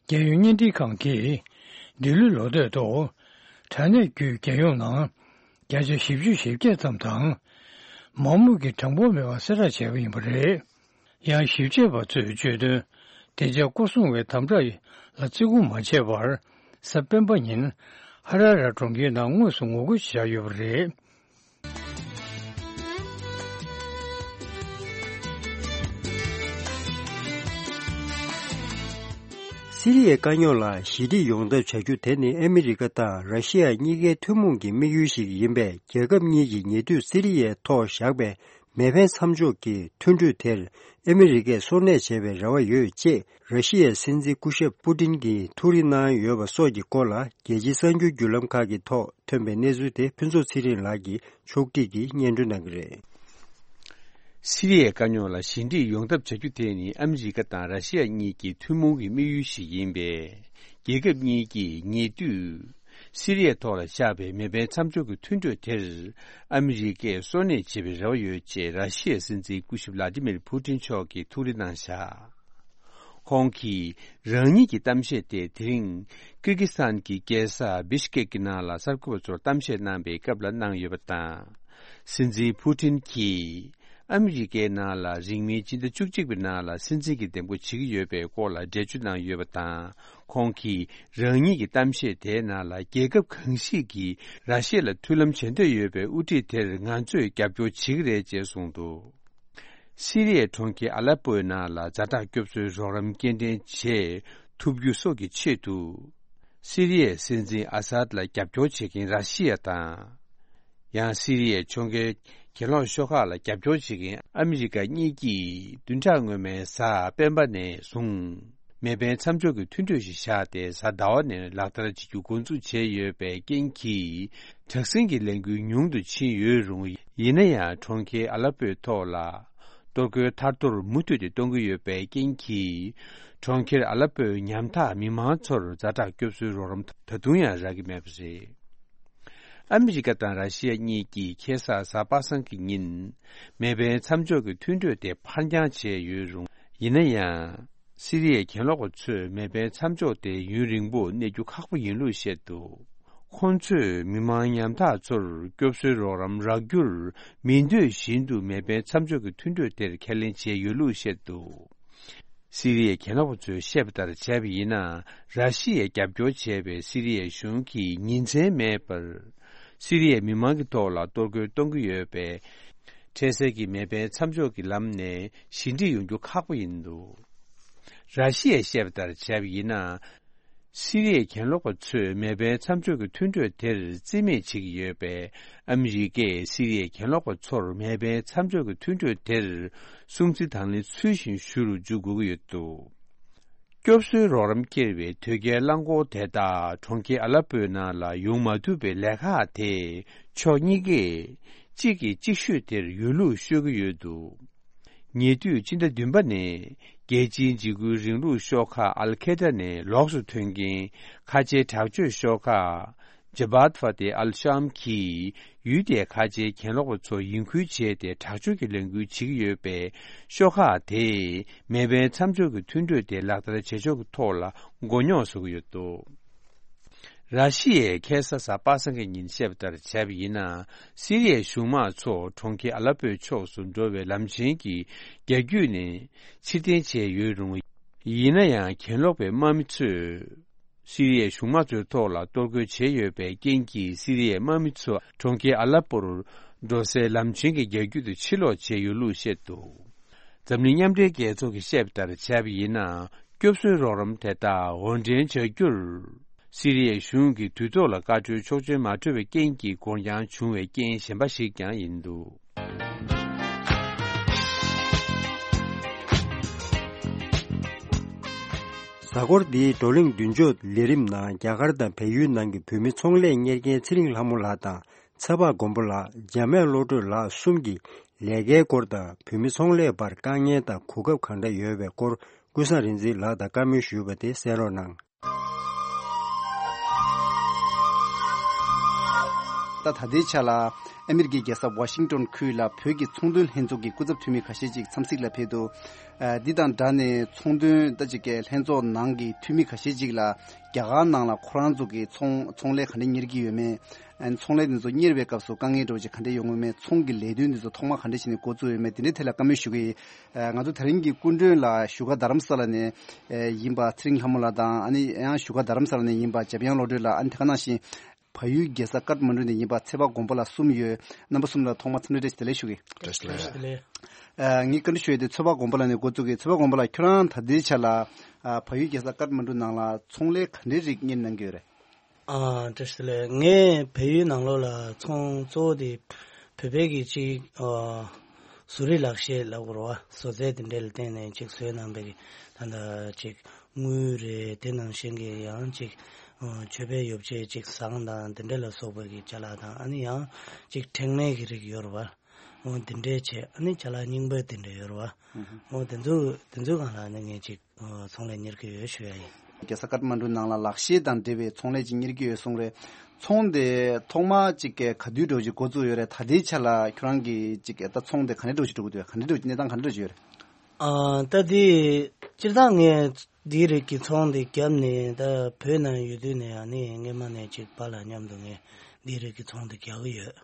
རྒྱལ་ཡོངས་བརྙན་འཕྲིན་ཁང་གིས་འདི་ལོའི་ལོ་སྟོད་དུ་དྲ་གནས་བརྒྱུད་རྒྱལ་ཡོངས་ནང་བརྒྱ་ཆ་བཞི་བཅུ་ཞེ་བརྒྱད་ཙམ་དང་། མང་མོས་ཀྱི་གྲངས་འབོར་མེད་པ་གསལ་བསྒྲགས་བྱས་པ་ཡིན་པ་རེད། ཡང་ཞིབ་དཔྱད་པ་ཚོས་བརྗོད་དོན། བདེ་འཇགས་སྐོར་སྲུང་བའི་དམ་དྲག་ལ་བརྩི་བཀུར་མ་བྱས་པར། གཟའ་སྤེན་པ་ཉིན་ཧ་ར་ར་གྲོང་ཁྱེར་ནང་དངོས་སུ་ངོ་རྒོལ་བྱས་ཡོད་པ་རེད། སི་རི་ཡའི་དཀའ་རྙོག་ལ་ཞི་འགྲིག་ཡོང་ཐབས་བྱ་རྒྱུ་དེ་ནི་ཨ་མི་རི་ཀ་དང་ར་ཤི་ཡ་གཉིས་ཀའི་ཐུན་མོང་གི་དམིགས་ཡུལ་ཞིག་ཡིན་པས། རྒྱལ་ཁབ་གཉིས་ཀྱིས་ཉེ་དུས་སི་རི་ཡའི་ཐོག་བཞག་པའི་མེ་འཕེན་མཚམས་འཇོག་གི་མཐུན་གྲོས་དེར་ཨ་མི་རི་ཀས་སོར་གནས་བྱེད་པའི་རེ་བ་ཡོད་ཅེས་ར་ཤི་ཡའི་སྲིད་འཛིན་སྐུ་ཞབས་པུ་ཏིན་གྱིས་ཐུགས་རེ་གནང་ཡོད་པ་སོགས་ཀྱི་སྐོར་ལ། རྒྱལ་སྤྱིའི་གསར་འགྱུར་བརྒྱུད་ལམ་ཁག་གི་ཐོག་ཐོན་པའི་གནས་ཚུལ་དེ་ཕུན་ཚོགས་ཚེ་རིང་ལགས་ཀྱིས་ཕྱོགས་སྒྲིག་གིས་སྙན་སྒྲོན་གནང་གི་རེད། སི་རི་ཡའི་དཀའ་རྙོག་ལ་ཞི་འགྲིག་ཡོང་ཐབས་བྱ་རྒྱུ་དེ་ནི་ཨ་མི་རི་ཀ་དང་ར་ཤི་ཡ་གཉིས་ཀྱི་ཐུན་མོང་གི་དམིགས་ཡུལ་ཞིག་ཡིན་པས། རྒྱལ་ཁབ་གཉིས་ཀྱིས་ཉེ་དུས་སི་རི་ཡའི་ཐོག་ལ་བཞག་པའི་མེ་འཕེན་མཚམས་འཇོག་གི་མཐུན་གྲོས་དེར་ཨ་མི་རི་ཀས་སོར་གནས་བྱེད་པའི་རེ་བ་ཡོད་ཅེས་ར་ཤི་ཡའི་སྲིད་འཛིན་སྐུ་ཞབས་ལ་ཏི་མིར་ཕུ་ཏིན་མཆོག་གིས་ཐུགས་རེ་གནང་བཞག། ཁོང་གིས་རང་ཉིད་ཀྱི་གཏམ་བཤད་དེ་དེ་རིང་ཀིར་ཀི་སི་ཐན་གྱི་རྒྱལ་ས་བི་ཤ་ཀེག་གི་ནང་ལ་གསར་འགོད་པ་ཚོར་གཏམ་བཤད་གནང་པའི་སྐབས་ལ་གནང་ཡོད་པ་དང་། སྲིད་འཛིན་ཕུ་ཏིན་གྱིས་ཨ་མི་རི་ཀའི་ནང་ལ་རིང་མིན་སྤྱི་ཟླ་བཅུ་གཅིག་པའི་ནང་ལ་སྲིད་འཛིན་གྱི་འདེམས་བསྐོ་བྱེད་ཀྱི་ཡོད་པའི་སྐོར་ལ་འགྲེལ་བརྗོད་གནང་ཡོད་པ་དང་། ཁོང་གིས་རང་ཉིད་ཀྱི་གཏམ་བཤད་དེའི་ནང་ལ་རྒྱལ་ཁབ་གང་ཞིག་གིས་ར་ཤི་ཡ་ལ་མཐུན་ལམ་བྱེད་འདོད་ཡོད་པའི་དབུ་ཁྲིད་དེར་ང་ཚོས་རྒྱབ་སྐྱོར་བྱེད་ཀྱི་རེད་ཅེས་གསུངས་འདུག། སི་རི་ཡའི་གྲོང་ཁྱེར་ཨ་ལེ་པོའི་ནང་ལ་ཛ་དྲག་སྐྱོབ་གསོའི་རོགས་རམ་སྐྱེལ་འདྲེན་བྱེད་ཐུབ་རྒྱུ་སོགས་ཀྱི་ཆེད་དུ། སི་རི་ཡའི་སྲིད་འཛིན་ཨ་སཱད་ལ་རྒྱབ་སྐྱོར་བྱེད་མཁན་ར་ཤི་ཡ་དང་། ཡང་སི་རི་ཡའི་གྲོང་ཁྱེར་གྱེན་ལོག་ཤོག་ཁག་ལ་རྒྱབ་སྐྱོར་བྱེད་མཁན་ཨ་མི་རི་ཀ་གཉིས་ཀྱིས་བདུན་ཕྲག་སྔོན་མའི་གཟའ་སྤེན་པ་ནས་བཟུང་མེ་འཕེན་མཚམས་འཇོག་གི་མཐུན་གྲོས་ཤིག་བཞག་སྟེ། གཟའ་ཟླ་བ་ནས་ལག་བསྟར་བྱེད་རྒྱུ་འགོ་འཛུགས་བྱས་ཡོད་པའི་རྐྱེན་གྱིས། དྲག་ཟིང་གི་ལས་འགུལ་ཉུང་དུ་ཕྱིན་ཡོད་རུང་། ཡིན་ན་ཡང་གྲོང་ཁྱེར་ཨ་ལ་པོའི་ཐོག་ལ་གཏོར་རྒོལ་ཐར་ཐོར་མུ་མཐུད་དེ་གཏོང་གི་ཡོད་པའི་རྐྱེན་གྱིས། གྲོང་ཁྱེར་ཨ་ལ་པོའི་ཉམ་ཐག་མི་མང་ཚོར་ཛ་དྲག་སྐྱོབ་གསོའི་རོགས་རམ་ད་དུང་ཡང་རག་གི་མེད་པ་རེད། ཨ་མི་རི་ཀ་དང་ར་ཤི་ཡ་གཉིས་ཀྱིས་ཁ་སང་གཟའ་པ་སངས་ཀྱི་ཉིན་མེ་འཕེན་མཚམས་འཇོག་གི་མཐུན་གྲོས་དེ་ཕར་འགྱངས་བྱས་ཡོད་རུང་། ཡིན་ན་ཡང་། སི་རི་ཡའི་གྱེན་ལོག་པ་ཚོས་མེ་འཕེན་མཚམས་འཇོག་དེ་ཡུན་རིང་པོ་གནས་རྒྱུ་ཁག་པོ་ཡིན་ལུགས་བཤད་འདུག། ཁོང་ཚོས་མི་མང་ཉམ་ཐག་ཚོར་སྐྱོབ་གསོའི་རོགས་རམ་རག་རྒྱུར་མི་འདོད་བཞིན་དུ་མེ་འཕེན་མཚམས་འཇོག་གི་མཐུན་གྲོས་དེར་ཁས་ལེན་བྱས་ཡོད་ལུགས་བཤད་འདུག། སི་རི་ཡའི་གྱེན་ལོག་པ་ཚོས་བཤད་པ་ལྟར་བྱས་པ་ཡིན་ན། ར་ཤི་ཡས་རྒྱབ་སྐྱོར་བྱས་པའི་སི་རི་ཡའི་གཞུང་གིས་ཉིན་མཚན་མེད་པར་སི་རི་ཡའི་མི་མང་གི་ཐོག་ལ་གཏོར་རྒོལ་གཏོང་གི་ཡོད་པས། འཕྲལ་སེལ་གྱི་མེ་འཕེན་མཚམས་འཇོག་གི་ལམ་ནས་ཞི་འགྲིག་ཡོང་རྒྱུ་ཁག་པོ་ཡིན་འདུག། ར་ཤི་ཡས་བཤད་པ་ལྟར་བྱས་པ་ཡིན་ན། སི་རི་ཡའི་གྱེན་ལོག་པ་ཚོས་མེ་འཕེན་མཚམས་འཇོག་གི་མཐུན་གྲོས་དེར་རྩིས་མེད་བྱེད་ཀྱི་ཡོད་པས། ཨ་མི་རི་ཀས་སི་རི་ཡའི་གྱེན་ལོག་པ་ཚོར་མེ་འཕེན་མཚམས་འཇོག་གི་མཐུན་གྲོས་དེར་སྲུང་བརྩི་དང་ལེན་ཚུལ་བཞིན་ཞུ་རུ་འཇུག་དགོས་ཀྱི་ཡོད་འདུག། སྐྱོབ་གསོའི་རོགས་རམ་སྐྱེལ་བའི་དོས་སྐྱེལ་རླངས་འཁོར་དེ་དག་གྲོང་ཁྱེར་ཨ་ལ་པོའི་ནང་ལ་ཡོང་མ་ཐུབ་པའི་ལས་ཁག་དེ་ཕྱོགས་གཉིས་ཀས་གཅིག་གིས་གཅིག་ཤོད་དེར་ཡོད་ལུགས་ཤོད་ཀྱི་ཡོད་འདུག། ཉེ་དུས་སྤྱི་ཟླ་བདུན་པ་ནས་རྒྱལ་སྤྱིའི་འཇིགས་སྐུལ་རིང་ལུགས་ཤོག་ཁག་ཨལ་ཁེ་ད་ནས་ལོགས་སུ་ཐོན་མཁན་ཁ་ཆེའི་དྲག་སྤྱོད་ཤོག་ཁག་ ཇ་བྷད་ཕ་ཏེ་ཨལ་ཤམ་གྱིས་ཡུལ་དེའི་ཁ་ཆེའི་གྱེན་ལོག་པ་ཚོ་ཡིན་ཁུལ་བྱས་ཏེ་དྲག་སྤྱོད་ཀྱི་ལས་འགུལ་བྱེད་ཀྱི་ཡོད་པས། ཤོག་ཁག་དེས་མེ་འཕེན་མཚམས་འཇོག་གི་མཐུན་གྲོས་དེ་ལག་བསྟར་བྱེད་ཕྱོགས་ཀྱི་ཐོག་ལ་མགོ་རྙོག་བཟོ་གི་ཡོད་འདུག་ར་ཤི་ཡས་ཁ་སང་གཟའ་པ་སངས་ཀྱི་ཉིན་བཤད་པ་ལྟར་བྱས་པ་ཡིན་ན། སི་རི་ཡའི་གཞུང་དམག་ཚོ་གྲོང་ཁྱེར་ཨ་ལ་པོའི་ཕྱོགས་སུ་འགྲོ་བའི་ལམ་ཆེན་གྱི་རྒྱ་རྒྱུད་ནས་ཕྱིར་འཐེན་བྱས་ཡོད་རུང་། ཡིན་ན་ཡང་གྱེན་ལོག་པའི་དམག་མི་ཚོས། སི་རི་ཡའི་གཞུང་དམག་ཚོའི་ཐོག་ལ་གཏོར་རྒོལ་བྱས་ཡོད་པའི་རྐྱེན་གྱིས། སི་རི་ཡའི་དམག་མི་ཚོ་གྲོང་ཁྱེར་ཨ་ལ་པོར་འགྲོ་སའི་ལམ་ཆེན་གྱི་རྒྱ་རྒྱུད་དུ་ཕྱིར་ལོག་བྱས་ཡོད་ལུགས་བཤད་འདུག་འཛམ་གླིང་མཉམ་འབྲེལ་རྒྱལ་ཚོགས་ཀྱིས་བཤད་པ་ལྟར་བྱས་པ་ཡིན་ན། སྐྱོབ་གསོའི་རོགས་རམ་དེ་དག་དབོར་འདྲེན་བྱ་རྒྱུར། སི་རི་ཡའི་གཞུང་གིས་དུས་ཐོག་ལ་བཀའ་འཁྲོལ་ཆོག་མཆན་མ་སྤྲོད་པའི་རྐྱེན་གྱིས་འགོར་འགྱངས་བྱུང་བའི་རྐྱེན་གཞན་པ་ཞིག་ཀྱང་ཡིན་འདུག་གཟའ་འཁོར་འདིའི་བགྲོ་གླེང་མདུན་ལྕོག་ལས་རིམ་ནང་། རྒྱ་གར་དང་བལ་ཡུལ་ནང་གི་བོད་མི་ཚོང་ལས་གཉེར་མཁན་ཚེ་རིང་ལྷ་མོ་ལགས་དང་། ཚེ་དཔག་མགོན་པོ་ལགས། འཇམ་དབྱངས་བློ་གྲོས་ལགས་གསུམ་གྱིས་ལས་ཀའི་སྐོར་དང་། བོད་མི་ཚོང་ལས་བར་དཀའ་ངལ་དང་གོ་སྐབས་གང་འདྲ་ཡོད་པའི་སྐོར། ཀུན་བཟང་རིག་འཛིན་ལགས་དང་བཀའ་མོལ་ཞུས་པ་དེ་གསན་རོགས་གནང་། ད་ད་ལྟའི་ཆ་ལ་ཨ་མི་རི་ཀའི་རྒྱལ་ས་ཝ་ཤིང་ཏོན་ཁུལ་ལ་བོད་ཀྱི་ཚོང་དོན་ལྷན་ཚོགས་ཀྱི་སྐུ་ཚབ་འཐུས་མི་ཁ་ཤས་ཅིག་འཚམས་གཟིགས་ལ་ཕེབས་འདུག་ཨ། འདི་དང་སྦྲགས་ནས་ཚོང་དོན་ལྟ་ཅིག་གི་ལྷན་ཚོགས་ནང་གི་འཐུས་མི་ཁ་ཤས་ཅིག་ལ་རྒྱ་གར་ནང་ལ་ཁོ་རང་ཚོ་གི་ཚོང་ཚོང་ལས་ག་འདྲ་གཉེར་གྱི་ཡོད་མེད། ཨ་ནི་ཚོང་ལས་འདི་ཚོ་གཉེར་བའི་སྐབས་སུ་དཀའ་ངལ་འདྲ་བོ་ཅིག་ག་འདྲ་ཡོང་གི་ཡོད་མེད། ཚོང་གི་ལས་དོན་འདི་ཚོ་ཐོག་མ་ག་འདྲ་བྱས་ནས་འགོ་བཙུགས་ཡོད་མེད། འདི་འདྲའི་ཐད་ལ་བཀའ་མོལ་ཞུ་གི་ཡིན། ཨ། ང་ཚོ་དེ་རིང་གི་སྐུ་མགྲོན་ལ་བཞུགས་སྒར་རྡ་རམ་ས་ལ་ནས་ཨ་ཡིན་པ་ཚེ་རིང་ལྷ་མོ་ལགས་དང་། ཨ་ནི་ཡང་བཞུགས་སྒར་རྡ་རམ་ས་ལ་ནས་ཡིན་པ་འཇམ་དབྱངས་བློ་གྲོས་ལགས། ཨ་ནི་དེ་ག་ནང་བཞིན་བལ་ཡུལ་རྒྱལ་ས་ཀཏ་མན་ཌུ་ནས་ཡིན་པ་ཚེ་དཔག་མགོན་པོ་ལགས་གསུམ་ཡོད། རྣམ་པ་གསུམ་ལ་ཐོག་མར་འཚམས་འདྲི་བཀྲ་ཤིས་བདེ་ལེགས་ཞུ་གི། བཀྲ་ཤིས་བདེ་ལེགས། ཨ། ངས་བཀའ་འདྲི་ཞུ་ཡས་དེ་ཚེ་དཔག་མགོན་པོ་ལགས་ནས་འགོ་བཙུགས་གི། ཚེ་དཔག་མགོན་པོ་ལགས། ཁྱོད་རང་ད་ལྟའི་ཆ་ལ་ཨ་བལ་ཡུལ་རྒྱལ་ས་ཀཏ་མན་ཌུ་ནང་ལ་ཚོང་ལས་ག་འདྲའི་རིགས་གཉེར་གནང་གི་ཡོད་རེད། ཨ། བཀྲ་ཤིས་བདེ་ལེགས། ངས་བལ་ཡུལ་ནང་ལོགས་ལ་ཚོང་གཙོ་བོ་དེ་བོད་པའི་གི་ཅིག་ཨ། བཟོ་རིག་ལག་ཤེས་ལབ་དགོས་རེད་བ། བཟོ་རྩལ་དེ་འདྲ་ལ་བརྟེན་ནས་ཅིག་བཟོས་གནང་པའི་གི། ད་ལྟ་ཅིག་དངུལ་རེད། དེ་ནང་བཞིན་གི་ཡང་ཅིག་ཨ། མཆོད་པའི་ཡོ་བྱད་ཅིག་ཟངས་དང་དེ་འདྲ་ལ་སོགས་པའི་གི་ཅ་ལག་དང་། ཨ་ནི་ཡང་ཅིག་ཕྲེང་མའི་གི་རིགས་ཡོད་རེད་བ། འོ་འདི་འདྲའི་བྱས། ཨ་ནི་ཅ་ལག་རྙིང་པ་འདི་འདྲ་ཡོད་རེད་བ། འོ་དེ་ཚོ་དེ་ཚོའི་སྒང་ལ་ཨ་ནི་ངས་ཅིག་ཨ། ཚོང་ལས་གཉེར་གྱི་ཡོད་ཞུ་ཡ་ཡིན། རྒྱལ་ས་ཀཏ་མན་ཌུ་ནང་ལ་ལག་ཤེས་དང་འབྲེལ་བའི་ཚོང་ལས་ཅིག་གཉེར་གྱི་ཡོད་གསུངས་རེད། ཚོང་དེ་ཐོག་མ་ཅིག་ག་དུས་འདྲ་བོ་ཅིག་འགོ་བཙུགས་ཡོད་རེད། ད་ལྟའི་ཆ་ལ་ཁྱོད་རང་གི་ཅིག་ད་ཚོང་དེ་ག་འདྲ་འདྲ་བོ་ཅིག་འགྲོ་གི་འདུག་ག་འདྲ་འདྲ་བོ་ཅིག་གནས་སྟངས་ག་འདྲ་འདྲ་བོ་ཅིག་ཡོད་རེད། ཨ། ད་དེ་སྤྱིར་བཏང་ངས་འདིའི་རིགས་ཀྱི་ཚོང་དེ་བརྒྱབ་ནས། ད་བོད་ནང་ཡོད་དུས་ནས་ཨ་ནི་སྔས་མ་ནས་ཅིག་པཱ་ལགས་མཉམ་དུ་ངས་འདིའི་རིགས་ཀྱི་ཚོང་དེ་རྒྱག་གི་ཡོད།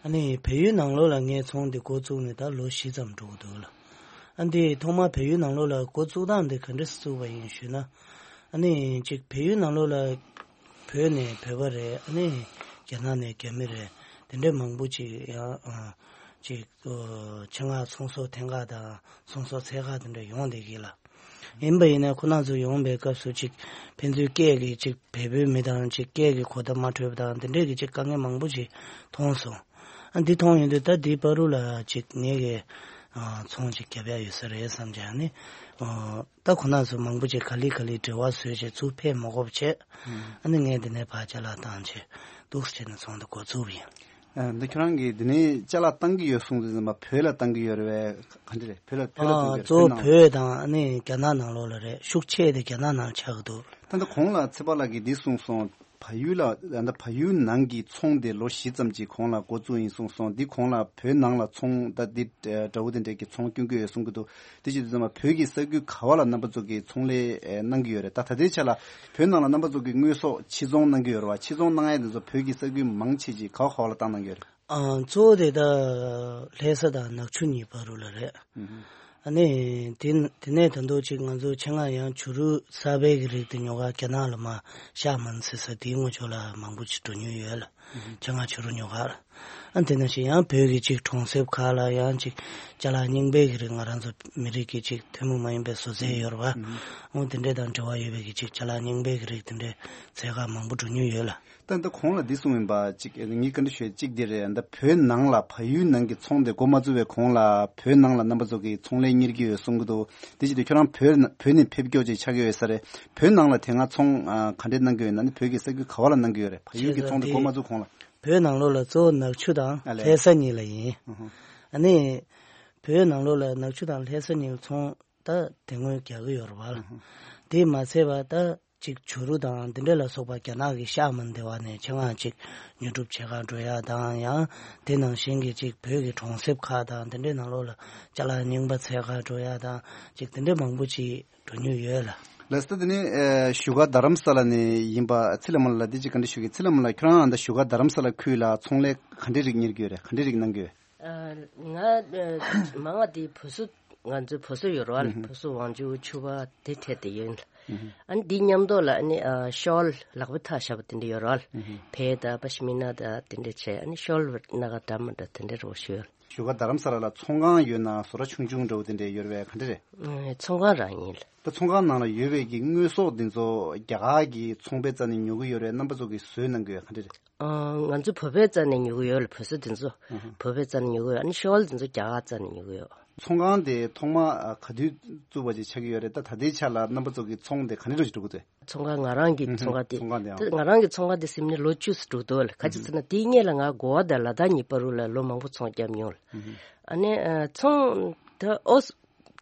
ཨ་ནི་བལ་ཡུལ་ནང་ལོགས་ལ་ངས་ཚོང་འདི་འགོ་བཙུགས་ནས་ད་ལོ་བཞི་ཙམ་འགྲོ་གི་འདུག་ལ། ཨ་འདི་ཐོག་མ་བལ་ཡུལ་ནང་ལོགས་ལ་འགོ་བཙུགས་སྟངས་འདི་ག་འདྲས་བཙུགས་པ་ཡིན་ཞུས་ན། ཨ་ནི་ཅིག་བལ་ཡུལ་ནང་ལོགས་ལ་བོད་ནས་བོད་པ་རེད། ཨ་ནི་རྒྱ་ནག་ནས་རྒྱ་མི་རེད། དེ་འདྲས་མང་པོ་ཅིག་ཡང་ཨ་ཅིག་ཨོ་ཆེད་མངགས་ཚོང་ཟོག་འཐེན་ཁག་དང་ཚོང་ཟོག་འཚོལ་ཁག་དེ་འདྲ་ཡོང་བསྡད་ཀྱི་ལ། ཡིན་པ་ཡིན་ན་ཁོ་རང་ཚོ་ཡོང་བའི་སྐབས་སུ་ཅིག་ཕན་ཚུན་སྐད་ཀྱི་ཅིག་བལ་པོའི་མི་དང་ཅིག་སྐད་ཀྱི་གོ་བརྡ་མ་འཕྲོད་པ་དང་། དེ་འདྲས་ཀྱི་ཅིག་དཀའ་ངལ་མང་པོ་ཅིག་མཐོང་སོང་། ཨ་འདི་མཐོང་ཡོང་དུས་ད་འདིའི་བར་དུ་ལ་ཅིག་ངེད་ཀྱི་ཨ་ཚོང་ཅིག་རྒྱབ་ཡ་ཡོད་ས་རེད་བསམ་བྱས། ཨ་ནི་ཨ་ད་ཁོ་རང་ཚོ་མང་པོ་ཅིག་ག་ལེ་ག་ལེ་འབྲེལ་བ་བཟོས་བྱས་ཚུར་ཕེབས་མ་དགོས་པ་བྱས། ཨ་ནི་ངས་འདི་ནས་ཕར་ཅ་ལག་བཏང་བྱས་འདུག་སེ་བྱས་ནས་ཚོང་འདི་འགོ་བཙུགས་པ་ཡིན། ཨ་འདི་ཁྱོད་རང་གིས་འདི་ནས་ཅ་ལག་བཏང་གི་ཡོད་གསུངས་དུས་ཙམ་པ་བོད་ལ་བཏང་གི་ཡོད་རེད་པས། ག་འདྲ་རེད། བོད་ལ་བོད་ལ་ཨ་བཏང་གི་ཡོད་རེད། གཙོ་བོ་བོད་ནང་། བོད་དང་ཨ་ནི་རྒྱ་ནག་ནང་ལོགས་ལ་རེད། ཤུགས་ཆེ་དེ་རྒྱ་ནག་ནང་ཆགས་ཀྱི་འདུག་ད་ལྟ་གོང་ལ་ཚེ་དཔག་ལགས་ཀྱིས་འདི་གསུངས་སོང་། བལ་ཡུལ་ལ་ད་ལྟ་བལ་ཡུལ་ནང་གི་ཚོང་དེ་ལོ་བཞི་ཙམ་ཅིག་གོང་ལ་འགོ་བཙུགས་ཡིན་གསུངས་སོང་། འདི་གོང་ལ་བོད་ནང་ལ་ཚོང་ད་འདི་དགྲ་བོ་དེ་འདྲས་ཀྱི་ཚོང་སྐྱོན་གྱི་ཡོད་གསུང་གི་འདུག་དེ་བྱེད་དུས་ཙམ་པ་བོད་ཀྱི་ས་ཁུལ་ག་བ་ལ་རྣམ་པ་ཚོ་གིས་ཚོང་ལས་གནང་གི་ཡོད་རེད། ད་ད་ལྟའི་ཆ་ལ་བོད་ནང་ལ་རྣམ་པ་ཚོ་གིས་དངོས་ཟོག་ཕྱིར་ཚོང་གནང་གི་ཡོད་རེད་བ། ཕྱིར་ཚོང་གནང་ཡས་དེ་ཚོ་བོད་ཀྱི་ས་ཁུལ་མང་ཆེ་ཅིག་ག་བ་ག་བ་ལ་བཏང་གནང་གི་ཡོད་རེད། ཨ་གཙོ་བོ་དེ་ད་ལྷ་ས་དང་ནག་ཆུ་གཉིས་བར་དུ་ལ་རེད། ཨ་ནི་དེ་དེ་ནས་ད་དུང་ཅིག་ང་ཚོ་ཆེད་མངགས་ཡང་བྱུ་རུ་གསར་པའི་གི་རིགས་དེ་ཉོ་ག་རྒྱ་ནག་ལ་མར་ཤར་མོན་ཟེར་ས་དེའི་ངོས་ཕྱོགས་ལ་མང་པོ་ཅིག་འགྲོ་མྱོང་ཡོད་ལ། ཆེད་མངགས་བྱུ་རུ་ཉོ་ག་ལ། ཨ་དེ་ནང་བཞིན་ཡང་བོད་ཀྱི་ཅིག་གྲོང་གསེབ་ཁག་ལ་ཡང་ཅིག་ཅ་ལག་རྙིང་པའི་གི་རིགས། ང་རང་ཚོ་མི་རིགས་ཀྱི་ཅིག་ཐུན་མོང་མ་ཡིན་པའི་བཟོ་རྩལ་ཡོད་རེད་བ། འོ་དེ་འདྲས་དང་འབྲེལ་བ་ཡོད་པའི་གི་ཅིག་ཅ་ལག་རྙིང་པའི་གི་རིགས་དེ་འདྲས་འཚོལ་ག་མང་པོ་འགྲོ་མྱོང་ཡོད་ལ། ད་ལྟ་གོང་ལ་འདི་གསུངས་ཡིན་པ་ཅིག་ངས་བཀའ་འདྲི་ཞུ་ཡ་གཅིག་འདི་རེད། ད་བོད་ནང་ལ་བལ་ཡུལ་ནང་གི་ཚོང་དེ་འགོ་མ་བཙུགས་པའི་གོང་ལ་བོད་ནང་ལ་རྣམ་པ་ཚོ་གིས་ཚོང་ལས་གཉེར་གྱི་ཡོད་གསུང་གི་འདུག་དེ་བྱེད་དུས་ཁྱོད་རང་བོད་ན་བོད་ནས་ཕེབས་མགྱོགས་ཅིག་ཆགས་ཀྱི་ཡོད་ས་རེད། བོད་ནང་ལ་དེ་སྔ་ཚོང་ཨ་ག་འདྲས་གནང་གི་ཡོད་ན། ནི་བོད་ཀྱི་ས་ཁུལ་ག་བ་ལ་གནང་གི་ཡོད་རེད། བལ་ཡུལ་གྱི་ཚོང་དེ་འགོ་མ་བཙུགས་གོང་ལ། བོད་ནང་ལོགས་ལ་གཙོ་བོ་ནག་ཆུ་དང་ཨ་ལས། ལྷ་ས་གཉིས་ལ་ཡིན། ཨུ་ཧུ། ཨ་ནི་བོད་ནང་ལོགས་ལ་ནག་ཆུ་དང་ལྷ་ས་གཉིས་ལ་ཚོང་ད་དེ་སྔོན་རྒྱག་གི་ཡོད་རེད་བ་ལ། ཨུ་ཧུ། དེ་མ་ཚད་པ་ད་ ཅིག་བྱུ་རུ་དང་འདི་འདྲ་ལ་སོགས་པ་རྒྱ་ནག་གི་ཤག་མ་འདི་བ་ནས་ཆེད་མངགས་ཅིག་ཉོ་སྒྲུབ་བྱེད་གར་འགྲོ་ཡ་དང་། ཡང་དེ་ནང་བཞིན་གྱི་ཅིག་བོད་ཀྱི་གྲོང་གསེབ་ཁག་དང་འདི་འདྲའི་ནང་ལོགས་ལ་ཅ་ལག་རྙིང་པ་འཚོལ་གར་འགྲོ་ཡ་དང་ཅིག་དེ་འདྲའི་མང་པོ་ཅིག་འགྲོ་མྱོང་ཡོད་ལ། ལགས་སོ། དེ་ནི་ཨེ་བཞུགས་སྒར་རྡ་རམ་ས་ལ་ནས་ཡིན་པ་ཚེ་ལྷ་མོ་ལགས་འདི་ཅིག་བཀའ་འདྲི་ཞུ་གི། ཚེ་ལྷ་མོ་ལགས་ཁྱོད་རང་ཨ་ད་བཞུགས་སྒར་རྡ་རམ་ས་ལ་ཁུལ་ལ་ཚོང་ལས་ག་འདྲའི་རིགས་གཉེར་གྱི་ཡོད་རེད། ག་འདྲའི་རིགས་གནང་གི་ཡོད། ཨ། ང་ཨ་མང་བ་དེ་བུ་སུ་ང་ཚོའི་བུ་སུ་ཡོད་རེད་བ། བུ་སུ་ཝང་ཅུ་ཆུ་བ་དེ་འཕྲད་དེ་ཡོད། ཨ་ནི་འདི་མཉམ་དུ་ལ་ཨ་ནི་ཨ་ཤོལ་ལག་པ་ཐག་བཞག་པ་དེ་འདྲ་ཡོད་རེད་བ། ཕེ་དང་པ་ཤི་མི་ན་དང་དེ་འདྲ་བྱས། ཨ་ནི་ཤོལ་སྣ་ཁ་འདྲ་མི་འདྲ་དེ་འདྲ་རོ་ཞུ་ཡོད། བཞུགས་སྒར་རྡ་རམ་ས་ལ་ལ་ཚོང་ཁང་ཡོད་ན་བཟོ་གྲྭ་ཆུང་ཆུང་འདྲ་བོ་དེ་འདྲ་ཡོད་རེད་བས། ག་འདྲ་རེད། ཨ། ཚོང་ཁང་རང་ཡིན་ལ། ད་ཚོང་ཁང་ནང་ལ་ཡོད་པའི་གི་དངོས་ཟོག་འདི་ཚོ་རྒྱ་གར་གྱི་ཚོང་པའི་རྩ་ནས་ཉོ་གི་ཡོད་རེད། རྣམ་པ་ཚོ་གིས་བཟོས་གནང་གི་ཡོད། ག་འདྲ་རེད། ཨ། ང་ཚོ་བོད་པའི་རྩ་ནས་ཉོ་གི་ཡོད་ལ། བོད་ཟོ་འདི་ཚོ་བོད་པའི་རྩ་ནས་ཉོ་གི་ཡོད། ཨ་ནི་ཤོལ་འདི་ཚོ་རྒྱ་གར་རྩ་ནས་ཉོ་གི་ཡོད། ཚོང་ཁང་དེ་ཐོག་མ་ཨ་ག་དུས་བཙུགས་པ་ཅིག་ཆགས་ཀྱི་ཡོད་རེད། ད་ད་ལྟའི་ཆ་ལ་རྣམ་པ་ཚོ་གི་ཚོང་དེ་ག་འདྲ་ཅིག་འགྲོ་གི་འདུག་ཚོང་ཁང་ང་རང་གི་ཚོང་ཁང་དེ། ཚོང་ཁང་དེ་ཨང་། ད་ང་རང་གི་ཚོང་ཁང་དེ་ཟིན་ནས་ལོ་བཅུ་ཙམ་འགྲོ་འདུག་ལ། ག་ཅི་ཟེར་ན་དེའི་སྔོན་ལ་ང་གོ་བ་དང་ལ་དྭགས་གཉིས་བར་དུ་ལ་ལོ་མང་པོ་ཚོང་བརྒྱབ་མྱོང་ལ། ཨ་ནི་ཨ་ཚོང་ད་ཨོ་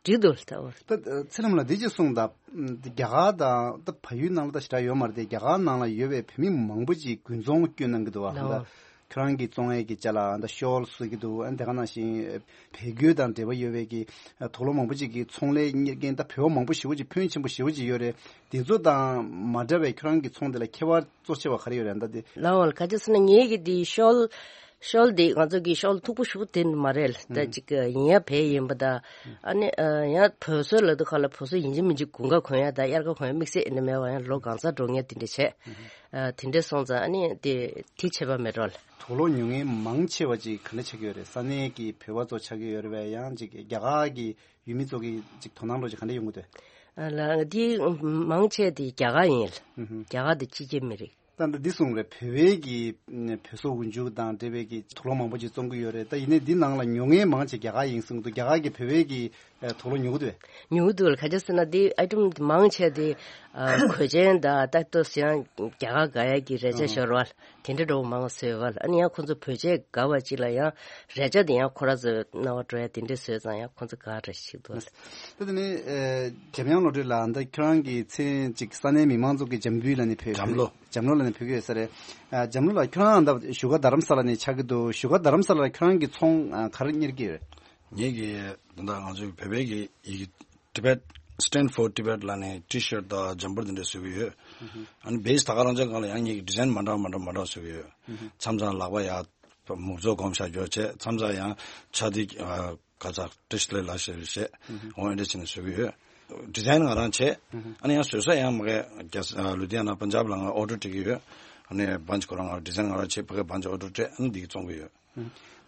འགྲིག་འདུག་ལ། ད་ཨོ། ད་ཚེ་རིང་ལགས་འདི་ཅིག་གསུངས་དང་། རྒྱ་གར་དང་ད་བལ་ཡུལ་ནང་ལ་ད་ཞེ་དྲག་ཡོད་མ་རེད་དེ། རྒྱ་གར་ནང་ལ་ཡོད་པའི་བོད་མི་མང་པོ་ཅིག་དགུན་ཚོང་བསྐྱོན་གནང་གི་འདུག་བ། ལའོ། ད་ཁྱོད་རང་གི་བཙོང་ཡས་ཀྱི་ཅ་ལག་ད་ཤོལ་བཟོ་གི་འདུག་ཨ་ནི་དེ་ག་ནང་བཞིན་བལ་གོས་དང་འབྲེལ་བ་ཡོད་པའི་གི་དུག་ལོག་མང་པོ་ཅིག་གི་ཚོང་ལས་གཉེར་མཁན་ད་བོད་པ་མང་པོ་ཞེ་པོ་ཅིག་ཕོན་ཆེན་པོ་ཞེ་པོ་ཅིག་ཡོད་རེད། དེ་ཚོ་དང་མ་འདྲ་བའི་ཁྱོད་རང་གི་ཚོང་དེ་ལ་ཁྱད་པར་གཙོ་ཆེ་བ་ག་རེ་ཡོད་རེད་ད་དེ། ལའོ་ལ། ག་ཅི་ཟེར་ན་ངེད་ཀྱི་དེ་ཤོལ་ཤོལ་དེ་ང་ཚོ་གི་ཤོལ་མཐུག་པོ་ཞེ་པོ་དེ་མ་རེད་ལ། ད་ཅིག་ཡིན་ཡ་བལ་ཡིན་པ་ད། ཨ་ནི་ཡང་བོད་སོལ་ལ་དུ་ཁ་ལ་བོད་སོལ་ཡིན་གཅིག་མིན་གཅིག་དགུན་ཁ་གོན་ཡ་ད་དབྱར་ཁ་གོན་ཡ་དམིགས་བསལ་ཨེ་ནི་མེད་པ། ཡང་ལོ་གང་ཚ་འགྲོ་ངེས་དེ་འདྲ་བྱས། དེ་འདྲ་སོང་ཙང་ཨ་ནི་དེ་དེ་ཆད་པ་མེད་རོགས་ལ། དུག་ལོག་ཉོ་མཁན་མང་ཆེ་བ་ཅིག་ག་འདྲ་ཆགས་ཀྱི་ཡོད་རེད། ས་གནས་ཀྱི་བོད་པ་ཚོ་ཆགས་ཀྱི་ཡོད་རེད་པས། ཡང་ཅིག་རྒྱ་གར་གྱི་ཡུལ་མི་ཚོ་གི་ཅིག་དོ་སྣང་འདྲ་ཅིག་ག་འདྲ་ཡོང་གི་འདུག་ཨ་ལ་དེ་མང་ཆེ་དེ་རྒྱ་གར་ཡིན་ལ། རྒྱ་གར་དེ་ཕྱི་རྒྱལ་མི་རིགས། ད་ལྟ་འདི་གསུངས་རེད། བོད་པའི་གི་བོད་སོག་འུ་འཇུག་དང་འབྲེལ་བའི་གི་དུག་ལོག་མང་པོ་ཅིག་བཙོང་གི་ཡོད་རེད། ད་ཡིན་ནའི་འདི་ནང་ལ་ཉོ་མཁན་མང་ཆེ་རྒྱ་གར་ཡིན་གསུངས་འདུག་རྒྱ་གར་གི་བོད་པའི་གི་དུག་ལོག་ཉོ་གི་འདུག་ཉོ་གི་འདུག་ལ། ག་ཅི་ཟེར་ན་འདི་ཨའི་ཊེམ་མང་ཆེ་དེ་གོས་ཆེན་དང་ད་ལྟོ་ཟེར་ཡང་རྒྱ་གར་དགའ་ཡ་གི་རས་ཆ་ཤོར་བ་ལ་དེ་འདྲ་འགྲོ་མང་བཟོས་བ་ལ། ཨ་ནི་ཡང་ཁོ་ཚོ་བོད་ཆས་དགའ་བ་ཅིག་ལ་ཡང་རས་ཆ་དེ་ཡང་ཁོ་ར་ཚོ་རྣ་བ་འགྲོ་ཡ་དེ་འདྲ་བཟོས་ཙང་ཡང་ཁོ་ཚོ་དགའ་ར་ཞིག་འདུག་ད་དེ་ནས་ཨེ་འཇམ་དབྱངས་བློ་གྲོས་ལགས། ད་ཁྱོད་རང་གི་མཚན་ཅིག་ས་གནས་མི་མང་ཚོ་གི་འཇམ་བུ་ལ་ནི་ཕེབས། འཇམ་ལོ། འཇམ་ལོ་ལ་ནི་ཕེབས་ཀྱི་ཡོད་ས་རེད། ཨ་འཇམ་ལོ་ལགས་ཁྱོད་རང་ད་བཞུགས་སྒར་རྡ་རམ་ས་ལ་ནས་ཆགས་ཀྱི་འདུག་བཞུགས་སྒར་རྡ་རམ་ས་ལ་ལ་ཁྱོད་རང་གི་ཚོང་ཨ་ག་རེ་གཉེར་གྱི་ཡོད། ངེད་ཀྱི་ད་ལྟ་ང་ཚོའི་བོད་པའི་གི་ཡི་གེ་Tibet Stand for Tibet ལ་ནི་ཊི་ཤར་ཊི་དང་འཇམ་པར་དེ་འདྲ་བཟོ་གི་ཡོད། ཨ་ནི་བེ་སི་ད་ག་རང་ཅག་སྒང་ལ་ཡང་ངེད་ཀྱི་ཌི་ཛའིན་མ་འདྲ་མ་འདྲ་མ་འདྲ་བཟོ་གི་ཡོད། མཚམས་མཚམས་ལག་པ་ཡ་མུག་ཚོ་སྒོམ་བཞག་རྒྱུ་བྱས། མཚམས་མཚམས་ཡང་ཆ་དེ་ག་ཚ་ཏི་ཤི་ལེ་ལ་ཤེ་ཤེ་འོ་ཨེ་འདྲ་བྱས་ནས་བཟོ་གི་ཡོད། ཌི་ཛའིན་ང་རང་བྱས། ཨ་ནི་ཡང་བཟོ་ས་ཡང་མ་གི་རྒྱ་ལུ་དྷི་ཡ་ན་པན་ཇབ་ལ་ང་ཨོ་ཌར་སྤྲད་ཀྱི་ཡོད། ཨ་ནི་བན་ཇི་ཁོ་རང་ང་ཌི་ཛའིན་ང་རང་བྱས། ཕ་གི་བན་ཇི་ཨོ་ཌར་སྤྲད། ཨ་ནི་འདི་གི་བཙོང་གི་ཡོད།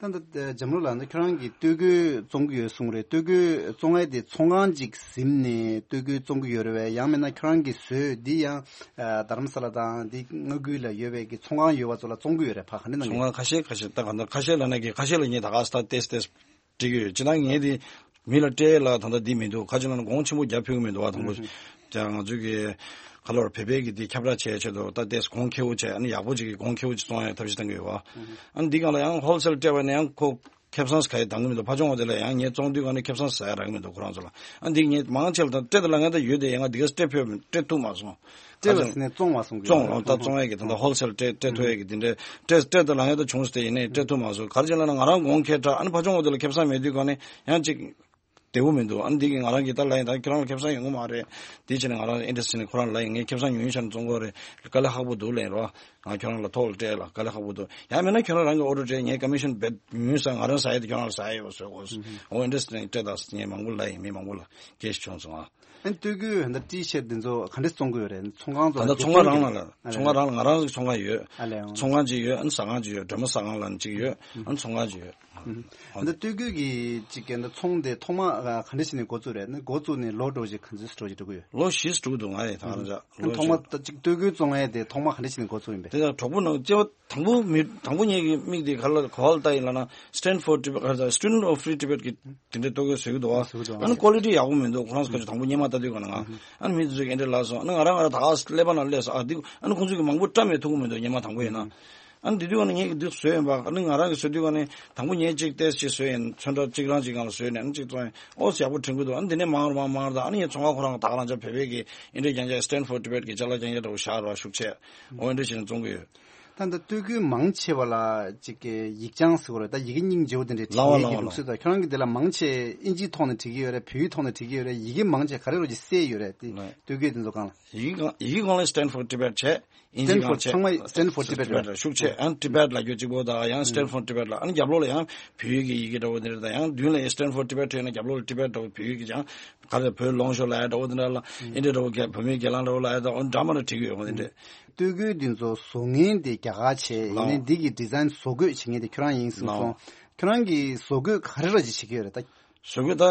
ད་ལྟ་འཇམ་ལོ་ལགས་ད་ཁྱོད་རང་གིས་སྟོད་གོས་བཙོང་གི་ཡོད་གསུངས་རེད། སྟོད་གོས་བཙོང་ཡས་དེ་ཚོང་ཁང་ཅིག་ཟིན་ནས་སྟོད་གོས་བཙོང་གི་ཡོད་རེད་པས། ཡང་མིན་ན་ཁྱོད་རང་གིས་བཟོས་འདི་ཡང་རྡ་རམ་ས་ལ་དང་འདི་མངའ་ཁུལ་ལ་ཡོད་པའི་གི་ཚོང་ཁང་ཡོད་པ་ཚོ་ལ་བཙོང་གི་ཡོད་རེད། ཕ་ག་འདྲ་གནང་གི། ཚོང་ཁང་ཁ་ཤས་ཁ་ཤས་ད་ག་འདྲ་ཁ་ཤས་ལ་ནས་གི་ཁ་ཤས་ལ་ངས་ད་ག་ས་ཏེས་ཏེས་སྤྲད་ཀྱི་ཡོད། ཅི་ན་ངས་དེ་མི་ལ་སྤྲད་ལ་ད་ལྟ་འདི་མི་འདུག་ཁ་ཅིག་ལ་ན་གོང་ཆེན་པོ་རྒྱབ་ཕུལ་གི་མི་འདུག་བ། དང་པོ་ཀྱང་ང་ཚོའི་གི་ཁ་ལོར་བོད་པའི་གི་དེ་ཁྱབ་བསྒྲགས་བྱས་ཆེད་དུ་ད་ཏེས་གོང་ཁེ་པོ་བྱས། ཨ་ནི་ཡག་པོ་ཅིག་གི་གོང་ཁེ་པོ་ཅིག་བཙོང་ཡ་ཐབས་ཤེས་བཏང་གི་ཡོད་བ། ཨ་ནི་འདི་གང་ལ་ཡང་ཧོལ་སེལ་སྤྲད་པ་ནས་ཡང་ཁོ་ཁེ་བཟང་ཟ་ཡ་འདང་གི་མི་འདུག་ཕ་ཆུང་བ་དེ་ལ་ཡང་ངས་བཙོང་དུས་གང་ནས་ཁེ་བཟང་ཟ་ཡ་རག་གི་མི་འདུག་ཁོ་རང་ཚོ་ལ། ཨ་ནི་འདི་ངས་མང་ཆེ་ལ་ད་སྤྲད་དེ་ལ་ངས་ད་ཡོད་དེ་ཡང་ང་འདི་ག་སྤྲད་ཕོད་སྤྲད་ཐུབ་མ་སོང་། སྤྲད་པ་ཟེར་ནས་བཙོང་བ་གསུང་གི་བཙོང་ཡོད། རོགས་ད་བཙོང་ཡས་ཀྱི་ད་ལྟ་ཧོལ་སེལ་སྤྲད་སྤྲད་ཐུབ་ཡས་ཀྱི་དེ་འདྲའི་སྤྲད་སྤྲད་དེ་ལ་ངས་ད་བྱུང་སྟེ་ཡིན་ནའི་སྤྲད་ཐུབ་མ་སོང་། ག་རེ་བྱས་ལབ་ན་ང་རང་གོང་ཁེ་དྲག་ཨ་ནི་ཕ་ཆུང་བ་དེ་ལ་ཁེ་བཟང་མེད་དུས་གང་ནས་ཡང་ཅིག་བདེ་པོ་མི་འདུག་ཨ་ནི་འདི་གི་ང་རང་གི་ད་ལབ་ཡིན། ད་ཁྱོད་རང་ལ་ཁེ་བཟང་ཡོང་གི་མ་རེད། དེ་བྱས་ནས་ང་རང་ཨེ་འདྲ་ཟེར་ནས་ཁོ་རང་ལབ་ཡིན། ངས་ཁེ་བཟང་ཉུང་ཉུང་ཆ་ནས་བཙོང་གི་རེད། དཀའ་ལས་ཁག་པོ་འདུག་ལབ་ཡིན་རོ། ང་ཁྱོད་རང་ལ་ཐོག་ལ་སྤྲད་ལ་དཀའ་ལས་ཁག་པོ་འདུག་ཡང་མིན་ན་ཁྱོད་རང་རང་གི་ཨོ་ཌར་སྤྲད། ངས་ཀ་མི་ཤན་བེད་ཉུང་ས་ང་རང་ཟ་ཡ་དེ་ཁྱོད་རང་ལ་ཟ་ཡ་ཡོད་ཟེར་གོ། འོ་ཨེ་འདྲ་ཟེར་ནས་སྤྲད་ད་ཟེར་ངས་མང་པོ་ལབ་ཡིན། མི་མང་པོ་ལ་སྐད་ཆ་བྱུང་སོང་ཨ། ཨ་ནི་སྟོད་གོས་ཧན་ད་ཊི་ཤར་ཊི་འདི་ཚོ་ག་འདྲ་བཙོང་གི་ཡོད་རེད། ཚོང་ཁང་ཚོ་ད་ལྟ་ཚོང་ཁང་རང་ལ་ལ་ཨ་ཚོང་ཁང་རང་ལ་ང་རང་གི་ཚོང་ཁང་ཡོད། ཨ་ལས་ཨང་། ཚོང་ཁང་ཅིག་ཡོད། ཨ་ནི་ཟ་ཁང་ཅིག་ཡོད། སྒྲོལ་མ་ཟ་ཁང་ལ་ཅིག་ཡོད། ཨ་ནི་ཚོང་ཁང་ཅིག་ཡོད། ཨ་ནི་སྟོད་གོས་ཀྱི་ཅིག་གི་ད་ཚོང་དེ་ཐོག་མ་ག་འདྲ་བྱས་ནས་འགོ་བཙུགས་རེད། ཨ་ནི་འགོ་བཙུགས་ནས་ལོ་འགྲོ་ཅིག་ག་ཚོད་འགྲོ་ཅིག་འགྲོ་གི་ཡོད། ལོ་བཞི་འགྲོ་གི་འདུག་ང་ཡི་ད་ག་རང་ཅག་ཨ་ནི་ལོ་ཐོག་མ་བཞི་ད་ཅིག་སྟོད་གོས་བཙོང་ཡས་དེ་ཐོག་མ་ག་འདྲ་བྱས་ནས་འགོ་བཙུགས་ཡིན་པས། དེ་ཡང་གྲོགས་པོ་ནང་སྐྱེ་བ་དང་པོ་མི་དང་པོ་ངེད་ཀྱི་མིག་དེ་ག་ལ་ག་བ་ལ་ལྟ་ཡིན་ལབ་ན་Stand for Tibet ག་རེ་ཟེར། Student of Free Tibet གི་དེ་འདྲའི་སྟོད་གོས་བཟོ་གི་འདུག་བ། བཟོ་གི་འདུག་བ། ཨ་ནི་ཀོ་ལི་ཊི་ཡག་པོ་མི་འདུག་ཁོ་རང་ཚོ་ཁ་ཅིག་དང་པོ་སྔོན་མ་ལྟ་དུས་ག་ན་ང་ཨ་ནི་མི་དེ་ཚོ་གི་འདྲ་ལབ་སོང་། ཨ་ནི་ང་རང་ང་རང་ད་ག་ཀླད་པ་ནང་སླེབས་སོང་། ཨ་འདི་ཨ་ནི་ཁོང་ཚོ་གི་མང་པོ་བཀྲ་མེད་ཐུག་གི་མི་འདུག་སྔོན་མ་དང་པོ་ཡིན་ན། ཨ་ནི་དེ་དུས་ཀ་ནས་ངས་འདི་བཟོས་ཡིན་པ། ཨ་ནི་ང་རང་གིས་བཟོ་དུས་ཀ་ནས་དང་པོ་ངས་གཅིག་ཏེས་ཅིག་བཟོས་ཡིན། ཚོན་ཁྲ་གཅིག་རང་གཅིག་སྒང་ལ་བཟོས་ནས། ཨ་ནི་གཅིག་བཙོང་ཡིན། ཨོ་ཡག་པོ་དྲན་གྱི་འདུག་ཨ་ནི་དེ་ནས་མང་རུ་མང་མང་རུ་དང་། ཨ་ནི་ངས་ཚོང་ཁང་ཁོ་རང་ད་ག་རང་ཅག་བོད་པའི་གི་ཨིན་འདྲའི་རྒྱང་རྒྱག Stand for Tibet གི་ཅ་ལག་རྒྱང་རྒྱག་འདྲ་བོ་བཞག་ར་ཤུགས་ཆེ། ཨོ་ཨིན་འདྲ་བྱས་ནས་བཙོང་གི་ཡོད། ད་ལྟ་སྟོད་ཁུལ་མང་ཆེ་བ་ལ་ཅིག་གི་ཡིག་བྱང་ཟེར་བ་རེད། ད་ཡི་གེ་སྙིང་རྗེ་བོ་དེ་འདྲའི་བྲིས་ལའོ་ཡིན་ལའོ་གི་ལའོ། ལུགས་སྲོལ་དང་། ཁྱོད་རང་གིས་དེ་ལ་མང་ཆེ་ཨིན་ཇིའི་ཐོག་ནས་བྲིས་ཀྱི་ཡོད་རེད། བོད་ཡིག་ཐོག་ནས་བྲིས་ཀྱི་ཡོད་རེད། ཡི་གེ་མང་ཆེ་ག་རེ་རོ་ཅིག་གསལ་ཡོད་རེད་དེ། ལའོ། སྟོད་ཁུལ་དེ་ཚོ་སྒང་ལ། ཡི་གེ་སྒང་ཡི་གེ་སྒང་ལ་Stand for Tibet བྱས། ཨིན་ཇི་སྒང་བྱས། ཚང་མ་Stand for Tibet རེད། ཤུགས་ཆེ། ཡང་Tibet ལབ་རྒྱུ་གཅིག་པོ་དང་། ཡང་Stand for Tibet ལབ། ཨ་ནི་རྒྱབ་ལོགས་ལ་ཡང་བོད་ཡིག་གི་ཡི་གེ་འདྲ་བོ་འདི་རེད། དང་ཡང་མདུན་ལ་Stand for Tibet བྲིས་ན་རྒྱབ་ལོགས་ལ་Tibet འདྲ་བོ་བོད་ཡིག་གི་ཡང་ག་ལ་བོད་ལོངས་ཤོག་ལབ་ཡ་འདྲ་བོ་འདི་འདྲ་ལ། ཨིན་འདྲ་འདྲ་བོ་བོད་མིའི་སྒེར་ལངས་འདྲ་བོ་ལབ་ཡ་དང་། འོ་འདྲ་མ་འདྲ་བྲིས་ཀྱི་ཡོད། འོ་འདི་འདྲ། སྟོད་གོས་འདི་ཚོ་བཟོ་མཁན་དེ་རྒྱ་གར་བྱས། ཡིན་ནའི་འདི་གི་design བཟོ་བཀོད་བྱེད་མཁན་དེ་ཁྱོད་རང་ཡིན་གསུངས་སོང་། ཁྱོད་རང་གིས་བཟོ་བཀོད་ག་རེ་ར་ཅིག་བྱེད་ཀྱི་ཡོད་རེད་ད། བཟོ་བཀོད་ད་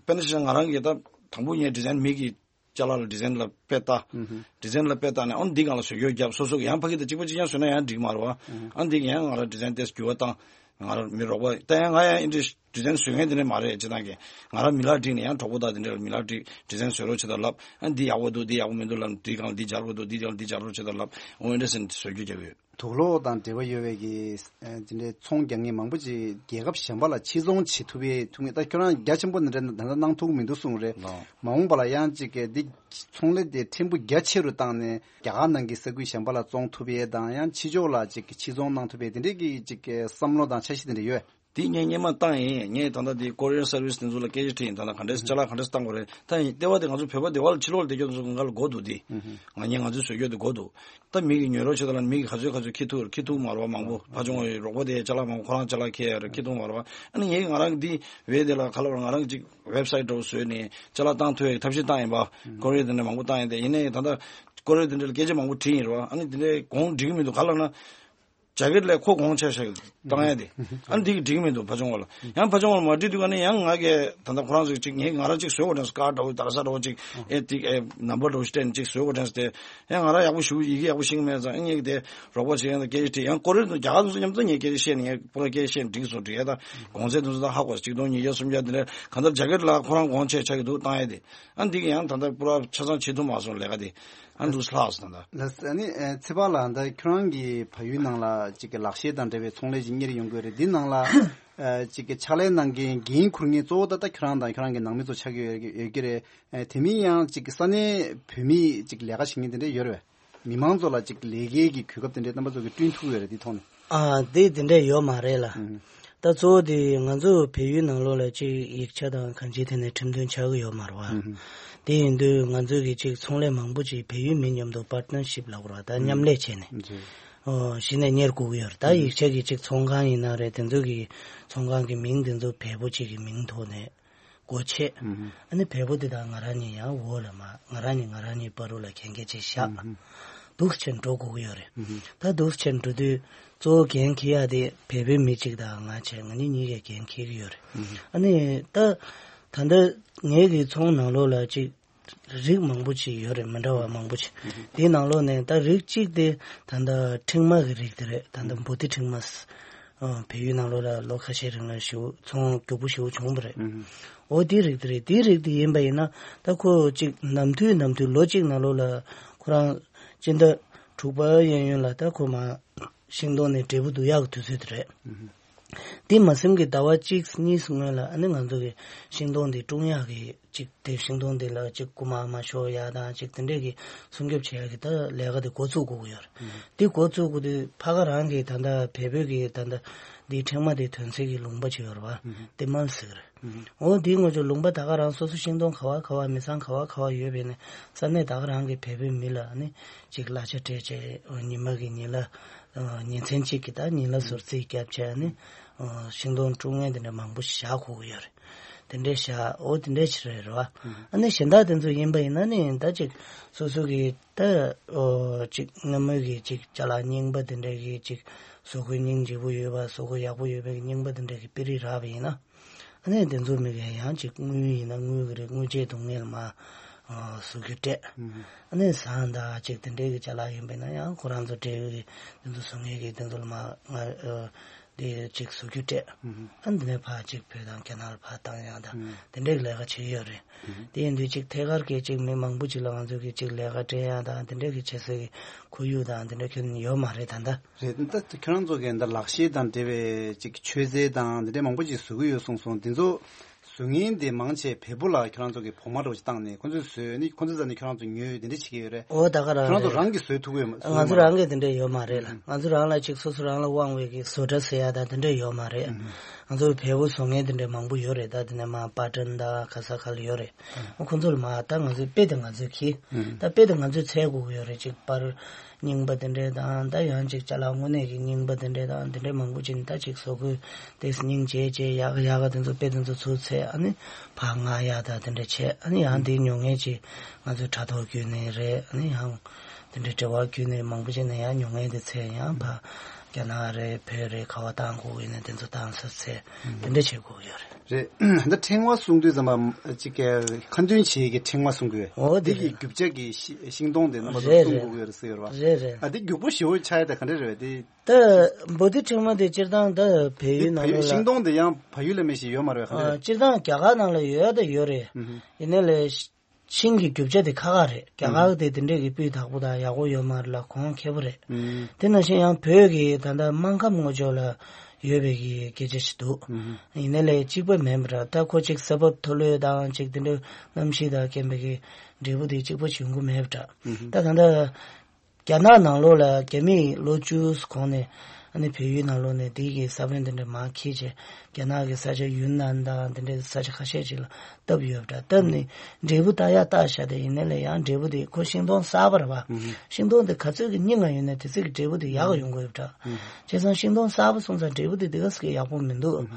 དཔེར་ན་ཆ་བཞག་ང་རང་གིས་ད་དང་པོ་ངས་design མི་གི་ཅ་ལག་ལ་design ལ་དཔེ་ལྟ། design ལ་དཔེ་ལྟ་ནས་ཨོ་འདི་སྒང་ལ་བཟོ་བཀོད་བརྒྱབ། སོ་སོ་གི་ཡང་ཕ་གི་དང་གཅིག་པ་གཅིག་རྐྱང་བཟོས་ན་ཡང་འགྲིག་མ་རེད་བ། ཨ་འདི་གི་ཡང་ང་རང་design ཏོག་ཙམ་འགྱུར་བ་བཏང་། ང་རང་མི་རོགས་པ་ད་ཡང་ང་ཡང་ཨིན་འདྲ་design བཟོ་མཁན་དེ་འདྲ་མ་རེད། སྤྱིར་བཏང་གི་ང་རང་མི་ལ་བསྒྲིགས་ནས་ཡང་གྲོགས་པོ་དང་དེ་འདྲ་མི་ལ་བསྒྲིགས། design བཟོ་རོགས་བྱེད་དང་ལབ། ཨ་འདི་ཡག་པོ་འདུག་འདི་ཡག་པོ་མི་འདུག་ལབ། འདི་སྒང་འདི་སྦྱར་དགོས་འདུག་འདི་སྒང་འདི་སྦྱར་རོགས་བྱེད་དང་ལབ། ཨོ་ཨིན་འདྲ་ཟེར་ནས་བཟོ་བཀོད་རྒྱག་གི་ཡོད། དུག་སློག་དང་འབྲེལ་བ་ཡོད་པའི་གི་ཨ་དེ་འདྲའི་ཚོང་རྒྱག་མཁན་མང་པོ་ཅིག་རྒྱལ་ཁབ་གཞན་པ་ལ་ཕྱིར་ཚོང་བྱེད་ཐུབ་པའི་ཐུབ་ངེས། ད་ཁྱོད་རང་རྒྱ་ཆེན་པོ་འདི་འདྲ་ད་ལྟ་གནང་ཐུབ་ཀྱི་མི་འདུག་གསུངས་རེད། ལགས། མ་འོངས་པ་ལ་ཡང་ཅིག་གི་འདི་ཚོང་ལས་དེ་ཕྲན་བུ་རྒྱ་ཆེ་རུ་བཏང་ནས་རྒྱ་གར་ནང་གི་ས་ཁུལ་གཞན་པ་ལ་བཙོང་ཐུབ་ཡས་དང་། ཡང་ཕྱི་ཕྱོགས་ལ་ཅིག་གི་ཕྱིར་ཚོང་གནང་ཐུབ་པའི་དེ་འདྲའི་གི་ཅིག་གི་བསམ་བློ་དང་འཆར་གཞི་དེ་འདྲ་ཡོད། དེ་ངས་སྔོན་མ་བཏང་ཡིན། ངས་ད་ལྟ་དེ་courier service དེ་ཚོ་ལ་སྐད་ཆ་དྲིས་ཡིན། ད་ལྟ་ག་འདྲས་ཅ་ལག་ག་འདྲས་བཏང་དགོས་རེད། ད་ཡིན་ལྟེ་བ་དེ་ང་ཚོ་བོད་པ་སྡེ་བ་ལ་ཕྱི་ལོགས་ལ་བསྡད་རྒྱུ་ཚོ་ང་ལ་དགོས་འདུག་དེ། ང་ངས་ང་ཚོའི་བཟོ་བཀོད་དེ་དགོས་འདུག་ད་མི་གི་ཉོ་རོགས་བྱེད་དང་ལབ་ན་མི་གི་ག་ཚོད་ག་ཚོད་འཁྱེར་ཐུབ་འཁྱེར་ཐུབ་མ་རེད་བ། མང་པོ་ཕར་ཕྱོགས་ཀྱི་རོགས་པ་དེ་ཅ་ལག་མང་པོ་ཁོ་རང་ཅ་ལག་འཁྱེར་ཡ་རེད། འཁྱེར་ཐུབ་མ་རེད་བ། ཨ་ནི་ངས་ང་རང་གི་འདི་བས་དེ་ལ་ག་ལབ་ར། ང་རང་གི་ཅིག་website འདྲ་བོ་བཟོས་ནས་ཅ་ལག་བཏང་ཐུབ་ཡ་གི་ཐབས་ཤེས་བཏང་ཡིན་པ། courier དེ་འདྲ་མང་པོ་བཏང་ཡིན་ཏེ། ཡིན་ནའི་ད་ལྟ་courier དེ་འདྲ་ལ་སྐད་ཆ་མང་པོ་དྲིས་ཡིན་རེད་བ། ཨ་ནི་དེ་འདྲའི་གོང་འགྲིག་གི་མི་འདུག་ག་ལབ་ན། ཇ་ཀེཊ་ལས་ཁོ་གོང་ཆེ་ཤོས་བཏང་ཡ་དེ། ཨ་ནི་དེ་གི་འགྲིག་གི་མི་འདུག་ཕར་ཕྱོགས་ལ། ཡང་ཕར་ཕྱོགས་ལ་མ་འགྲིག་དུས་ཀ་ནས་ཡང་ང་གིས་ད་ལྟ་ཁོ་རང་ཚོས་ཅིག་ངས་ང་རང་ཅིག་བཟོས་དགོས་དྲན་སོང་། ཀར་འདྲ་བོ་དར་ས་འདྲ་བོ་ཅིག་ཨེ་ཏིག་ཨེ་ནམ་བར་འདྲ་བོ་ཞིག་སྤྲད་ནས་ཅིག་བཟོས་དགོས་དྲན་སོང་སྟེ། ཡང་ང་རང་ཡག་པོ་ཞུ་ཡི་གེ་ཡག་པོ་ཤེས་ཀྱི་མེད་ཙང་། ཨ་ངས་དེ་རོགས་པ་བྱེད་མཁན་དང་སྐད་ཆ་དྲིས། ཡང་ཀོ་རི་ཡར་དུ་རྒྱ་གར་དུ་མཉམ་དུ་ངས་སྐད་ཆ་བཤད་ནས། ངས་པུ་ར་སྐད་ཆ་བཤད་ནས་འགྲིག་སོང་། འགྲིག་ཡ་ད་གོང་ཚད་དུ་ཚོད་ད་ཧ་གོ། ཆིག་སྟོང་ཉིས་བརྒྱ་སུམ་བརྒྱ་དེ་འདྲ་གང་ལྟར་ཇ་ཀེཊ་ལ་ཁོ་རང་གོང་ཆེ་ཆགས་ཀྱི་འདུག་བཏང་ཡ་དེ། ཨ་འདི་གི་ཡང་ད་ལྟ་པུ་ར་ཆ་ཚང་བྱེད་ཐུབ་མ་སོང་ལས་ཀ་དེ། ཨ་འདུག་ལྷག་སོང་ད་ལྟ། ལགས་སོ། ཨ་ནི་ཨེ་ཚེ་དཔག་ལགས། ད་ཁྱོད་རང་གིས་བལ་ཡུལ་ནང་ལ་ཅིག་གི་ལག་ཤེས་དང་འབྲེལ་བའི་ཚོང་ལས་ཅིག་གཉེར་ཡོང་གི་ཡོད་རེད། འདི་ནང་ལ་ཨ་ཅིག་གི་ཕྱག་ལས་གནང་མཁན་འགན་འཁུར་མཁན་གཙོ་བོ་ད་ལྟ་ཁྱོད་རང་དང་ཁྱོད་རང་གི་ནང་མི་ཚོ་ཆགས་ཀྱི་ཡོད་ཡོད་ཀྱི་རེད། ཨེ་དེ་མིན་ཡང་ཅིག་གི་ས་གནས་བོད་མི་ཅིག་ལས་ཀ་བྱེད་མཁན་དེ་འདྲ་ཡོད་རེད་བས། མི་མང་ཚོ་ལ་ཅིག་ལས་ཀའི་གི་གོ་སྐབས་དེ་འདྲའི་རྣམ་པ་ཚོ་གིས་བསྐྲུན་ཐུབ་ཡོད་རེད། འདི་ཐོག་ནས། ཨ་དེ་དེ་འདྲ་ཡོད་མ་རེད་ལ། ཨུམ། ད་གཙོ་བོ་དེ་ང་ཚོ་བལ་ཡུལ་ནང་ལོགས་ལ་ཅིག་ཡིག་ཆ་དང་གང་ཅིའི་ཐད་ནས་ཁྲིམས་མཐུན་ཆགས་ཀྱི་ཡོད་མ་རེད་བ། ཨུམ། དེ་ཡིན་དུས་ང་ཚོ་གི་ཅིག་ཚོང་ལས་མང་པོ་ཅིག་བལ་ཡུལ་མི་མཉམ་དུ་partnership ལབ་དགོས་རེད་བ། ད་མཉམ་ལས་བྱས་ནས། ཨུམ། ཨོ་གཞི་ནས་གཉེར་དགོས་ཀྱི་ཡོད་རེད། ད་ཨུམ། ཡིག་ཆ་གི་ཅིག་ཚོང་ཁང་ཡིན་ན་རེད། དེ་ཚོ་གི་ཚོང་ཁང་གི་མིང་དེ་ཚོ་བལ་པོ་ཅིག་གི་མིང་ཐོག་ནས་སྒོ་ཕྱེ། ཨུམ། ཨ་ནི་བལ་པོ་དེ་དང་ང་རང་གཉིས་ཡང་འོག་ལ་མ་ང་རང་གཉིས་ང་རང་གཉིས་བར་དུ་ལ་གན་རྒྱ་ཅིག་བཞག་ཨུམ། འདུག་སེ་བྱས་འགྲོ་དགོས་ཀྱི་ཡོད་རེད། ཨུམ། ད་འདུག་སེ་བྱས་འགྲོ་དུས་གཙོ་བོ་འགན་འཁྱེར་ཡ་དེ་བལ་པོའི་མི་གཅིག་དང་ང་བྱས། ང་གཉིས་གཉིས་ཀས་འགན་འཁྱེར་གྱི་ཡོད་རེད། ཨུམ། ཨ་ནི་ད་ད་ལྟ་ངའི་གི་ཚོང་ནང་ལོགས་ལ་ཅིག་རིགས་མང་པོ་ཅིག་ཡོད་རེད། མི་འདྲ་བ་མང་པོ་ཅིག་ཨུམ། དེའི་ནང་ལོགས་ནས་ད་རིགས་གཅིག་དེ་ད་ལྟ་ཕྲེང་མ་གི་རིགས་དེ་རེད། ད་ལྟ་ཨུམ། བོ་ཏི་ཕྲེང་མ། ཨ་བལ་ཡུལ་ནང་ལོགས་ལ་ལོ་ཁ་ཤས་རིང་ལ་ཞེ་པོ་ཚོང་མགྱོགས་པོ་ཞེ་པོ་བྱུང་བ་རེད། ཨུམ། འོ་དེ་རིགས་དེ་རེད། དེ་རིགས་དེ་ཡིན་པ་ཡིན་ན་ད་ཁོ་ཅིག་ནམ་དུས་ནམ་དུས་ལོ་གཅིག་ནང་ལོགས་ལ་ཁོ་རང་སྤྱི་ཟླ་དྲུག་པ་གཡས་གཡོན་ལ་ད་ཁོ་མར་ཤིང་སྡོང་ནས་འབྲས་བུ་བསྡུ་ཡག་གི་དུས་ཚོད་དེ་རེད། ཨུམ། དེ་མ་ཟིན་གྱི་ཟླ་བ་གཅིག་གཉིས་སྔོན་ལ་ཨ་ནི་ང་ཚོ་གི་ཤིང་སྡོང་དེ་སྲུང་ཡག་གི་ཅིག་དེ་ཤིང་སྡོང་དེ་ལ་ཅིག་རྐུ་མ་མ་ཤོར་ཡག་དང་ཅིག་དེ་འདྲས་ཀྱི་སྲུང་སྐྱོབ་བྱེད་ཡག་གི་ད་ལས་ཀ་དེ་འགོ་ཚུགས་དགོས་ཀྱི་ཡོད་རེད། ཨུམ། དེ་འགོ་ཚུགས་དགོས་དུས་ཕ་ག་རང་གི་ད་ལྟ་བལ་པོའི་གི་ད་ལྟ་འདི་ཕྲེང་མ་དེ་ཐོན་སའི་གི་ལུང་པ་ཅིག་ཡོད་རེད་བ། ཨུམ། དེ་མལ་ཟེར་གི་རེད། ཨུམ། འོ་དེའི་ངོས་ཀྱི་ལུང་པ་ད་ག་རང་སོ་སོ་ཤིང་སྡོང་ག་བ་ག་བ་མི་ཚང་ག་བ་ག་བ་ཡོད་པས་ནས་ས་གནས་ད་ག་རང་གི་བལ་པོའི་མི་ལ་ནི་ཅིག་གླ་ཆ་སྤྲད་བྱས། ཉི་མ་གི་ཉིན་ལ་ཉིན་མཚན་གཅིག་གི་ད་ཉིན་ལ་ཟུར་རྩིས་བརྒྱབ་བྱས་ནི་ཤིང་སྡོང་སྲུང་མཁན་དེ་འདྲ་མང་པོ་ཞིག་བཞག་དགོས་ཀྱི་ཡོད་རེད། དེ་འདྲས་བཞག་འོ་དེ་འདྲས་ཕྱིར་རེད་རོ། ཨ་ནི་གཞན་དག་དེ་ཚོ་ཡིན་པ་ཡིན་ན་ནི་ད་ཅིག་སོ་སོ་གི་ད་ཨོ་ཅིག་སྔ་མོའི་གི་ཅིག་ཅ་ལག་རྙིང་པ་དེ་འདྲས་གི་ཅིག་བཟོ་བཀོད་སྙིང་རྗེ་པོ་ཡོད་པ། བཟོ་བཀོད་ཡག་པོ་ཡོད་པའི་གི་རྙིང་པ་དེ་འདྲས་གི་དཔེ་རིས་རག་པ་ཡིན་ན། ཨ་ནི་དེ་ཚོ་མི་ག་ཡང་ཅིག་དངུལ་ཡིན་ན་དངུལ་གི་རེད། དངུལ་ཆད་སྡུག་བསྔལ་མ་ཨོ་བཟོ་རྒྱུ་སྤྲད། ཨ་ནི་ཟངས་དང་ཅིག་དེ་འདྲས་གི་ཅ་ལག་ཡིན་པ་ཡིན་ན་ཡང་ཁོ་རང་ཚོ་འབྲེལ་ཡོད་གི་དེ་ཚོ་བཟོ་མཁན་གི་དེ་ཚོ་ལ་མ་ང་ཨོ། དེ་ཅིག་བཟོ་རྒྱུ་སྤྲད། ཨ་འདི་ནས་ཕར་ཅིག་བོད་དང་རྒྱ་ནག་ལ་ཕར་བཏང་ཡག་དང་དེ་འདྲའི་ལས་ཀ་བྱེད་ཀྱི་ཡོད་རེད། དེ་ཡིན་དུས་ཅིག་ཐད་ཀར་གྱི་ཅིག་མི་མང་པོ་ཅིག་ལ་ང་ཚོ་གི་ཅིག་ལས་ཀ་སྤྲད་ཡག་དང་དེ་འདྲའི་གི་བྱེད་སའི་གི་ཁོར་ཡུག་དང་དེ་འདྲ་ཁྱོན་ཡོད་མ་རེད་ད་ལྟ། རེད། ད་ཁྱོད་རང་ཚོ་གི་ད་ལག་ཤེས་དང་འབྲེལ་བའི་ཅིག་མཆོད་རྫས་དང་དེ་འདྲའི་མང་པོ་ཅིག་བཟོ་གི་ཡོད་གསུངས་སོང་། དེ་ཚོ་བཟོ་མཁན་དེ་མང་ཆེ་བལ་པོ་ལ་ཁྱོད་རང་ཚོ་གི་བོགས་མ་འདྲ་བོ་ཅིག་བཏང་ནས་ཁོ་ཚོས་བཟོས་ནས་ཁོ་ཚོས་རྩ་ནས་ཁྱོད་རང་ཚོ་ཉོས་དེ་འདྲ་བྱེད་ཀྱི་ཡོད་རེད། འོ་ད་ག་རང་ཁྱོད་རང་ཚོ་རེད། རང་གིས་བཟོས་ཐུབ་ཀྱི་ཡོད་མ་ང་ཚོ་རང་གིས་དེ་འདྲ་ཡོད་མ་རེད་ལ། ང་ཚོ་རང་ལ་ཅིག་སོ་སོ་རང་ལ་དབང་བའི་གི་བཟོ་གྲྭ་ཟེར་ཡག་དང་དེ་འདྲ་ཡོད་མ་རེད། ང་ཚོ་བལ་པོ་བཟོ་མཁན་དེ་འདྲ་མང་པོ་ཡོད་རེད། ད་དེ་ནས་མར་པ་ཊན་དང་ག་ས་ག་ལ་ཡོད་རེད། ཁོ་ཚོ་ལ་མར་ད་ང་ཚོའི་དཔེ་དེ་ང་ཚོས་གྱིས། ད་དཔེ་དེ་ང་ཚོས་འཚོལ་དགོས་ཀྱི་ཡོད་རེད། ཅིག་པར་རྙིང་པ་དེ་འདྲས་དང་ད་ཡང་ཅིག་ཅ་ལག་དངོས་གནས་ཀྱི་རྙིང་པ་དེ་འདྲས་དང་དེ་འདྲས་མང་པོ་ཅིག་ནི་ད་ཅིག་བཟོ་དགོས་དེ་སྙིང་རྗེ་རྗེ་ཡག་ག་ཡག་ག་དེ་ཚོ་དཔེ་དེ་ཚོ་ཚུར་འཚོལ། ཨ་ནི་ཕར་མངགས་ཡག་ད་དེ་འདྲས་བྱས། ཨ་ནི་ཡང་དེ་ཉོ་མཁན་ཅིག་ང་ཚོའི་དྲ་ཐོག་བརྒྱུད་ནས་རེད། ཨ་ནི་ཡང་དེ་འདྲས་འབྲེལ་བ་བརྒྱུད་ནས་མང་པོ་ཅིག་ནས་ཡང་ཉོ་མཁན་དེ་འཚོལ། ཡང་ཕར་རྒྱ་ནག་རེད་བོད་རེད་ག་བ་བཏང་དགོས་ཡིན་ན་དེ་ཚོ་བཏང་ས་འཚོལ་དེ་འདྲས་བྱེད་དགོས་ཀྱི་ཡོད་རེད། རེད། ད་ཕྲེང་བ་གསུང་དུས་ཙམ་པ་ཅིག་གི་ཁ་འདོན་བྱེད་ཀྱི་ཕྲེང་བ་གསུང་གི་ཡོད། འོ་དེ་དེ་གི་རྒྱུ་ཆ་གི་ཤི- ཤིང་སྡོང་དེ་རྣམ་པ་ཚོ་རེད་གསུང་རེད། དགོས་ཀྱི་ཡོད་རེད་ཟེར་ཡོད་རེད་བ། རེད་རེད། ཨ་དེ་རྒྱུག་པོ་ཞེ་པོ་ཆགས་ཡ་དེ་ག་འདྲ་རེད་བས་དེ། ད་འབོ་ཏི་ཕྲེང་བ་དེ་སྤྱིར་བཏང་ད་བལ་དེ་ཡུལ་ནང་བལ་ལོགས་ལ་ཤིང་སྡོང་དེ་ཡང་བལ་ཡུལ་ལ་མེད་ཞིག་ཡོད་མ་རེད་བ། ག་འདྲ་ཨ་རེད། སྤྱིར་བཏང་རྒྱ་གར་ནང་ལ་ཡོད་ད་ཡོད་རེད། ཡིན་ནའི་ལས་ཤིང་གི་རྒྱུ་ཆ་དེ་ཁག་ཁག་རེད། རྒྱ་གར་དེ་དེ་འདྲས་ཀྱི་སྤུས་དག་པོ་དང་ཡག་པོ་ཡོད་མ་རེད་ལ་གོང་ཁེ་པོ་རེད། དེ་ནང་བཞིན་ཡང་བོད་ཀྱི་ད་ལྟ་སྨར་ཁམས་ངོས་ཕྱོགས་ལ་ཡོད་པའི་གི་སྐད་ཆ་ཞིག་འདུག་ཡིན་ནའི་ལས་གཅིག་པ་མིན་པ་འདྲ། ད་ཁོ་ཅིག་ས་བབ་མཐོ་ལོས་དང་ཅིག་དེ་འདྲ་གནམ་གཤིས་དང་རྐྱེན་པས་གི་འབྲས་བུ་དེ་གཅིག་པ་ཅིག་ཡོང་གི་མེད་པ་འདྲ། ད་ད་ལྟ་རྒྱ་ནག་ནང་ལོགས་ལ་རྒྱ་མིས་ལོ་བཅུ་གོང་ནས་ཨ་ནི་བལ་ཡུལ་ནང་ལོགས་ནས་དེ་གི་ས་བོན་དེ་འདྲ་མར་འཁྱེར་བྱས་རྒྱ་ནག་གི་ས་ཆ་ཡུན་ནན་དང་དེ་འདྲའི་ས་ཆ་ཁ་ཤས་ཅིག་ལ་བཏབ་ཡོད་པ་འདྲ། བཏབ་ནས་འབྲས་བུ་བཏགས་ཡ་བཏགས་བཞག་དེ་ཡིན་ནའི་ལས་ཡང་འབྲས་བུ་དེ་ཁོ་ཤིང་སྡོང་གསར་པ་རེད་བ། ཤིང་སྡོང་དེ་ག་ཚོད་ཀྱི་རྙིང་བ་ཡོད་ན་དེ་ཚོད་ཀྱི་འབྲས་བུ་དེ་ཡག་ག་ཡོང་གི་ཡོད་པ་འདྲ། བྱས་ཙང་ཤིང་སྡོང་གསར་པ་སོང་ཙང་འབྲས་བུ་དེ་དེ་ག་ཟེ་གི་ཡག་པོ་མི་འདུག་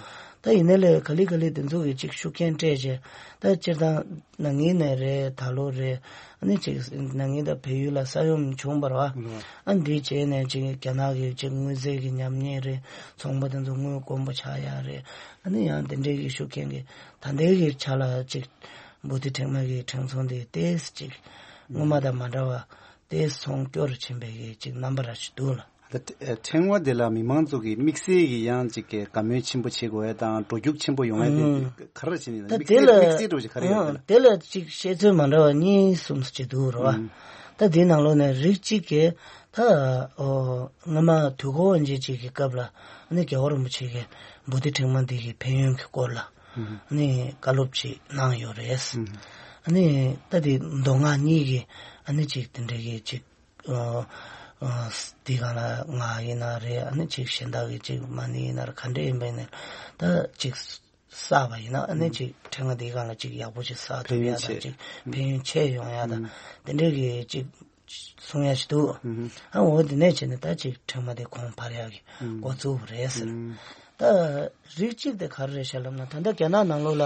ད་ཡིན་ནའི་ལས་ག་ལེ་ག་ལེ་དེ་ཚོ་གི་ཅིག་ཤུགས་རྐྱེན་སྤྲད་བྱས་ད་སྤྱིར་བཏང་ན་ནིང་ནས་རེད། ད་ལོ་རེད། ཨ་ནི་ཅིག་ན་ནིང་ད་བལ་ཡུལ་ལ་ས་ཡོམ་བྱུང་བ་རེད་བ། ཨ་འདི་བྱས་ནས་ཅིག་རྒྱ་ནག་གི་ཅིག་དངུལ་རྩིས་ཀྱི་ཉམས་ཉེས་རེད། ཚོང་པ་དེ་ཚོ་དངུལ་དཀོན་པོ་ཆགས་ཡ་རེད། ཨ་ནི་ཡང་དེ་འདྲའི་གི་ཤུགས་རྐྱེན་གྱིས་ད་ལྟའི་གི་ཆ་ལ་ཅིག་འབོ་ཏི་ཕྲེང་བ་གི་ཕྲེང་ཚོང་དེ་ཏོག་ཙམ་ཅིག་སྔོན་མ་དང་མ་འདྲ་བ་ཏོག་ཙམ་ཚོང་སྐྱོ་རུ་ཕྱིན་པའི་གི་ཅིག་རྣམ་པ་ར་ཞིག་འདུག་ལ། ད་ཕྲེང་བ་དེ་ལ་མི་མང་ཚོ་གི་དམིགས་བསལ་གྱི་ཡང་ཅིག་གི་དགའ་མོས་ཆེན་པོ་བྱེད་དགོས་ཡ་དང་འགྲོ་རྒྱུག་ཆེན་པོ་ཡོང་ཡ་དེ་ཨང་། ག་རེ་བྱས་ནས་ད་དམིགས་དེ་བསལ་ལ་དམིགས་བསལ་འགྲོ་བྱེད་ག་རེ་ཡོད་ཨང་། དེ་ལ། དེ་ལ་ཅིག་བཤད་ཚོད་མ་འདྲ་བ་གཉིས་གསུམ་ཅིག་འདུག་རོ། ཨང་། ད་དེའི་ནང་ལོགས་ནས་རིགས་གཅིག་གིས་ད་ཨོ་སྔ་མ་དུས་འཁོར་དབང་ཆེན་གཅིག་གི་སྐབས་ལ་ཨ་ནི་རྒྱལ་བ་རིན་པོ་ཆེ་གིས་འབོ་ཏི་ཕྲེང་བ་འདི་གི་ཕན་ཡོན་གྱི་སྐོར་ལ་ཨ་ནི་བཀའ་སློབ་ཅིག་གནང་ཡོད་རེད། ཨ་ནི་ད་དེ་མདོ་སྔགས་གཉིས་ཀྱི་ཨ་ནི་ཅིག་དེ་འདྲ་གི་ཅིག་ཨ་ཨ་དེ་སྒང་ལ་ང་ཡིན་ན་རེད། ཨ་ནི་ཅིག་གཞན་དག་གི་ཅིག་མ་ཎི་ཡིན་ན་རེད། ག་འདྲ་ཡིན་པ་ཡིན་ན་ད་ཅིག་བསགས་པ་ཡིན་ན་ཨ་ནི་ཅིག་ཕྲེང་བ་དེ་སྒང་ལ་ཅིག་ཡག་པོ་ཅིག་བསགས་ཐུབ་ཡ་དང་ཅིག་ཕན་ཡོན་ཆེ་ཡོང་ཡ་དང་དེ་འདྲའི་གི་ཅིག་གསུང་ཡ་ཞིག་འདུག་ཨ་འོ་དེ་ནས་བྱས་ནས་ད་ཅིག་ཕྲེང་བ་དེ་གོང་འཕར་ཡ་གི་འགོ་བཙུགས་པ་རེད་ཟེར། ད་རིགས་གཅིག་དེ་ག་རེ་རེད་ཤག་ལབ་ན་ད་ལྟ་རྒྱ་ནག་ནང་ལོགས་ལ་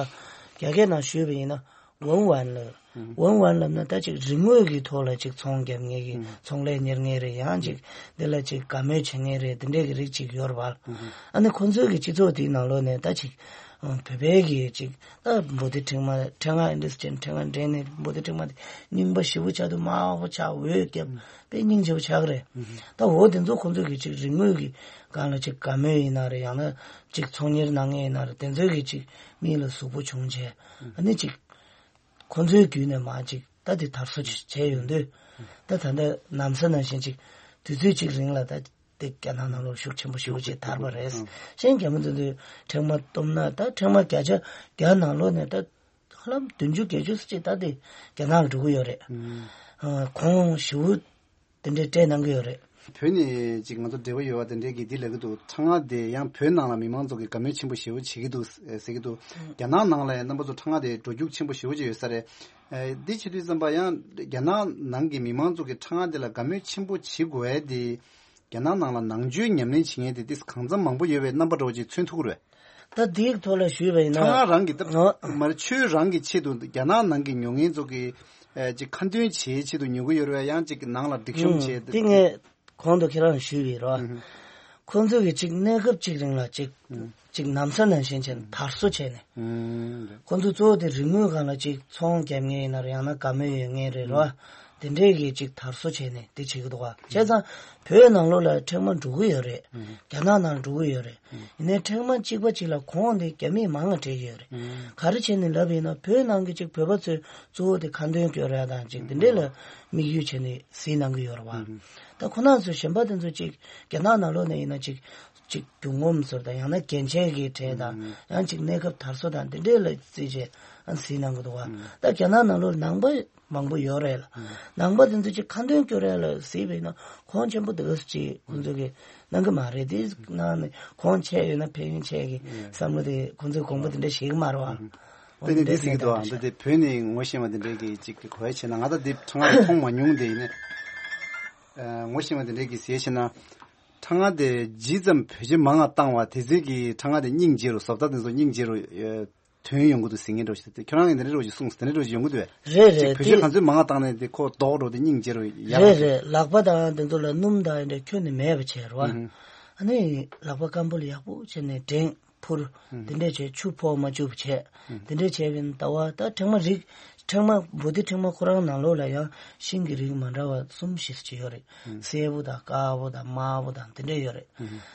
རྒྱ་སྐད་ནང་ཞུས་པ་ཡིན་ན། ཝུན་ཝན་ལབ། ཝུན་ཝན་ལབ་ན་ད་ཅིག་རིན་དངུལ་གྱི་ཐོག་ལ་ཅིག་ཚོང་རྒྱབ་མཁན་གྱི་ཚོང་ལས་གཉེར་མཁན་རེད། ཡང་ཅིག་འདི་ལ་ཅིག་དགའ་མོས་བྱེད་མཁན་རེད། འདི་འདྲས་ཀྱི་རིགས་ཅིག་ཡོད་རེད་བ། ཨ་ནི་ཁོང་ཚོའི་གི་སྤྱི་ཚོགས་དེའི་ནང་ལོགས་ནས་ད་ཅིག་བོད་པའི་གི་ཅིག་ད་འབོ་ཏི་ཕྲེང་བ་ཕྲེང་བ་ཨིན་ཌི་སི་ཅན་ཕྲེང་བ་འདྲེན་ནས་འབོ་ཏི་ཕྲེང་བ་དེ་རྙིང་པ་ཞེ་པོ་ཆགས་འདུག་དམར་པོ་ཆགས་འོད་བརྒྱབ་དཔེ་སྙིང་རྗེ་པོ་ཆགས་ཀྱི་རེད། ད་འོ་དེ་ཚོ་ཁོང་ཚོའི་གི་ཅིག་རིན་དངུལ་གི་སྒང་ལ་ཅིག་དགའ་མོས་ཡིན་ན་རེད། ཡང་ན་ཅིག་ཚོང་གཉེར་གནང་མཁན་ཡིན་ན་རེད། དེ་ཚོའི་གི་ཅིག་མིག་ལ་ཟུག་པོ་བྱུང་བྱས་ཨ་ནི་ཅིག་ཁོང་ཚོའི་བརྒྱུད་ནས་མར་ཅིག་ད་དེ་དར་སྲོལ་ཅིག་བྱས་ཡོང་དུས། ད་ད་ལྟ་ནམ་ས་ནང་བཞིན་ཅིག་དུས་ཚོད་ཅིག་རིང་ལ་ད་དེ་རྒྱ་ནག་ནང་ལོགས་ཤུགས་ཆེན་པོ་ཞེ་པོ་ཅིག་དར་བ་རེད། གཞན་རྒྱ་མི་ཚོ་ཚོས་ཕྲེང་བ་སྟོབས་ན་ད་ཕྲེང་བ་བརྒྱ་ཆ་བརྒྱ་ནང་ལོགས་ནས་ད་ཧ་ལམ་བདུན་ཅུ་བརྒྱད་ཅུ་ཙམ་ཅིག་ད་དེ་རྒྱ་ནག་ལ་འགྲོ་གི་ཡོད་རེད། གོང་ཞེ་པོ་དེ་འདྲའི་སྤྲད་གནང་གི་ཡོད་རེད། བོད་ནས་ཅིག་ང་ཚོ་འབྲེལ་བ་ཡོད་པ་དེ་འདྲས་ཀྱིས་འདི་ལབ་ཀྱི་འདུག་ཕྲེང་བ་དེ་ཡང་བོད་ནང་ལ་མི་མང་ཚོ་གིས་དགའ་མོས་ཆེན་པོ་ཞེ་པོ་བྱེད་ཀྱི་འདུག་ཟེར་གྱི་འདུག་རྒྱ་ནག་ནང་ལ་ཡང་རྣམ་པ་ཚོ་ཕྲེང་བ་དེ་འགྲོ་རྒྱུག་ཆེན་པོ་ཞེ་པོ་ཅིག་ཡོད་ས་རེད། འདི་བྱེད་དུས་ཙམ་པ་ཡང་རྒྱ་ནག་ནང་གི་མི་མང་ཚོ་གིས་ཕྲེང་བ་དེ་ལ་དགའ་མོས་ཆེན་པོ་བྱེད་དགོས་ཡ་དེ་རྒྱ་ནག་ནང་ལ་ནང་ཆོས་ཉམས་ལེན་བྱེད་མཁན་དེ་ཏིས་གང་འཚམ་མང་པོ་ཡོད་པའི་རྣམ་པ་འདྲ་བོ་ཅིག་མཚོན་ཐུབ་ཀྱི་རེད། ད་དེའི་ཐོག་ལ་ཞུས་པ་ཡིན་ན། ཕྲེང་བ་རང་གི་སྟབས་ཨ། མར་ཆོས་རང་གི་ཆེད་དུ་རྒྱ་ནག་ནང་གི་ཉོ་མཁན་ཚོ་གི་ཨེ་ཅིག་ཁ་འདོན་བྱེད་ཆེད་དུ་ཉོ་གི་ཡོད་རེད་ཡང་ཅིག་ནང་ལ་སྒྲིག་གཤོམ་ཨུམ་བྱེད། དེ་ངས་གོང་དུ་ཁྱེད་རང་ཞུས་པའི་རོ། ཨུམ། ཁོང་ཚོ་གི་ཅིག་གནས་སྐབས་ཅིག་རིང་ལ་ཅིག་ཨུམ། ཅིག་ནམ་ས་ནང་བཞིན་བྱས་ནས་དར་སྲོལ་བྱས་ནས། ཨུམ། ཁོང་ཚོ་གཙོ་བོ་དེ་རིན་དངུལ་སྒང་ལ་ཅིག་ཚོང་རྒྱབ་མཁན་ཡིན་ན་རེད་ཡང་ན་དགའ་མོས་ཡོད་མཁན་རེད་རོ། ཨུམ། དེ་འདྲས་ཀྱི་ཅིག་དར་སོ་བྱས་ནས་དེ་བྱེད་ཀྱི་འདུག་བ། བྱས་ཙང་བོད་ནང་ལོགས་ལ་ཕྲེང་བ་འགྲོ་གི་ཡོད་རེད། རྒྱ་ནག་ནང་འགྲོ་གི་ཡོད་རེད། ཡིན་ནའི་ཕྲེང་བ་གཅིག་པ་གཅིག་ལ་གོང་དེ་རྒྱ་མིས་མང་ང་སྤྲད་ཀྱི་ཡོད་རེད། ག་རེ་བྱས་ནས་ལབ་ཡིན་ན་བོད་ནང་གི་ཅིག་བོད་པ་ཚོས་གཙོ་བོ་དེ་ཁ་འདོན་སྐྱོར་ཡ་དང་ཅིག་དེ་འདྲས་ལ་དམིགས་ཡུལ་བྱས་ནས་གཟིགས་གནང་གི་ཡོད་རེད་བ། ད་ཁོ་ན་ཚོས་གཞན་པ་དེ་ཚོ་ཅིག་རྒྱ་ནག་ནང་ལོགས་ནས་ཡིན་ན་ཅིག་ཅིག་རྒྱུ་ངོམ་ཟེར་དང་ཡང་ན་རྒྱན་ཆས་ཀྱི་གྲས་དང་ཡང་ཅིག་གནས་སྐབས་དར་སོ་དང་དེ་འདྲས་ལ་བརྩིས་བྱས་ཨ་གཟིགས་གནང་གི་འདུག་བ། ད་རྒྱ་ནག་ནང་ལོགས་ནང་པ་མང་པོ་ཡོད་རེད་ལ། ནང་པ་དེ་ཚོ་ཅིག་ཁ་འདོན་སྐྱོར་ཡ་ལ་གཟིགས་པས་ན་གོང་ཆེན་པོ་འདུག་ཅིག་ཁོང་ཚོ་གིས་གནང་གི་མ་རེད། དེ་ནང་ནས་གོང་ཆེ་ཡོད་ན་ཕན་ཡོན་ཆེ་གི་བསམ་བློ་དེ་ཁོང་ཚོས་དགོངས་པ་དེ་འདྲ་བཞེས་ཀྱི་མ་རེད་བ། འོ་དེ་ནི་དེ་འདྲའི་འདི་ཟིག་གི་འདུག་ཨ། འདི་དེ་བོད་ནས་ངོ་ཤེས་པ་འདི་འདྲའི་གི་ཅིག་གི་གོ་ཡ་བྱས་ན་ང་ད་འདི་ཁྲང་ང་མཐོང་མ་མྱོང་དེ་ཡིན་ནས། ཨ་ངོ་ཤེས་པ་འདི་འདྲའི་གི་ཟེར་བྱས་ན། ཁྲང་ང་དེ་ཇི་ཙམ་བོད་ཆས་མང་ང་བཏང་བ་དེ་ཚོའི་གི་ཁྲང་ང་དེ་སྙིང་རྗེ་རུ་བཟོ་ལྟ་དེ་ཚོ་སྙིང་རྗེ་རུ་ཨ་ཐོན་ཡོང་གི་འདུག་ཟེར་མཁན་འདྲ་བོ་ཞིག་དེ་ཁྱོད་རང་གི་འདི་འདྲ་འདྲ་བོ་ཞིག་གསུངས་ཟེར་འདི་འདྲ་འདྲ་བོ་ཞིག་ཡོང་གི་འདུག་བས། རེད་ཅིག་རེད་བོད་ཆས་དེ། ག་ཚོད་མང་ང་བཏང་ནས་དེ་ཁོ་ལྡོག་འགྲོ་དེ་སྙིང་རྗེ་རུ་ཡག་རེད་པོ་རེད། ལག་པ་དང་དེ་ཚོ་ལ་སྣུམ་དང་འདྲ་ཁྱོན་ནས་མེད་པ་བྱས་རེད་བ། ཨ་ནི་ལག་པ་སྐམ་པོ་ལ་ཡག་པོ་བྱས་ནས་འགྲེང་། ཕུར། དེ་འདྲས་བྱས་ཆུ་ཕོག་མ་བཅུག་པ་བྱས། དེ་འདྲས་བྱས་པའི་ཟླ་བ་ད་ཕྲེང་མ་རིགས་ཕྲེང་མ་བོ་དྷི་ཕྲེང་མ་ཁོ་རང་ནང་ལོགས་ལ་ཡང་ཤིང་གི་རིགས་མ་འདྲ་བ་གསུམ་བཞི་ཅིག་ཡོད་རེད། སེར་པོ་དང་དཀར་པོ་དང་དམར་པོ་དང་དེ་འདྲས་ཡོད་རེད།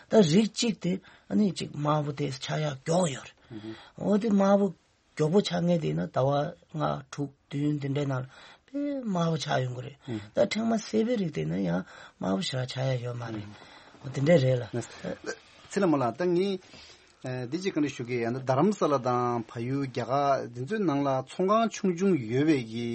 ད་རིགས་གཅིག་དེ་ཨ་ནི་གཅིག་དམར་པོ་དེ་ཆགས་ཡག་མགྱོགས་ཡོད་རེད། འོ་དེ་དམར་པོ་མགྱོགས་པོ་ཆགས་མཁན་དེ་ཡིན་ན་ཟླ་བ་ལྔ་དྲུག་བདུན་དེ་འདྲའི་ནང་དཔེ་དམར་པོ་ཆགས་ཡོང་གི་རེད། ད་ཕྲེང་མ་སེར་པོའི་རིགས་དེ་ནི་ཡང་དམར་པོ་ཞེ་དྲག་ཆགས་ཡ་ཡོད་མ་རེད། འོ་དེ་འདྲ་རེད་ལ། ཚེ་ལ་མོ་ལ་ད་ངས་འདི་གཅིག་བཀའ་འདྲི་ཞུ་གི་ཡང་ན་རྡ་རམ་ས་ལ་དང་བལ་ཡུལ་རྒྱ་གར་འདི་ཚོའི་ནང་ལ་ཚོང་ཁང་ཆུང་ཆུང་ཡོད་པའི་གི་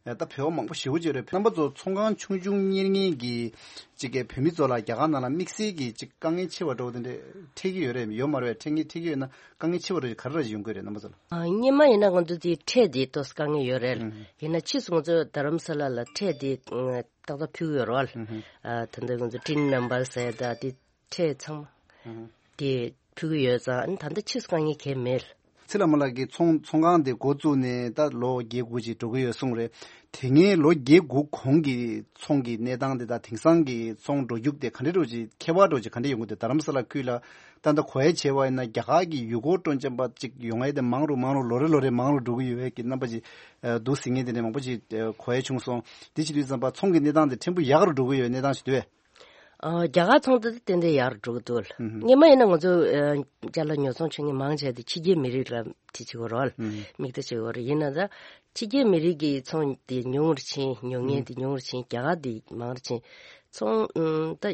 ད་བོད་པ་མང་པོ་ཞེ་པོ་ཅིག་རེད། རྣམ་པ་ཚོ་ཚོང་ཁང་ཆུང་ཆུང་གཉེར་མཁན་གི་གཅིག་གི་བོད་མི་ཚོ་ལ་རྒྱ་གར་ནང་ལ་དམིགས་བསལ་གྱི་གཅིག་དཀའ་ངལ་ཆེ་བ་འདྲ་བོ་དེ་འདྲ་འཕྲད་ཀྱི་ཡོད་རེད་ཡོད་མ་རེད། འཕྲད་ངེས་འཕྲད་ཀྱི་ཡོད་ན་དཀའ་ངལ་ཆེ་བ་འདྲ་བོ་ག་རེ་རེ་ཡོང་གི་རེད་རྣམ་པ་ཚོ་ལ། ཨ། སྔོན་མ་ཡིན་ན་ང་ཚོ་དེ་ཁྲལ་དེ་ཏོག་ཙམ་དཀའ་ངལ་ཡོད་རེད་ལ། ཨུ་ཧུ། ཡིན་ན་ཕྱིས་སུ་ང་ཚོ་རྡ་རམ་ས་ལ་ལ་ཁྲལ་དེ་ཏག་ཏག་ཕུལ་གྱི་ཡོད་རེད་བ། ཨུ་ཧུ། ཨ། ད་ལྟ་ང་ཚོ་ཊིན་ནམ་བར་ཟེར་ད་དེ་ཁྲལ་ཚང་མ་ཨུ་ཧུ། དེ་ཕུལ་གྱི་ཡོད་ཙང་ཨ་ནི་ད་ལྟ་ཕྱིས་སུ་དཀའ་ངལ་གང་ཡང་མེད། ཚེ་ལྷ་མོ་ལགས་ཀྱིས་ཚོང་ཚོང་ཁང་དེ་འགོ་བཙུགས་ནས་ད་ལོ་བརྒྱད་དགུ་ཅིག་འགྲོ་གི་ཡོད་གསུངས་རེད། དེ་སྔའི་ལོ་བརྒྱད་དགུ་གོང་གི་ཚོང་གི་གནས་སྟངས་དེ་དང་དེང་སང་གི་ཚོང་འགྲོ་རྒྱུག་དེ་ག་འདྲ་འདྲ་བོ་ཅིག་ཁྱད་པར་འདྲ་བོ་ཅིག་ག་འདྲ་ཡོང་གི་འདུག་རྡ་རམ་ས་ལ་ཁུལ་ལ་ད་ལྟ་གོ་ཡ་བྱས་པ་ཡིན་ན་རྒྱ་གར་གྱི་ཡུལ་སྐོར་སྤྲོ་འཆམ་པ་ཅིག་ཡོང་ཡ་དེ་མང་རུ་མང་རུ་ལོ་རེ་ལོ་རེ་མང་རུ་འགྲོ་གི་ཡོད་པའི་གི་རྣམ་པ་ཅིག་འདུག་ཟེར་མཁན་དེ་འདྲ་མང་པོ་ཅིག་གོ་ཡ་བྱུང་སོང་། དེ་བྱེད་དུས་ཙམ་པ་ཚོང་གི་གནས་སྟངས་དེ་ཕྲན་བུ་ཡག་རུ་འགྲོ་གི་ཡོད་གནས་སྟངས་ཤིག་འདུག་གས། ཨ། རྒྱ་གར་ཚོང་དེ་ཏན་ཏན་ཡག་རུ་འགྲོ་གི་འདུག་ལ། ཨུ་ཧུ། སྔོན་མ་ཡིན་ན་ང་ཚོ་ཨ་ཅ་ལག་ཉོ་ཚོང་བྱེད་མཁན་མང་ཆེ་དེ་ཕྱི་རྒྱལ་མི་རིགས་ལ་དེ་བྱེད་དགོས་རེད་བ། ཨུ་ཧུ། དམིགས་གཏད་བྱེད་དགོས་རེད། ཡིན་ན་ད་ཕྱི་རྒྱལ་མི་རིགས་ཀྱི་ཚོང་དེ་ཉུང་རུ་ཕྱིན། ཉོ་མཁན་དེ་ཉུང་རུ་ཕྱིན། རྒྱ་གར་དེ་མང་རུ་ཕྱིན། ཚོང་ཨུམ་ད་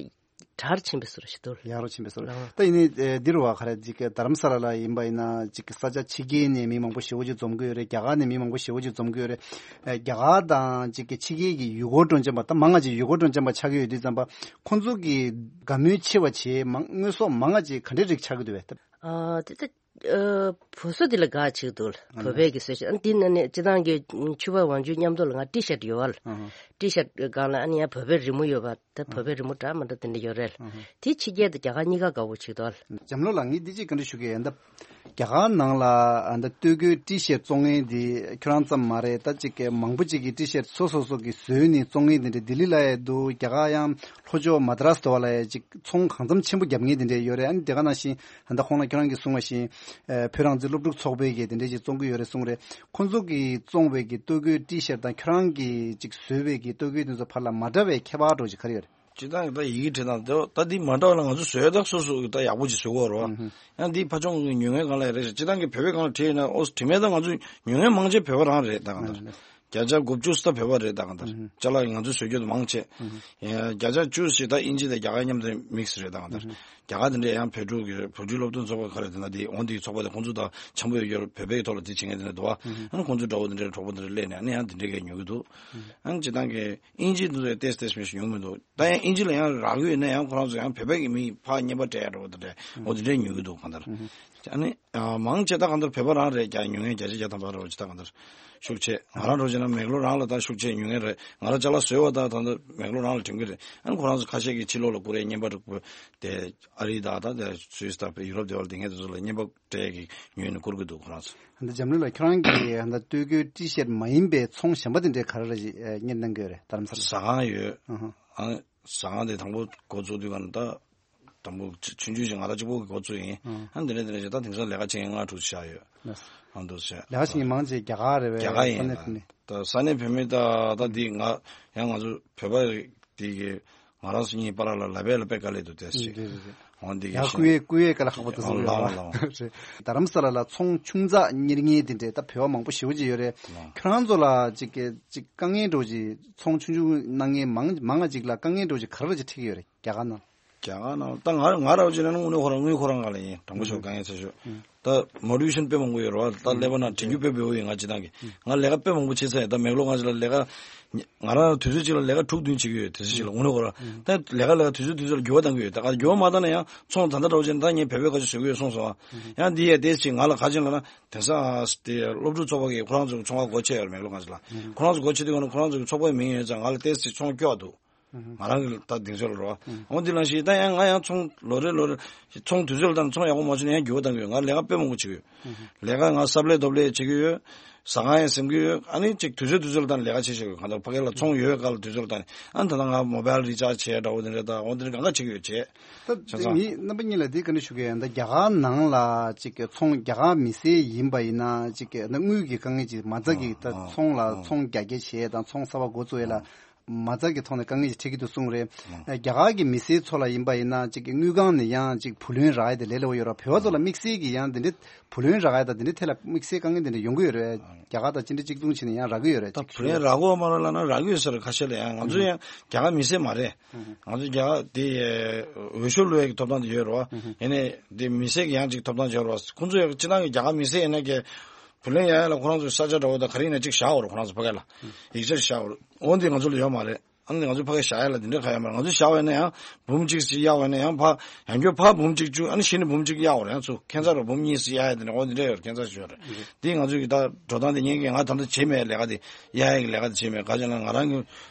དྲག་རུ་ཕྱིན་པའི་བཟོ་འདྲ་ཞིག་འདུག་ལ། ཡག་རུ་ཕྱིན་པའི་བཟོ་འདྲ། ལགས། ད་ཡིན་ནའི་ཨེ་འདི་རུ་བ་ག་རེ་ཅིག་རྡ་རམ་ས་ལ་ལ་ཡིན་པ་ཡིན་ན་ཅིག་ས་ཆ་ཕྱི་རྒྱལ་ནས་མི་མང་པོ་ཞེ་པོ་ཅིག་འཛོམས་ཀྱི་ཡོད་རེད། རྒྱ་གར་ནས་མི་མང་པོ་ཞེ་པོ་ཅིག་འཛོམས་ཀྱི་ཡོད་རེད། ཨེ་རྒྱ་གར་དང་ཅིག་གི་ཕྱི་རྒྱལ་གྱི་ཡུལ་སྐོར་སྤྲོ་འཆམ་པ་ད་མང་ང་ཅིག་ཡུལ་སྐོར་སྤྲོ་འཆམ་པ་ཆགས་ཀྱི་ཡོད་དུས་ཙམ་པ་ཁོང་ཚོ་གི་དགའ་མོས་ཆེ་བ་བྱེད་མང་དངོས་ཟོག་མང་ང་ཅིག་ག་འདྲའི་རིགས་ཆགས་ཀྱི་འདུག་བས། ཨ་དེ་ད་ཨ་བུ་སོ་དེ་ལ་དགའ་ཆེ་གི་འདུག་ལ། ཨ་བོད་པའི་གི་བཟོ་ཤ་ཨ་འདི་ན་ནས་སྤྱི་བཏང་གི་ཕྱུ་པ་ཝང་ཅུན་མཉམ་དུ་ལ་ང་ཊི་ཤར་ཊི་ཡོད་བ་ལ། ཨ་ཧ། ཊི་ཤར་ཊི་སྒང་ལ་ཨ་ནི་ཡང་བོད་པའི་རི་མོ་ཡོད་པ། ད་བོད་པའི་རི་མོ་འདྲ་མི་འདྲ་དེ་འདྲ་ཡོད་རེད། ཨ་ཧ། དེ་ཕྱི་རྒྱལ་དང་རྒྱ་གར་གཉིས་ཀ་དགའ་པོ་བྱེད་དོ། འཇམ་ལོ་ལགས་ངས་འདི་གཅིག་བཀའ་འདྲི་ཞུ་གི་ཡིན་ད། རྒྱ་གར་ནང་ལ་ཨ་ད་སྟོད་གོས་ཊི་ཤར་ཊི་བཙོང་མཁན་འདི་ཁྱོད་རང་ཙམ་མ་རེད། ད་ཅིག་གི་མང་པོ་ཅིག་གིས་ཊི་ཤར་ཊི་སོ་སོ་སོ་གིས་བཟོས་ནས་བཙོང་མཁན་དེ་འདྲ་ལྡི་ལི་ལ་ཡང་འདུག་རྒྱ་གར་ཡང་ལྷོ་ཕྱོགས་མ་དྲ་སི་དོ་བ་ལ་ཡང་ཅིག་ཚོང་གང་འཚམ་ཆེན་པོ་རྒྱབ་མཁན་དེ་འདྲ་ཡོད་རེད། ཨ་ནི་དེ་ག་ནང་བཞིན་ད་ཁོང་ལ་ཁྱོད་རང་གིས་གསུངས་པ་བཞིན་ཨ་བོད་རང་བཙན་སློབ་ཕྲུག་ཚོགས་པའི་གི་དེ་འདྲ་ཅིག་བཙོང་གི་ཡོད་རེད་གསུངས་རེད། ཁོང་ཚོ་གིས་བཙོང་བའི་གི་སྟོད་གོས་ཊི་ཤར་ཊི་དང་ཁྱོད་རང་གིས་ཅིག་བཟོས་པའི་གི་སྟོད་གོས་དེ་ཚོ་བར་ལ་མ་འདྲ་བའི་ཁྱད་པར་འདྲ་ཅིག་ག་རེ་ཡོད་རེད། སྤྱིར་བཏང་ད་ཡི་གེ་བྲིས་སྟངས་དེ་ད་འདི་མ་འདྲ་བ་ལ་ང་ཚོ་བཟོས་ད་སོ་སོ་ད་ཡག་པོ་ཅིག་བཟོ་གི་ཡོད་རེད་བ། ཨུ་ཧུ། ཡང་འདི་ཕ་ཆུང་གི་ཉོ་མཁན་སྒང་ལ་ཡ་རེད་ཤག་སྤྱིར་བཏང་གི་བོད་པའི་སྒང་ལ་བྲིས་ཡིན་ན་ཨོ་བྲིས་མེད་ད་ང་ཚོ་ཉོ་མཁན་མང་ཆེ་བོད་པ་རང་རེད་ད་གང་ལྟར། ཨུ་ཧུ། བརྒྱ་ཆ་དགུ་བཅུ་ཙམ་བོད་པ་རེད་ད་གང་ལྟར། ཨུ་ཧུ། ཅ་ལག་ང་ཚོས་བཟོ་རྒྱུ་དེ་མང་ཆེ། ཨུ་ཧུ། ཡང་བརྒྱ་ཆ་བཅུ་ཞིག་ད་དབྱིན་ཇི་དང་རྒྱ་གར་མཉམ་དུ་མིག་སི་རེད་ད་གང་ལྟར། ཨུ་ཧུ། རྒྱ་གར་དེ་འདྲ་ཡང་བོད་ཕྲུག་གི་བོད་ཕྲུག་སློབ་སྟོན་ཚོགས་པ་ག་རེ་དེ་ན་དེ་འོང་དེའི་ཚོགས་པ་དེ་ཁོང་ཚོ་དང་འཆམ་པོ་ཡོད་རྒྱུར་བོད་པའི་ཐོག་ལ་དེ་བྱེད་མཁན་དེ་འདྲ་འདུག་བ། ཨུ་ཧུ། ཨ་ནི་ཁོང་ཚོ་འདྲ་བོ་དེ་འདྲའི་གྲོགས་པོ་དེ་འདྲ་སླེབས་ནས་ཨ་ནི་ཡང་དེ་འདྲའི་གས་ཉོ་གི་འདུག་ཨུ་ཧུ། ཨ་ནི་སྤྱིར་བཏང་གི་དབྱིན་ཇི་དེ་ཚོ་ཏེས་ཏེས་མི་ཞིག་ཡོང་མི་འདུག་ད་ཡང་དབྱིན་ཇི་ལ་ཡང་རག་གི་ཡོད་ན་ཡང་ཁོ་རང་ཚོ་ཡང་བོད་པའི་གི་མི་ཕར་བརྙན་པར་སྤྲད་ཡ་འདྲ་བོ་དེ་འདྲ་འོ་དེ་འདྲས་ཉོ་གི་འདུག་གང་ལྟར། ཨ་ནི་མང་ཆེ་ད་གང་ལྟར་བོད་པ་རང་རེད། རྒྱ་ཉོ་མཁན་བརྒྱ་ཆ་བརྒྱ་ཐམ་པ་འདྲ་བོ་ཅིག་ད་གང་ལྟར་ཤུགས་ཆེ། ང་རང་འདྲ་བོ་བྱས་ན་མེག་ལོར་རང་ལ་ད་ཤུགས་ཆེ་ཉོ་མཁན་རེད། ང་རང་ཅ་ལག་བཟོས་པ་ད་ད་ལྟ་མེག་ལོར་རང་ལ་དྲན་གི་རེད། ཨ་ནི་ཁོ་རང་ཚོ་ཁ་ཤས་ཀྱིས་ཕྱི་ལོགས་ལ་བསྐུར་ཡས་བརྙན་པར་བསྐུར་དེ་ཨ་རི་དང་ད་དེ་སུད་སི་དང་ཡུ་རོབ་དེ་བར་དེ་སྔའི་དེ་ཚོ་ལ་བརྙན་པར་སྤྲད་ཡས་ཀྱི་ཉོས་ནས་བསྐུར་གི་འདུག་ཁོ་རང་ཚོ། ད་འཇམ་གླིང་ལགས་ཁྱོད་རང་གིས་ད་སྟོད་གོས་ཊི་ཤར་ཊི་མ་ཡིན་པའི་ཚོང་གཞན་པ་དེ་འདྲའི་ག་རེ་རེ་ཞིག་གཉེར་གནང་གི་ཡོད་རེད་རྡ་རམ་ས་ལ། ཟ་ཁང་ཡོད། ཨ་ཧ། ཨ་ཟ་ཁང་དེ་དང་པོ་འགོ་བཙུགས་དུས་ག་ནས་ད་ དང་པོ་ཆུང་ཆུང་ཞིག་ང་རང་གཅིག་པོ་གི་འགོ་བཙུགས་ཡིན། ཨང་། ཨ་འདི་འདྲ་འདི་འདྲ་ཞིག་ད་དེང་སང་ལས་ཀ་བྱེད་མཁན་ལྔ་དྲུག་ཅིག་བཞག་ཡོད། ལགས་སོ། ཨ་འདུག་ཟེར། ལས་ཀ་བྱེད་མཁན་མང་ཆེ་རྒྱ་གར་རེད་པས། རྒྱ་གར་ཡིན་ས་གནས་ལ། དེ་ནས། ད་ས་གནས་བོད་མི་ད་ད་འདི་ང་ཡང་ང་ཚོ་བོད་པ་འདི་གི་ང་རང་ཚོ་གཉིས་བར་ལ་ལབ་པས་ལབ་པས་དཀའ་ལས་འདུག་དེ་ཞིག་ཨང་། འདི་གི་ཡང་བསྐུལ་ཡས་བསྐུལ་ཡས་དཀའ་ལས་ཁག་པོ་འདུག་ཟེར་ལ་ལ་ལ། རེད། རྡ་རམ་ས་ལ་ལ་ཚོང་ཆུང་ཙག་གཉེར་མཁན་དེ་འདྲས་ད་བོད་པ་མང་པོ་ཞེ་པོ་ཅིག་ཡོད་རེད། ལ། ཁྱོད་རང་ཚོ་ལ་ཅིག་གི་ཅིག་དཀའ་ངལ་འདྲ་བོ་ཅིག་ཚོང་ཆུང་ཆུང་གནང་མཁན་མང་མང་ང་ཅིག་ལ་དཀའ་ངལ་འདྲ་བོ་ཅིག་ག་རེ་ཅིག་འཕྲད་ཀྱི་ཡོད་རེད། རྒྱ་གར་ནང་། རྒྱ་གར་ནང་ད་ང་ང་རང་ཅིག་ན་དངོས་གནས་ཁོ་རང་དངུལ་ཁོ་རང་ག་ལ་ཡིན། དྲང་པོ་ཞུ་དཀའ་ངལ་ཆེ་ཤོས། ད་མོ་ཊི་ཝེ་ཤན་དཔེ་མང་པོ་ཡོད་རེད་བ། ད་ཀླད་པ་ནང་དྲན་རྒྱུ་དཔེ་བེའུ་ཡིན། ང་ཅི་ཐང་གི་ང་ལས་ཀ་དཔེ་མང་པོ་བྱེད་ཚར་ཡིན། ད་མེག་ལོར་ང་ཅི་ལ་ལས་ཀ་ང་རང་དུས་ཚོད་གཅིག་ལ་ལས་ཀ་དྲུག་བདུན་བྱེད་ཀྱི་ཡོད། དུས་ཚོད་གཅིག་ལ་དངོས་གནས་ཁོ་རང་ད་ལས་ཀ་ལས་ཀ་དུས་ཚོད་དུས་ཚོད་ལ་འགྱུར་བ་གཏང་གི་ཡོད། ད་ག་འགྱུར་བ་མ་བཏང་ན་ཡང་ཚོང་ད་ལྟ་འདྲ་བོ་བྱས་ན་ད་ངས་བོད་པའི་ཁ་ཆེ་ཞུ་གི་ཡོད་གསུངས་སོང་བ། ཡང་འདི་ཡ་དེ་ཅིག་ང་ལ་ག་ཅིག་ལབ་ན་དེང་སང་དེ་སློབ་ཕྲུག་ཚོགས་པ་གིས་ཁོ་རང་ཚོ་གི་ཚོང་ཁང་སྒོ་ཕྱེ་ཡོད་རེད། མེག་ལོར་ང་ཅི་ལ་ཁོ་རང་ཚོ་སྒོ་ཕྱེ་དུས་ག་ན་ཁོ་རང་ཚོ་གི་ཚོགས་པའི་མིང་ཡོད་ཙང་ང་ལ་དེ་ཅིག་ཚོང་སྐྱོ་བ་འདུག་ང་རང་གི་ད་གདེང་ཚོད་ལ་རོ། འོ་འདི་ལ་ཞིག་ད་ཡང་ང་ཡང་ཚོང་ལོ་རེ་ལོ་རེ་ཚོང་དུས་ཚོད་ལ་ད་ཚོང་ཡག་པོ་མ་བྱུང་ན་ཡང་འགྱུར་བ་གཏང་གི་ཡོད། ང་ལས་ཀ་དཔེ་མང་པོ་བྱེད་ཀྱི་ཡོད། ལས་ཀ་ང་སབ་ལེ་རྡོབ་ལེ་བྱེད་ཀྱི་ཡོད། ཟ་ཁང་ཡང་ཟིན་གྱི་ཡོད། ཨ་ནི་ཅིག་དུས་ཚོད་དུས་ཚོད་ལ་ད་ལས་ཀ་བྱེད་བཞིན་ཡོད། གང་ལྟར་ཕ་གི་ལ་ཚོང་ཡོད་སྐབས་ལ་དུས་ཚོད་ལ་ད་ནི་ཨ་ནི་ད་ལྟ་ང་མོ་བྷལ་རི་ཅར་ཇི་བྱས་འདྲ་བོ་དེ་འདྲ་ད་འོ་དེ་འདྲ་གང་ག་བྱེད་ཀྱི་ཡོད་བྱས། ད་བྱས་ཙང་། ངས་རྣམ་པ་གཉིས་ལ་འདི་ག་འདྲ་ཞུ་གི་ཡོད། ད་རྒྱ་གར་ནང་ལ་ཅིག་གི་ཚོང་རྒྱ་གར་མི་སེར་ཡིན་པ་ཡིན་ན་ཅིག་གི་ད་དངུལ་གྱི་དཀའ་ངལ་ཅིག་མ་རྩ་གི་ད་ཚོང་ལ་ཚོང་རྒྱ་སྐྱེད་བྱས་དང་ཚོང་གསར་པ་འགོ་བཙུགས་ཡས་ལ། མ་རྩ་གི་ཐོག་ནས་དཀའ་ངལ་ཞིག་འཕྲད་ཀྱི་འདུག་གསུངས་རེད། རྒྱ་གར་གྱི་མི་སེར་ཚོ་ལ་ཡིན་པ་ཡིན་ན་ཅིག་གི་དངུལ་ཁང་ནས་ཡང་ཅིག་བུ་ལོན་རག་ཡ་དེ་ལས་སླ་པོ་ཡོད་རེད། བོད་པ་ཚོ་ལ་དམིགས་བསལ་གྱི་ཡང་འདི་འདྲའི་བུ་ལོན་རག་ཡ་དང་འདི་འདྲའི་ཐད་ལ་དམིགས་བསལ་དཀའ་ངལ་འདི་འདྲ་ཡོང་གི་ཡོད་རེད། རྒྱ་གར་དང་ཅི་འདྲ་གཅིག་མཚུངས་བྱས་ནས་ཡང་རག་གི་ཡོད་རེད། ད་བུ་ལོན་རག་གི་ཡོད་མ་རེད་ལབ་ན་རག་གི་ཡོད་ས་རེད། ཁ་ཤས་ལ་ཡང་ང་ཚོ་ཡང་རྒྱ་གར་མི་སེར་མ་རེད། ང་ཚོ་རྒྱ་གར་དེ་འོས་ཤོག་བླུག་ཡ་གི་ཐོབ་ཐང་དེ་ཡོད་རེད་བ། ཡིན་ནའི་དེ་མི་སེར་གྱི་ཡང་ཅིག་ཐོབ་ཐང་ཡོད་རེད་བ། ཁོང་ཚོ་ཡང་སྤྱིར་བཏང་གི་རྒྱ་གར་མི་སེར་ཡིན་ན་གི་བུ་ལོན་གཡར་ཡ་ལ་ཁོ་རང་ཚོའི་ས་ཆ་འདྲ་བོ་དང་ག་རེ་ཡིན་ན་གཅིག་བཞག་ཡོད་རེད། ཁོ་རང་ཚོ་ཕ་གི་ལ་ཡིག་ཆ་ཞིག་བཞག་ཡོད་རེད། འོ་འདི་ང་ཚོ་ལ་ཡོད་མ་རེད། ཨ་ནི་ང་ཚོ་ཕ་གི་བཞག་ཡ་ལ་འདི་འདྲ་ག་ཡོད་མ་རེད། ང་ཚོ་བཞག་པ་ཡིན་ན་ཡང་འབུམ་གཅིག་ཅིག་གཡར་བ་ཡིན་ན་ཡང་ཕ་ཡང་སྐྱོར་ཕ་འབུམ་གཅིག་བཅུ། ཨ་ནི་གཞི་ནས་འབུམ་གཅིག་གཡར་བ་རེད། ཡང་ཚུར་ཁྱད་མཚར་རེད། འབུམ་གཉིས་ཙམ་གཡར་ཡ་དེ་འདྲ་འོ་འདི་འདྲ་ཡོད་རེད། ཁྱད་མཚར་ཞིག་ཡོད་རེད། འདི་ང་ཚོ་གི་ད་འགྲོ་སྟངས་དེ་ངས་ཀྱི་ང་ད་ལྟ་བྱེད་མེད། ལས་ཀ་དེ་གཡར་ཡ་གི་ལས་ཀ་དེ་བྱེད་མེད། ག་ཅི་ན་ང་རང་གི་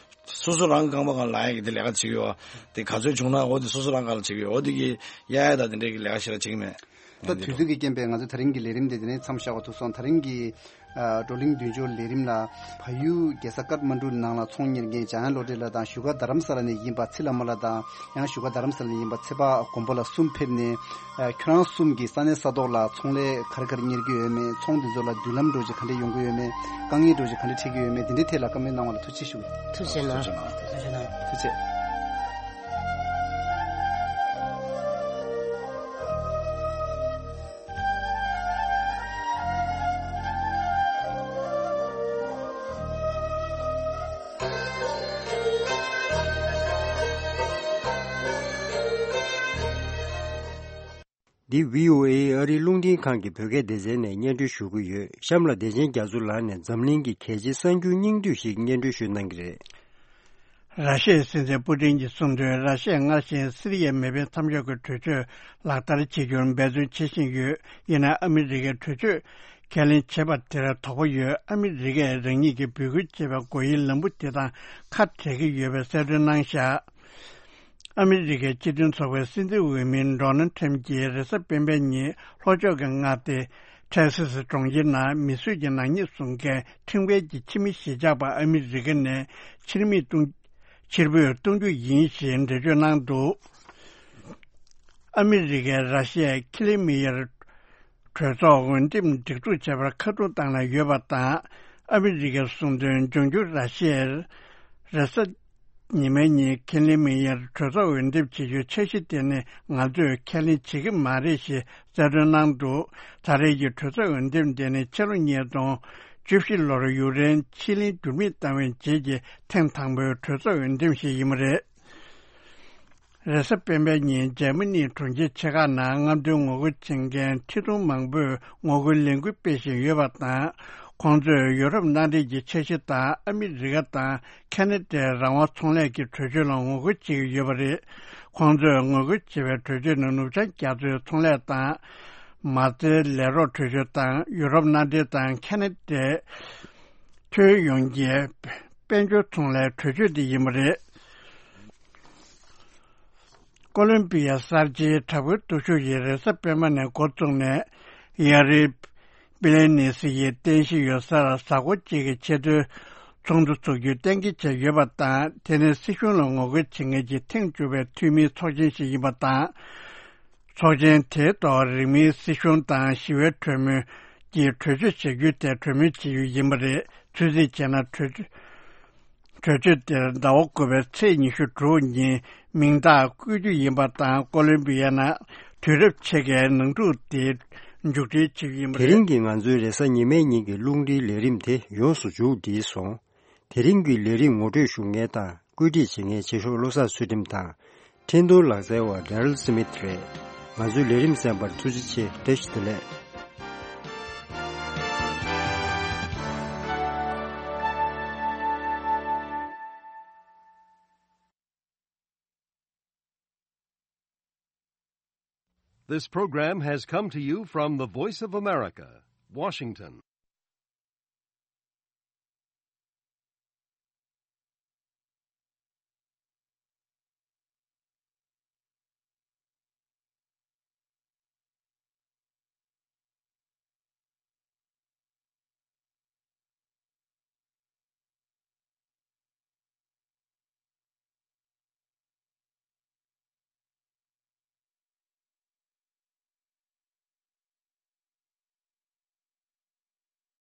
སོ་སོ་རང་གི་རྐང་པ་སྒང་ལ་ལངས་ཡ་གི་དེ་ལས་ཀ་བྱེད་ཀྱི་ཡོད། དེ་ག་ཚོད་བྱུང་ན་འོ་དེ་སོ་སོ་རང་སྒང་ལ་བྱེད་ཀྱི་ཡོད། འོ་དེ་གི་གཡར་ཡ་ད་དེ་འདྲ་གི་ལས་ཀ་ཞེ་དྲག་བྱེད་ཀྱི་མེད། ད་དུས་ཚོད་ཀྱི་རྐྱེན་པས་ང་ཚོ་དེ་རིང་གི་ལས་རིམ་དེ་དེ་ནས་མཚམས་བཞག་པ་ཐུག་སོང་། དེ་རིང་གི་ཨ་བགྲོ་གླེང་མདུན་སྐྱོད་ལས་རིམ་ལ་བལ་ཡུལ་རྒྱལ་ས་ཀཏ་མན་ཌུ་ནང་ལ་ཚོང་གཉེར་མཁན་འཇམ་དབྱངས་བློ་གྲོས་ལགས་དང་བཞུགས་སྒར་རྡ་རམ་ས་ལ་ནས་ཡིན་པ་ཚེ་བླ་མ་ལགས་དང་། ཡང་བཞུགས་སྒར་རྡ་རམ་ས་ལ་ནས་ཡིན་པ་ཚེ་དཔག་མགོན་པོ་ལགས་གསུམ་ཕེབས་ནས་ཨ་ཁྱོད་རང་གསུམ་གྱིས་ས་གནས་ས་ཐོག་ལ་ཚོང་ལས་ག་རེ་ག་རེ་གཉེར་གྱི་ཡོད་མེད། ཚོང་འདི་ཚོ་ལ་མདུན་ལམ་འདྲ་ཅིག་ག་འདྲ་ཡོང་གི་ཡོད་མེད། དཀའ་ངལ་འདྲ་ཅིག་ག་འདྲ་འཕྲད་ཀྱི་ཡོད་མེད། འདི་འདྲའི་ཐད་ལ་བཀའ་མོལ་གནང་བ་ལ་ཐུགས་རྗེ་ཞུ། ཐུགས་རྗེ་གནང་། ཐུགས་རྗེ་གནང་། ཐུགས་རྗེ། འདི་བྷི་ཨོ་ཨེ་ཨ་རིའི་རླུང་འཕྲིན་ཁང་གི་བོད་སྐད་སྡེ་ཚན་ནས་སྙན་སྒྲོན་ཞུ་གི་ཡོད། གཤམ་ལ་བདེ་ཆེན་རྒྱ་མཚོ་ལགས་ནས་འཛམ་གླིང་གི་གལ་ཆེའི་གསར་འགྱུར་སྙིང་བསྡུས་ཤིག་སྙན་སྒྲོན་ཞུ་གནང་གི་རེད། ར་ཤི་ཡའི་སྲིད་འཛིན་པུ་ཏིན་གྱིས་གསུངས་དོན། ར་ཤི་ཡས་སྔར་བཞིན་སི་རི་ཡའི་མེ་འཕེན་མཚམས་འཇོག་གི་གྲོས་ཆོད་ལག་བསྟར་བྱེད་རྒྱུར་འབད་བརྩོན་བྱེད་བཞིན་ཡོད། ཡིན་ན་ཨ་མི་རི་ཀའི་གྲོས་ཆོད་ཁས་ལེན་བྱེད་པ་དེར་དོགས་པ་ཡོད། ཨ་མི་རི་ཀས་རང་ཉིད་ཀྱིས་འབོད་སྐུལ་བྱས་པའི་སྒོ་དབྱེའི་ལམ་བུ་དེ་དང་ཁ་བྲལ་གྱི་ཡོད་པའི་གསལ་སྟོན་གནང་བཞག། ཨ་མི་རི་ཀའི་སྤྱི་མཐུན་ཚོགས་པའི་སྲིད་འཛིན་འོས་མི་ཌོ་ནལ་ཁྲམ་གྱིས་རེས་གཟའ་སྤེན་པའི་ཉིན་ལྷོ་ཕྱོགས་ཀྱི་མངའ་སྡེ་ཊེག་སི་སི་གྲོང་ཁྱེར་ནང་མི་གསོད་ཀྱི་ནག་ཉེས་བཟུང་མཁན་ཁྲིམས་འགལ་གྱི་ཕྱི་མི་གཞིས་ཆགས་པ་ཨ་མི་རི་ཀ་ནས་ཕྱིར་མིས་གཏོང་ཕྱིར་འབུད་གཏོང་རྒྱུ་ཡིན་ཞེས་འགྲེལ་བརྗོད་གནང་འདུག། ཨ་མི་རི་ཀས་ར་ཤི་ཡའི་ཁི་ལི་མི་ཡར་གྲོས་ཚོགས་འོས་འདེམས་སྒྲིག་འཛུགས་བྱས་པར་ཁ་རྡུང་བཏང་ནས་ཡོད་པ་དང་། ཨ་མི་རི་ཀས་གསུངས་དོན། འབྱུང་འགྱུར་ར་ཤི་ཡས་རེས་གཟའ་ཉི་མའི་ཉིན་ཁི་ལི་མི་ཡར་གྲོས་ཚོགས་འོས་འདེམས་བྱེད་རྒྱུའི་འཆར་གཞི་དེ་ནི་ང་ཚོས་ཁས་ལེན་བྱེད་ཀྱི་མ་རེད་ཞེས་གསལ་སྟོན་གནང་འདུག། ད་རེས་ཀྱི་གྲོས་ཚོགས་འོས་འདེམས་དེ་ནི་ཕྱི་ལོ་ཉིས་སྟོང་བཅུ་བཞི་ལོར་ཡུཀ་རེན་ཕྱིར་ལེན་འགྱུར་མེད་བཏང་བའི་རྗེས་ཀྱི་ཐེངས་དང་པོའི་གྲོས་ཚོགས་འོས་འདེམས་ཤིག་ཡིན་པ་རེད། རེས་གཟའ་སྤེན་པའི་ཉིན་འཇར་མ་ནིའི་གྲོང་ཁྱེར་ཆེ་ཁག་ནང་རྔམ་སྟོན་ངོ་རྒོལ་བྱེད་མཁན་ཁྲི་སྟོང་མང་པོས་ངོ་རྒོལ་ལས་འགུལ་སྤེལ་བཞིན་ཡོད་པ་དང་། ཁོང་ཚོས་ཡུ་རོབ་མནའ་འབྲེལ་གྱི་འཆར་གཞི་དང་ཨ་མི་རི་ཀ་དང་ཁ་ན་ཌའི་རང་དབང་ཚོང་ལས་ཀྱི་གྲོས་ཆོད་ལ་ངོ་རྒོལ་བྱེད་ཀྱི་ཡོད་པ་རེད། ཁོང་ཚོས་ངོ་རྒོལ་བྱེད་པའི་གྲོས་ཆོད་ནི་ནུབ་བྱང་རྒྱ་མཚོའི་ཚོང་ལས་དང་མ་རྩའི་ལས་རོགས་གྲོས་ཆོད་དང་ཡུ་རོབ་མནའ་འབྲེལ་དང་ཁ་ན་ཌའི་ཐོན་ཡོང་རྒྱུའི་དཔལ་འབྱོར་ཚོང་ལས་གྲོས་ཆོད་དེ་ཡིན་པ་རེད། ཀོ་ལོམ་པི་ཡ་གསར་བརྗེའི་དྲག་པོའི་སྟོབས་ཤུགས་ཀྱིས་རེས་གཟའ་སྤེན་པ་ནས་འགོ་བཙུགས་ནས་ཡ་རི་པི་ལེ་ནི་སི་ཡི་རྟེན་གཞི་ཡོད་སར་གཟའ་འཁོར་གཅིག་གི་ཆེས་མཐོའི་ཚོགས་འདུ་འཚོགས་རྒྱུའི་གཏན་འཁེལ་བྱས་ཡོད་པ་དང་། དེ་ནི་སྲིད་གཞུང་ལ་ངོ་རྒོལ་བྱེད་མཁན་གྱི་ཐེངས་བཅུ་པའི་འཐུས་མིའི་ཚོགས་ཆེན་ཞིག་ཡིན་པ་དང་། ཚོགས་ཆེན་དེའི་ཐོག་རིང་མིན་སྲིད་གཞུང་དང་ཞི་བའི་གྲོས་མོལ་གྱིས་གྲོས་ཆོད་བྱ་རྒྱུའི་ཐད་གྲོས་མོལ་བྱེད་རྒྱུ་ཡིན་པ་རེད། ཚོད་རྩིས་བྱས་ན་གྲོས་གྲོས་ཆོད་དེར་ཟླ་བ་དགུ་པའི་ཚེས་ཉི་ཤུ་དྲུག་ཉིན་མིང་རྟགས་བཀོད་རྒྱུ་ཡིན་པ་དང་། ཀོ་ལོམ་བི་ཡ་ནང་དུས་རབས་ཕྱེད་ཀའི་ནང་འཁྲུག་དེ་མཇུག་སྒྲིལ་བྱེད་རྒྱུ་ཡིན་པ་དེ་རེད། རིང་གི་ང་ཚོའི་རེས་གཟའ་ཉི་མའི་ཉིན་གྱི་རླུང་འཕྲིན་ལས་རིམ་དེ་ཡོངས་སུ་མཇུག་སྒྲིལ་སོང་། དེ་རིང་གི་ལས་རིམ་ངོ་སྤྲོད་ཞུ་མཁན་དང་བཀོད་སྒྲིག་བྱེད་མཁན་ཆེ་ཤོག་བློ་བཟང་ཚུལ་ཁྲིམས་དང་། འཕྲིན་གཏོང་ལག་རྩལ་བ་Daryl Smith་རེད། ང་ཚོའི་ལས་རིམ་གསན་པར་ཐུགས་རྗེ་ཆེ། བཀྲ་ཤིས་བདེ་ལེགས། This program has come to you from the Voice of America, Washington.